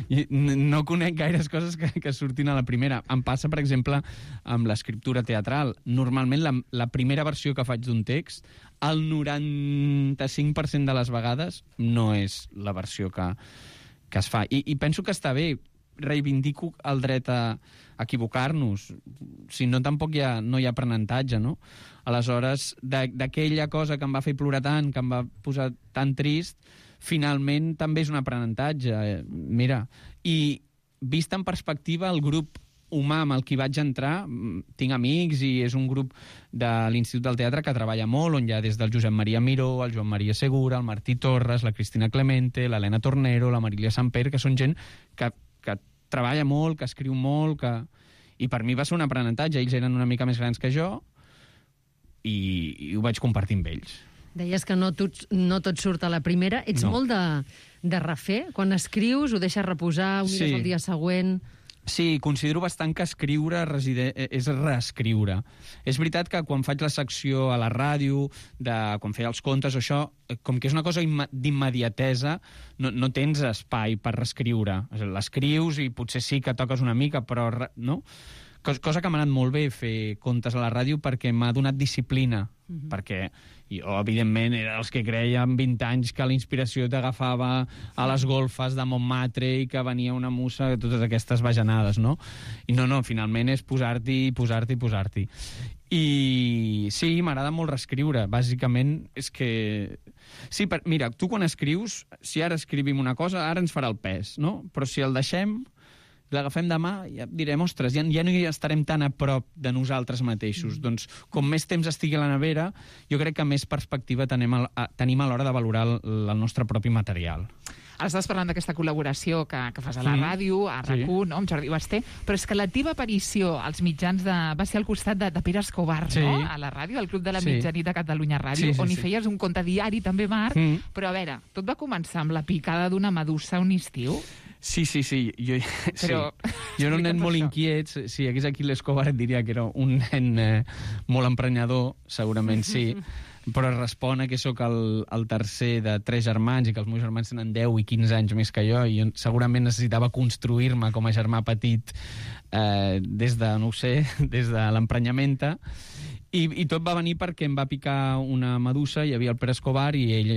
I no conec gaires coses que surtin a la primera. Em passa, per exemple, amb l'escriptura teatral. Normalment, la primera versió que faig d'un text, el 95% de les vegades no és la versió que es fa. I penso que està bé. Reivindico el dret a equivocar-nos. Si no, tampoc no hi ha aprenentatge, no? Aleshores, d'aquella cosa que em va fer plorar tant, que em va posar tan trist, finalment també és un aprenentatge. Mira, i vist en perspectiva, el grup humà amb el que vaig entrar, tinc amics i és un grup de l'Institut del Teatre que treballa molt, on hi ha des del Josep Maria Miró, el Joan Maria Segura, el Martí Torres, la Cristina Clemente, l'Helena Tornero, la Marília Samper, que són gent que treballa molt, que escriu molt, i per mi va ser un aprenentatge. Ells eren una mica més grans que jo i ho vaig compartir amb ells. Deies que no tot surt a la primera. Ets molt de refer? Quan escrius, ho deixes reposar, ho mires el dia següent... Sí, considero bastant que escriure és reescriure. És veritat que quan faig la secció a la ràdio, quan feia els contes, això, com que és una cosa d'immediatesa, no tens espai per reescriure. L'escrius i potser sí que toques una mica, però no? Cosa que m'ha anat molt bé fer contes a la ràdio perquè m'ha donat disciplina. Perquè jo, evidentment, era els que creia amb 20 anys que la inspiració t'agafava a les golfes de Montmartre i que venia una musa, totes aquestes bajanades, no? I no, finalment és posar-t'hi. I sí, m'agrada molt reescriure. Bàsicament és que... Sí, mira, tu quan escrius, si ara escrivim una cosa, ara ens farà el pes, no? Però si el deixem... l'agafem demà, ja direm, ostres, ja no hi estarem tan a prop de nosaltres mateixos. Doncs, com més temps estigui a la nevera, jo crec que més perspectiva tenim a l'hora de valorar el nostre propi material. Ara estàs parlant d'aquesta col·laboració que fas a la ràdio, a RAC1, no?, amb Jordi Basté, però és que la teva aparició als mitjans va ser al costat de Pere Escobar, no?, a la ràdio, al Club de la Mitjanit de Catalunya Ràdio, on hi feies un conte diari, també, Marc, però a veure, tot va començar amb la picada d'una medusa un estiu? Sí. Jo era un nen molt inquiet. Si hi hagués aquí l'Escobar et diria que era un nen molt emprenyador, segurament sí. però respon a que sóc el tercer de 3 germans i que els meus germans tenen 10 i 15 anys més que jo, i segurament necessitava construir-me com a germà petit des de, no ho sé, des de l'emprenyamenta, i tot va venir perquè em va picar una medusa, hi havia el Pere Escobar, i ell,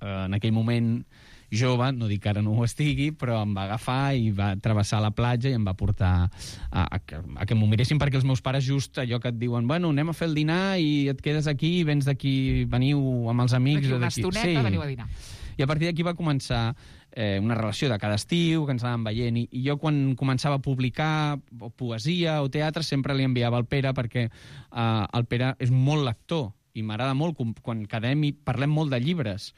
en aquell moment jove, no dic que ara no ho estigui, però em va agafar i va travessar la platja i em va portar a que m'ho miressin, perquè els meus pares just allò que et diuen, bueno, anem a fer el dinar i et quedes aquí, vens d'aquí, veniu amb els amics. D'aquí una estoneta, veniu a dinar. I a partir d'aquí va començar una relació de cada estiu, que ens anàvem veient, i jo quan començava a publicar poesia o teatre sempre li enviava al Pere, perquè el Pere és molt lector i m'agrada molt quan quedem i parlem molt de llibres,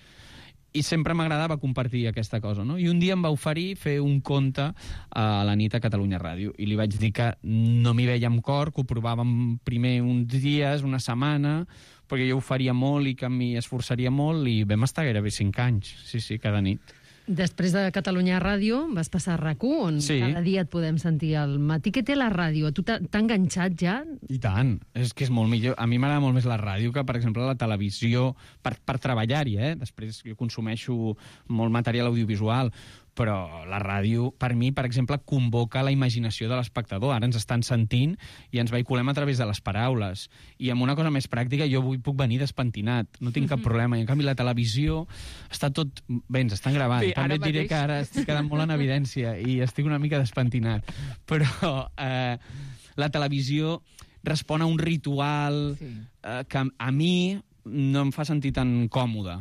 i sempre m'agradava compartir aquesta cosa, no? I un dia em va oferir fer un conte a la nit a Catalunya Ràdio, i li vaig dir que no m'hi veia amb cor, que ho provàvem primer uns dies, una setmana, perquè jo ho faria molt i que m'hi esforçaria molt, i vam estar gairebé 5 anys, sí, cada nit. Després de Catalunya Ràdio vas passar a RAC1, on cada dia et podem sentir al matí. Què té la ràdio? Tu t'ha enganxat ja? I tant, és que és molt millor. A mi m'agrada molt més la ràdio que, per exemple, la televisió, per treballar-hi, Després jo consumeixo molt material audiovisual, però la ràdio, per mi, per exemple, convoca la imaginació de l'espectador. Ara ens estan sentint i ens vehiculem a través de les paraules. I amb una cosa més pràctica, jo avui puc venir despentinat, no tinc cap problema. I en canvi la televisió està tot... Bé, ens estan gravant. Sí, també et diré que ara estic quedant molt en evidència i estic una mica despentinat. Però la televisió respon a un ritual que a mi no em fa sentir tan còmode.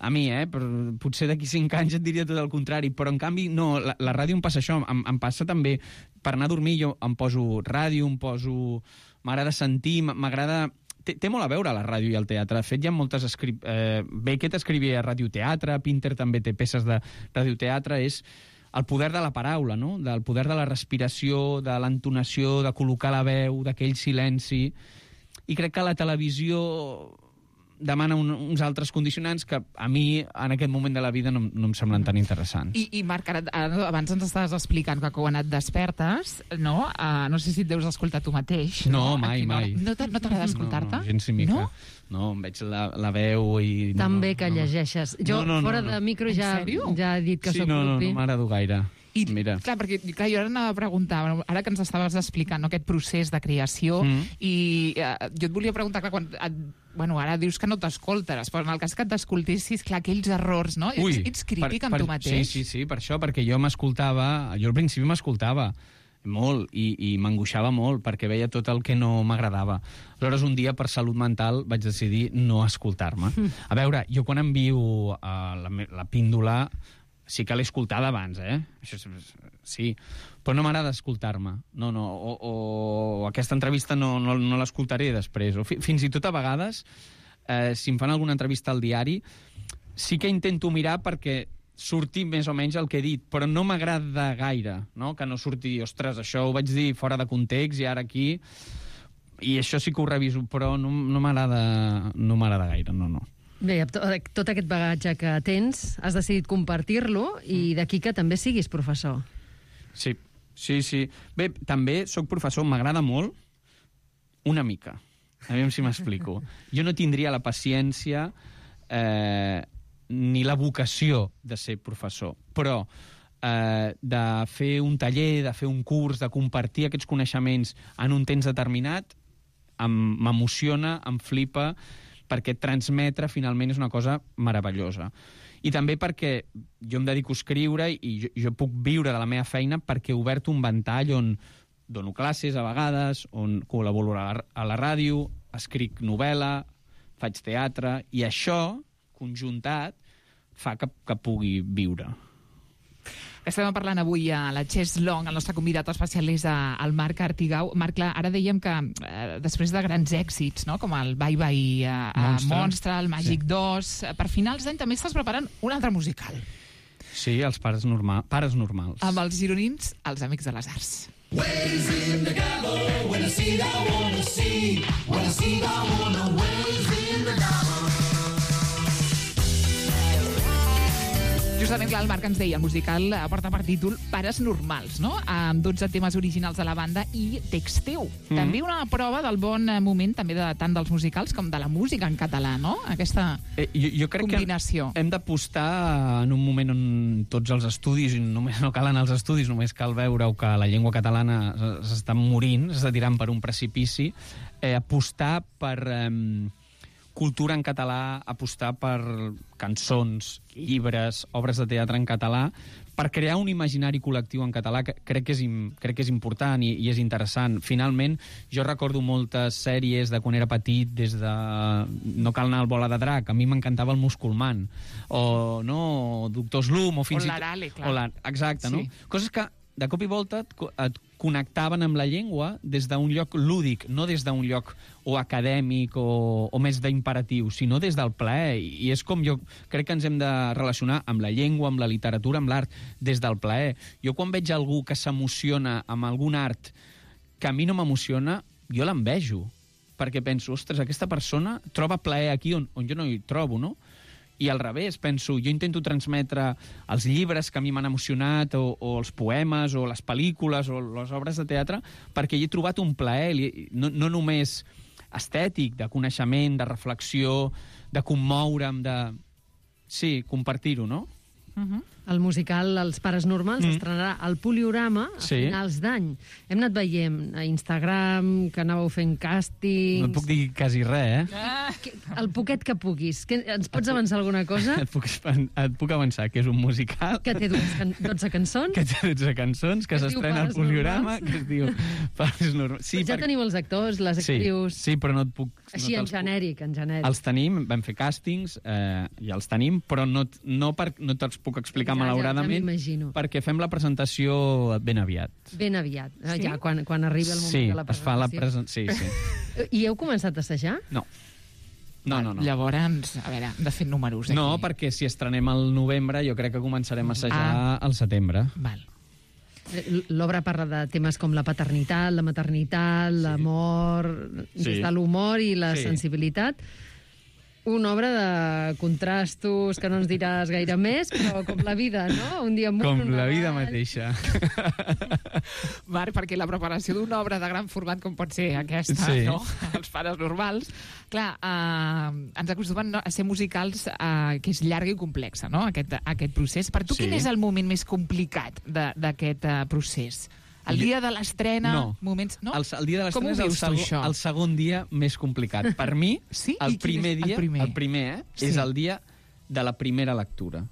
A mi, però potser d'aquí 5 anys et diria tot el contrari, però en canvi no, la ràdio em passa això, em passa també per anar a dormir, jo em poso ràdio, m'agrada sentir, m'agrada... Té molt a veure la ràdio i el teatre. De fet, hi ha moltes... Beckett escrivia radioteatre, Pinter també té peces de radioteatre, és el poder de la paraula, no? Del poder de la respiració, de l'entonació, de col·locar la veu, d'aquell silenci. I crec que la televisió demana uns altres condicionants que a mi, en aquest moment de la vida, no em semblen tan interessants. I Marc, abans ens estaves explicant que quan et despertes, no? No sé si et deus escoltar tu mateix. No, mai. No t'agrada escoltar-te? No, gens ni mica. No, em veig la veu i... Tan bé que llegeixes. Jo, fora de micro, ja he dit que soc propi. No m'agrado gaire. Mira. Clar, perquè jo ara anava a preguntar, ara que ens estaves explicant aquest procés de creació, i jo et volia preguntar, clar, ara dius que no t'escoltes, però en el cas que t'escoltessis, clar, aquells errors, no? Ets crític amb tu mateix? Sí, per això, perquè jo al principi m'escoltava molt i m'angoixava molt perquè veia tot el que no m'agradava. Aleshores, un dia, per salut mental, vaig decidir no escoltar-me. A veure, jo quan envio la píndola sí que l'he escoltada abans, Això sí, però no m'agrada escoltar-me. No, o aquesta entrevista no l'escoltaré després. O fins i tot a vegades, si em fan alguna entrevista al diari, sí que intento mirar perquè surti més o menys el que he dit, però no m'agrada gaire, no? Que no surti, ostres, això ho vaig dir fora de context i ara aquí... I això sí que ho reviso, però no m'agrada gaire, no. Bé, tot aquest bagatge que tens, has decidit compartir-lo i d'aquí que també siguis professor. Sí. Bé, també sóc professor, m'agrada molt, una mica. A veure si m'explico. Jo no tindria la paciència ni la vocació de ser professor, però de fer un taller, de fer un curs, de compartir aquests coneixements en un temps determinat, m'emociona, em flipa, perquè transmetre finalment és una cosa meravellosa. I també perquè jo em dedico a escriure i jo puc viure de la meva feina perquè he obert un ventall on dono classes a vegades, on col·laboro a la ràdio, escric novel·la, faig teatre, i això, conjuntat, fa que pugui viure. Estem parlant avui a la Chess Long, el nostre convidat especial és el Marc Artigau. Marc, ara dèiem que després de grans èxits, no? Com el Bye Bye Monstre, el Màgic 2, per finals d'any també estàs preparant un altre musical. Sí, els Pares Normals. Amb els gironins, els Amics de les Arts. Waves in the gabbo, when I see that I wanna see, when I see that I wanna, waves in the gabbo. Just Justament, clar, el Marc ens deia, el musical porta per títol Pares normals, no? Amb 12 temes originals de la banda i text teu. També una prova del bon moment també tant dels musicals com de la música en català, no? Aquesta jo crec combinació. Que hem d'apostar en un moment on tots els estudis, i només no calen els estudis, només cal veure que la llengua catalana s'està morint, s'està tirant per un precipici, apostar per cultura en català, apostar per cançons, llibres, obres de teatre en català, per crear un imaginari col·lectiu en català que crec que és important i és interessant. Finalment, jo recordo moltes sèries de quan era petit, des de No cal anar al Bola de Drac, a mi m'encantava el Musculman, o Doctor Slum, o fins i tot... l'Arale, clar. Exacte, no? Coses que de cop i volta et connectaven amb la llengua des d'un lloc lúdic, no des d'un lloc o acadèmic o més d'imperatiu, sinó des del plaer. I és com jo crec que ens hem de relacionar amb la llengua, amb la literatura, amb l'art, des del plaer. Jo quan veig algú que s'emociona amb algun art que a mi no m'emociona, jo l'envejo, perquè penso, ostres, aquesta persona troba plaer aquí on jo no hi trobo, no? I al revés, penso, jo intento transmetre els llibres que a mi m'han emocionat, o els poemes, o les pel·lícules, o les obres de teatre, perquè hi he trobat un plaer, no només estètic, de coneixement, de reflexió, de commoure'm, de... Sí, compartir-ho, no? El musical Els Pares Normals estrenarà al Poliorama a finals d'any. Hem anat veient a Instagram que anàveu fent càstings... No et puc dir quasi res, El poquet que puguis. Ens pots avançar alguna cosa? Et puc avançar que és un musical... Que té 12 cançons? Que té 12 cançons, que s'estrena al Poliorama, que es diu Pares Normals. Sí, ja teniu els actors, les actrius... Sí, però no et puc... Així, en genèric. Els tenim, vam fer càstings, ja els tenim, però no te'ls puc explicar malauradament, perquè fem la presentació ben aviat. Ben aviat, ja, quan arribi el moment de la presentació. Es fa la presentació, sí. I heu començat a assajar? No. Llavors, a veure, hem de fer números aquí. No, perquè si estrenem al novembre, jo crec que començarem a assajar al setembre. Val. L'obra parla de temes com la paternitat, la maternitat, l'amor, des de l'humor i la sensibilitat. Una obra de contrastos, que no ens diràs gaire més, però com la vida, no? Un dia amunt, com la vida mateixa. Marc, perquè la preparació d'una obra de gran format com pot ser aquesta, no? Els Pares Normals, clar, ens acostumen a ser musicals que és llarga i complexa, no? Aquest procés. Per tu, quin és el moment més complicat d'aquest procés? El dia de l'estrena, moments... No? El dia de l'estrena és el segon dia més complicat. Per mi, el primer és el dia de la primera lectura.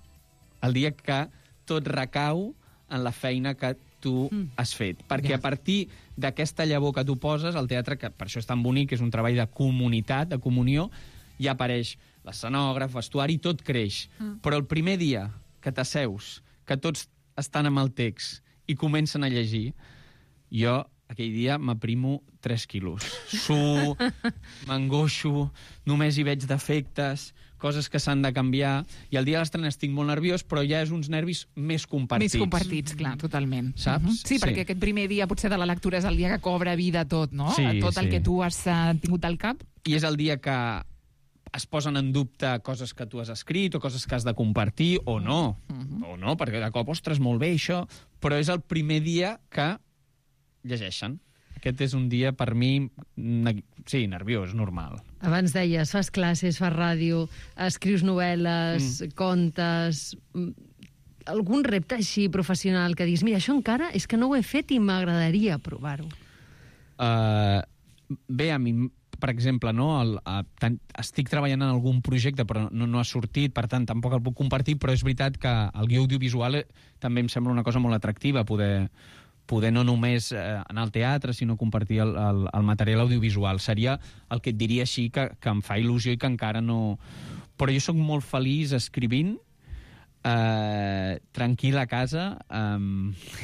El dia que tot recau en la feina que tu has fet. Perquè a partir d'aquesta llavor que tu poses, el teatre, que per això és tan bonic, és un treball de comunitat, de comunió, ja apareix l'escenògraf, vestuari, tot creix. Però el primer dia que t'asseus, que tots estan amb el text i comencen a llegir, jo aquell dia m'aprimo 3 quilos. M'angoixo, només hi veig defectes, coses que s'han de canviar, i el dia de l'estrena estic molt nerviós, però ja és uns nervis més compartits. Més compartits, clar, totalment. Saps? Sí, perquè aquest primer dia potser de la lectura és el dia que cobra vida tot, no? Tot el que tu has tingut al cap. I és el dia que es posen en dubte coses que tu has escrit o coses que has de compartir, o no. O no, perquè de cop, ostres, molt bé, això. Però és el primer dia que llegeixen. Aquest és un dia, per mi, nerviós, normal. Abans deies, fas classes, fas ràdio, escrius novel·les, contes... Algun repte així professional que diguis, mira, això encara és que no ho he fet i m'agradaria provar-ho? Bé, a mi... Per exemple, estic treballant en algun projecte, però no ha sortit, per tant, tampoc el puc compartir, però és veritat que el guió audiovisual també em sembla una cosa molt atractiva, poder no només anar al teatre, sinó compartir el material audiovisual. Seria el que et diria així, que em fa il·lusió i que encara no... Però jo sóc molt feliç escrivint, tranquil a casa,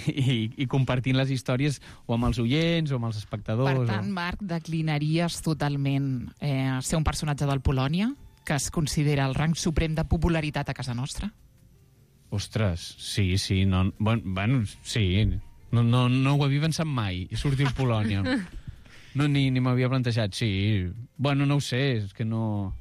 i compartint les històries o amb els oients o amb els espectadors. Per tant, Marc, declinaries totalment ser un personatge del Polònia, que es considera el rang suprem de popularitat a casa nostra? Ostres, sí. Sí. No ho havia pensat mai, sortir a Polònia. Ni m'havia plantejat, sí. Bueno, no ho sé, és que no...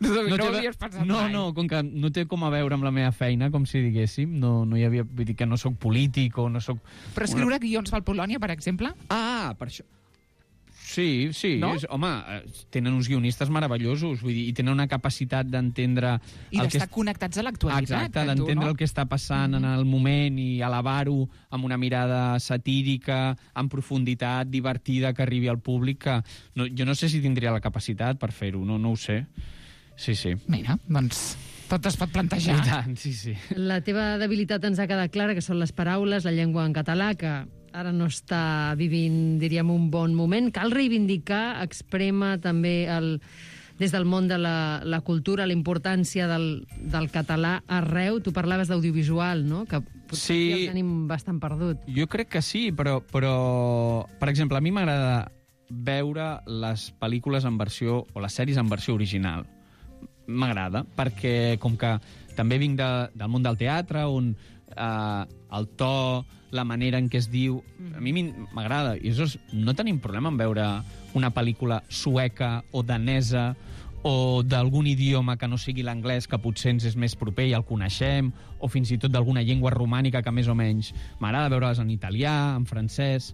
No ho havies pensat mai. No, com que no té com a veure amb la meva feina, com si diguéssim, no hi havia... Vull dir que no sóc polític o no sóc... Però escriure guions pel Polònia, per exemple? Ah, per això... Sí, no? Home, tenen uns guionistes meravellosos, vull dir, i tenen una capacitat d'entendre... I d'estar connectats a l'actualitat. Exacte, d'entendre el que està passant en el moment i elevar-ho amb una mirada satírica, amb profunditat, divertida, que arribi al públic, que jo no sé si tindria la capacitat per fer-ho, no ho sé. Sí. Mira, doncs tot es pot plantejar. I tant, sí. La teva debilitat ens ha quedat clara, que són les paraules, la llengua en català, que ara no està vivint, diríem, un bon moment. Cal reivindicar, exprema també des del món de la cultura la importància del català arreu. Tu parlaves d'audiovisual, no? Que potser ja el tenim bastant perdut. Jo crec que sí, però per exemple, a mi m'agrada veure les pel·lícules en versió, o les sèries en versió original. M'agrada, perquè com que també vinc del món del teatre, on el to, la manera en què es diu, a mi m'agrada. I no tenim problema en veure una pel·lícula sueca o danesa o d'algun idioma que no sigui l'anglès, que potser ens és més proper i el coneixem, o fins i tot d'alguna llengua romànica que més o menys m'agrada veure-les en italià, en francès...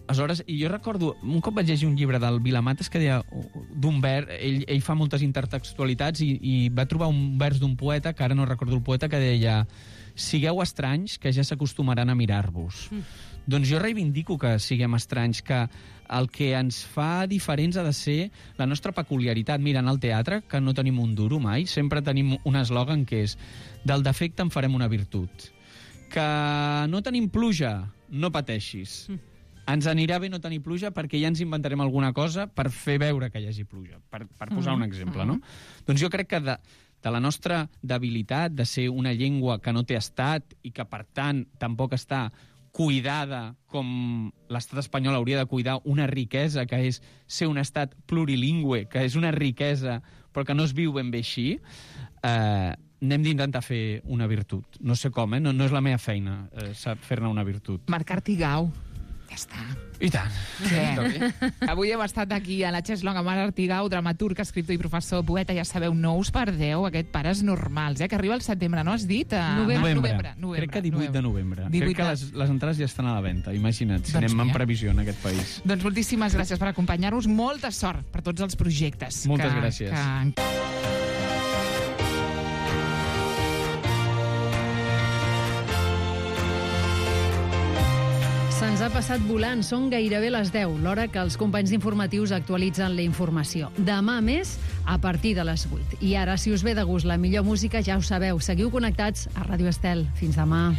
Aleshores, i jo recordo, un cop vaig llegir un llibre del Vilamates que deia d'un vers, ell fa moltes intertextualitats i va trobar un vers d'un poeta, que ara no recordo el poeta, que deia: sigueu estranys, que ja s'acostumaran a mirar-vos. Doncs jo reivindico que siguem estranys, que el que ens fa diferents ha de ser la nostra peculiaritat. Mira, en el teatre, que no tenim un duro mai, sempre tenim un eslògan que és: del defecte en farem una virtut. Que no tenim pluja, no pateixis. Ens anirà bé no tenir pluja perquè ja ens inventarem alguna cosa per fer veure que hi hagi pluja, per posar un exemple, no? Doncs jo crec que de la nostra debilitat de ser una llengua que no té estat i que, per tant, tampoc està cuidada com l'estat espanyol hauria de cuidar una riquesa, que és ser un estat plurilingüe, que és una riquesa però que no es viu ben bé així, n'hem d'intentar fer una virtut. No sé com, no és la meva feina fer-ne una virtut. Marc Artigau. Ja està. I tant. Avui hem estat aquí a la Cheslong amb Marc Artigau, dramaturg, escriptor i professor, poeta. Ja sabeu, no us perdeu aquest Pares Normals, que arriba al setembre, no has dit? Novembre. Crec que 18 de novembre. Crec que les entrades ja estan a la venda. Imagina't, si anem en previsió en aquest país. Doncs moltíssimes gràcies per acompanyar-nos. Molta sort per tots els projectes. Moltes gràcies. Se'ns ha passat volant, són gairebé les 10, l'hora que els companys informatius actualitzen la informació. Demà més, a partir de les 8. I ara, si us ve de gust la millor música, ja ho sabeu, seguiu connectats a Ràdio Estel. Fins demà.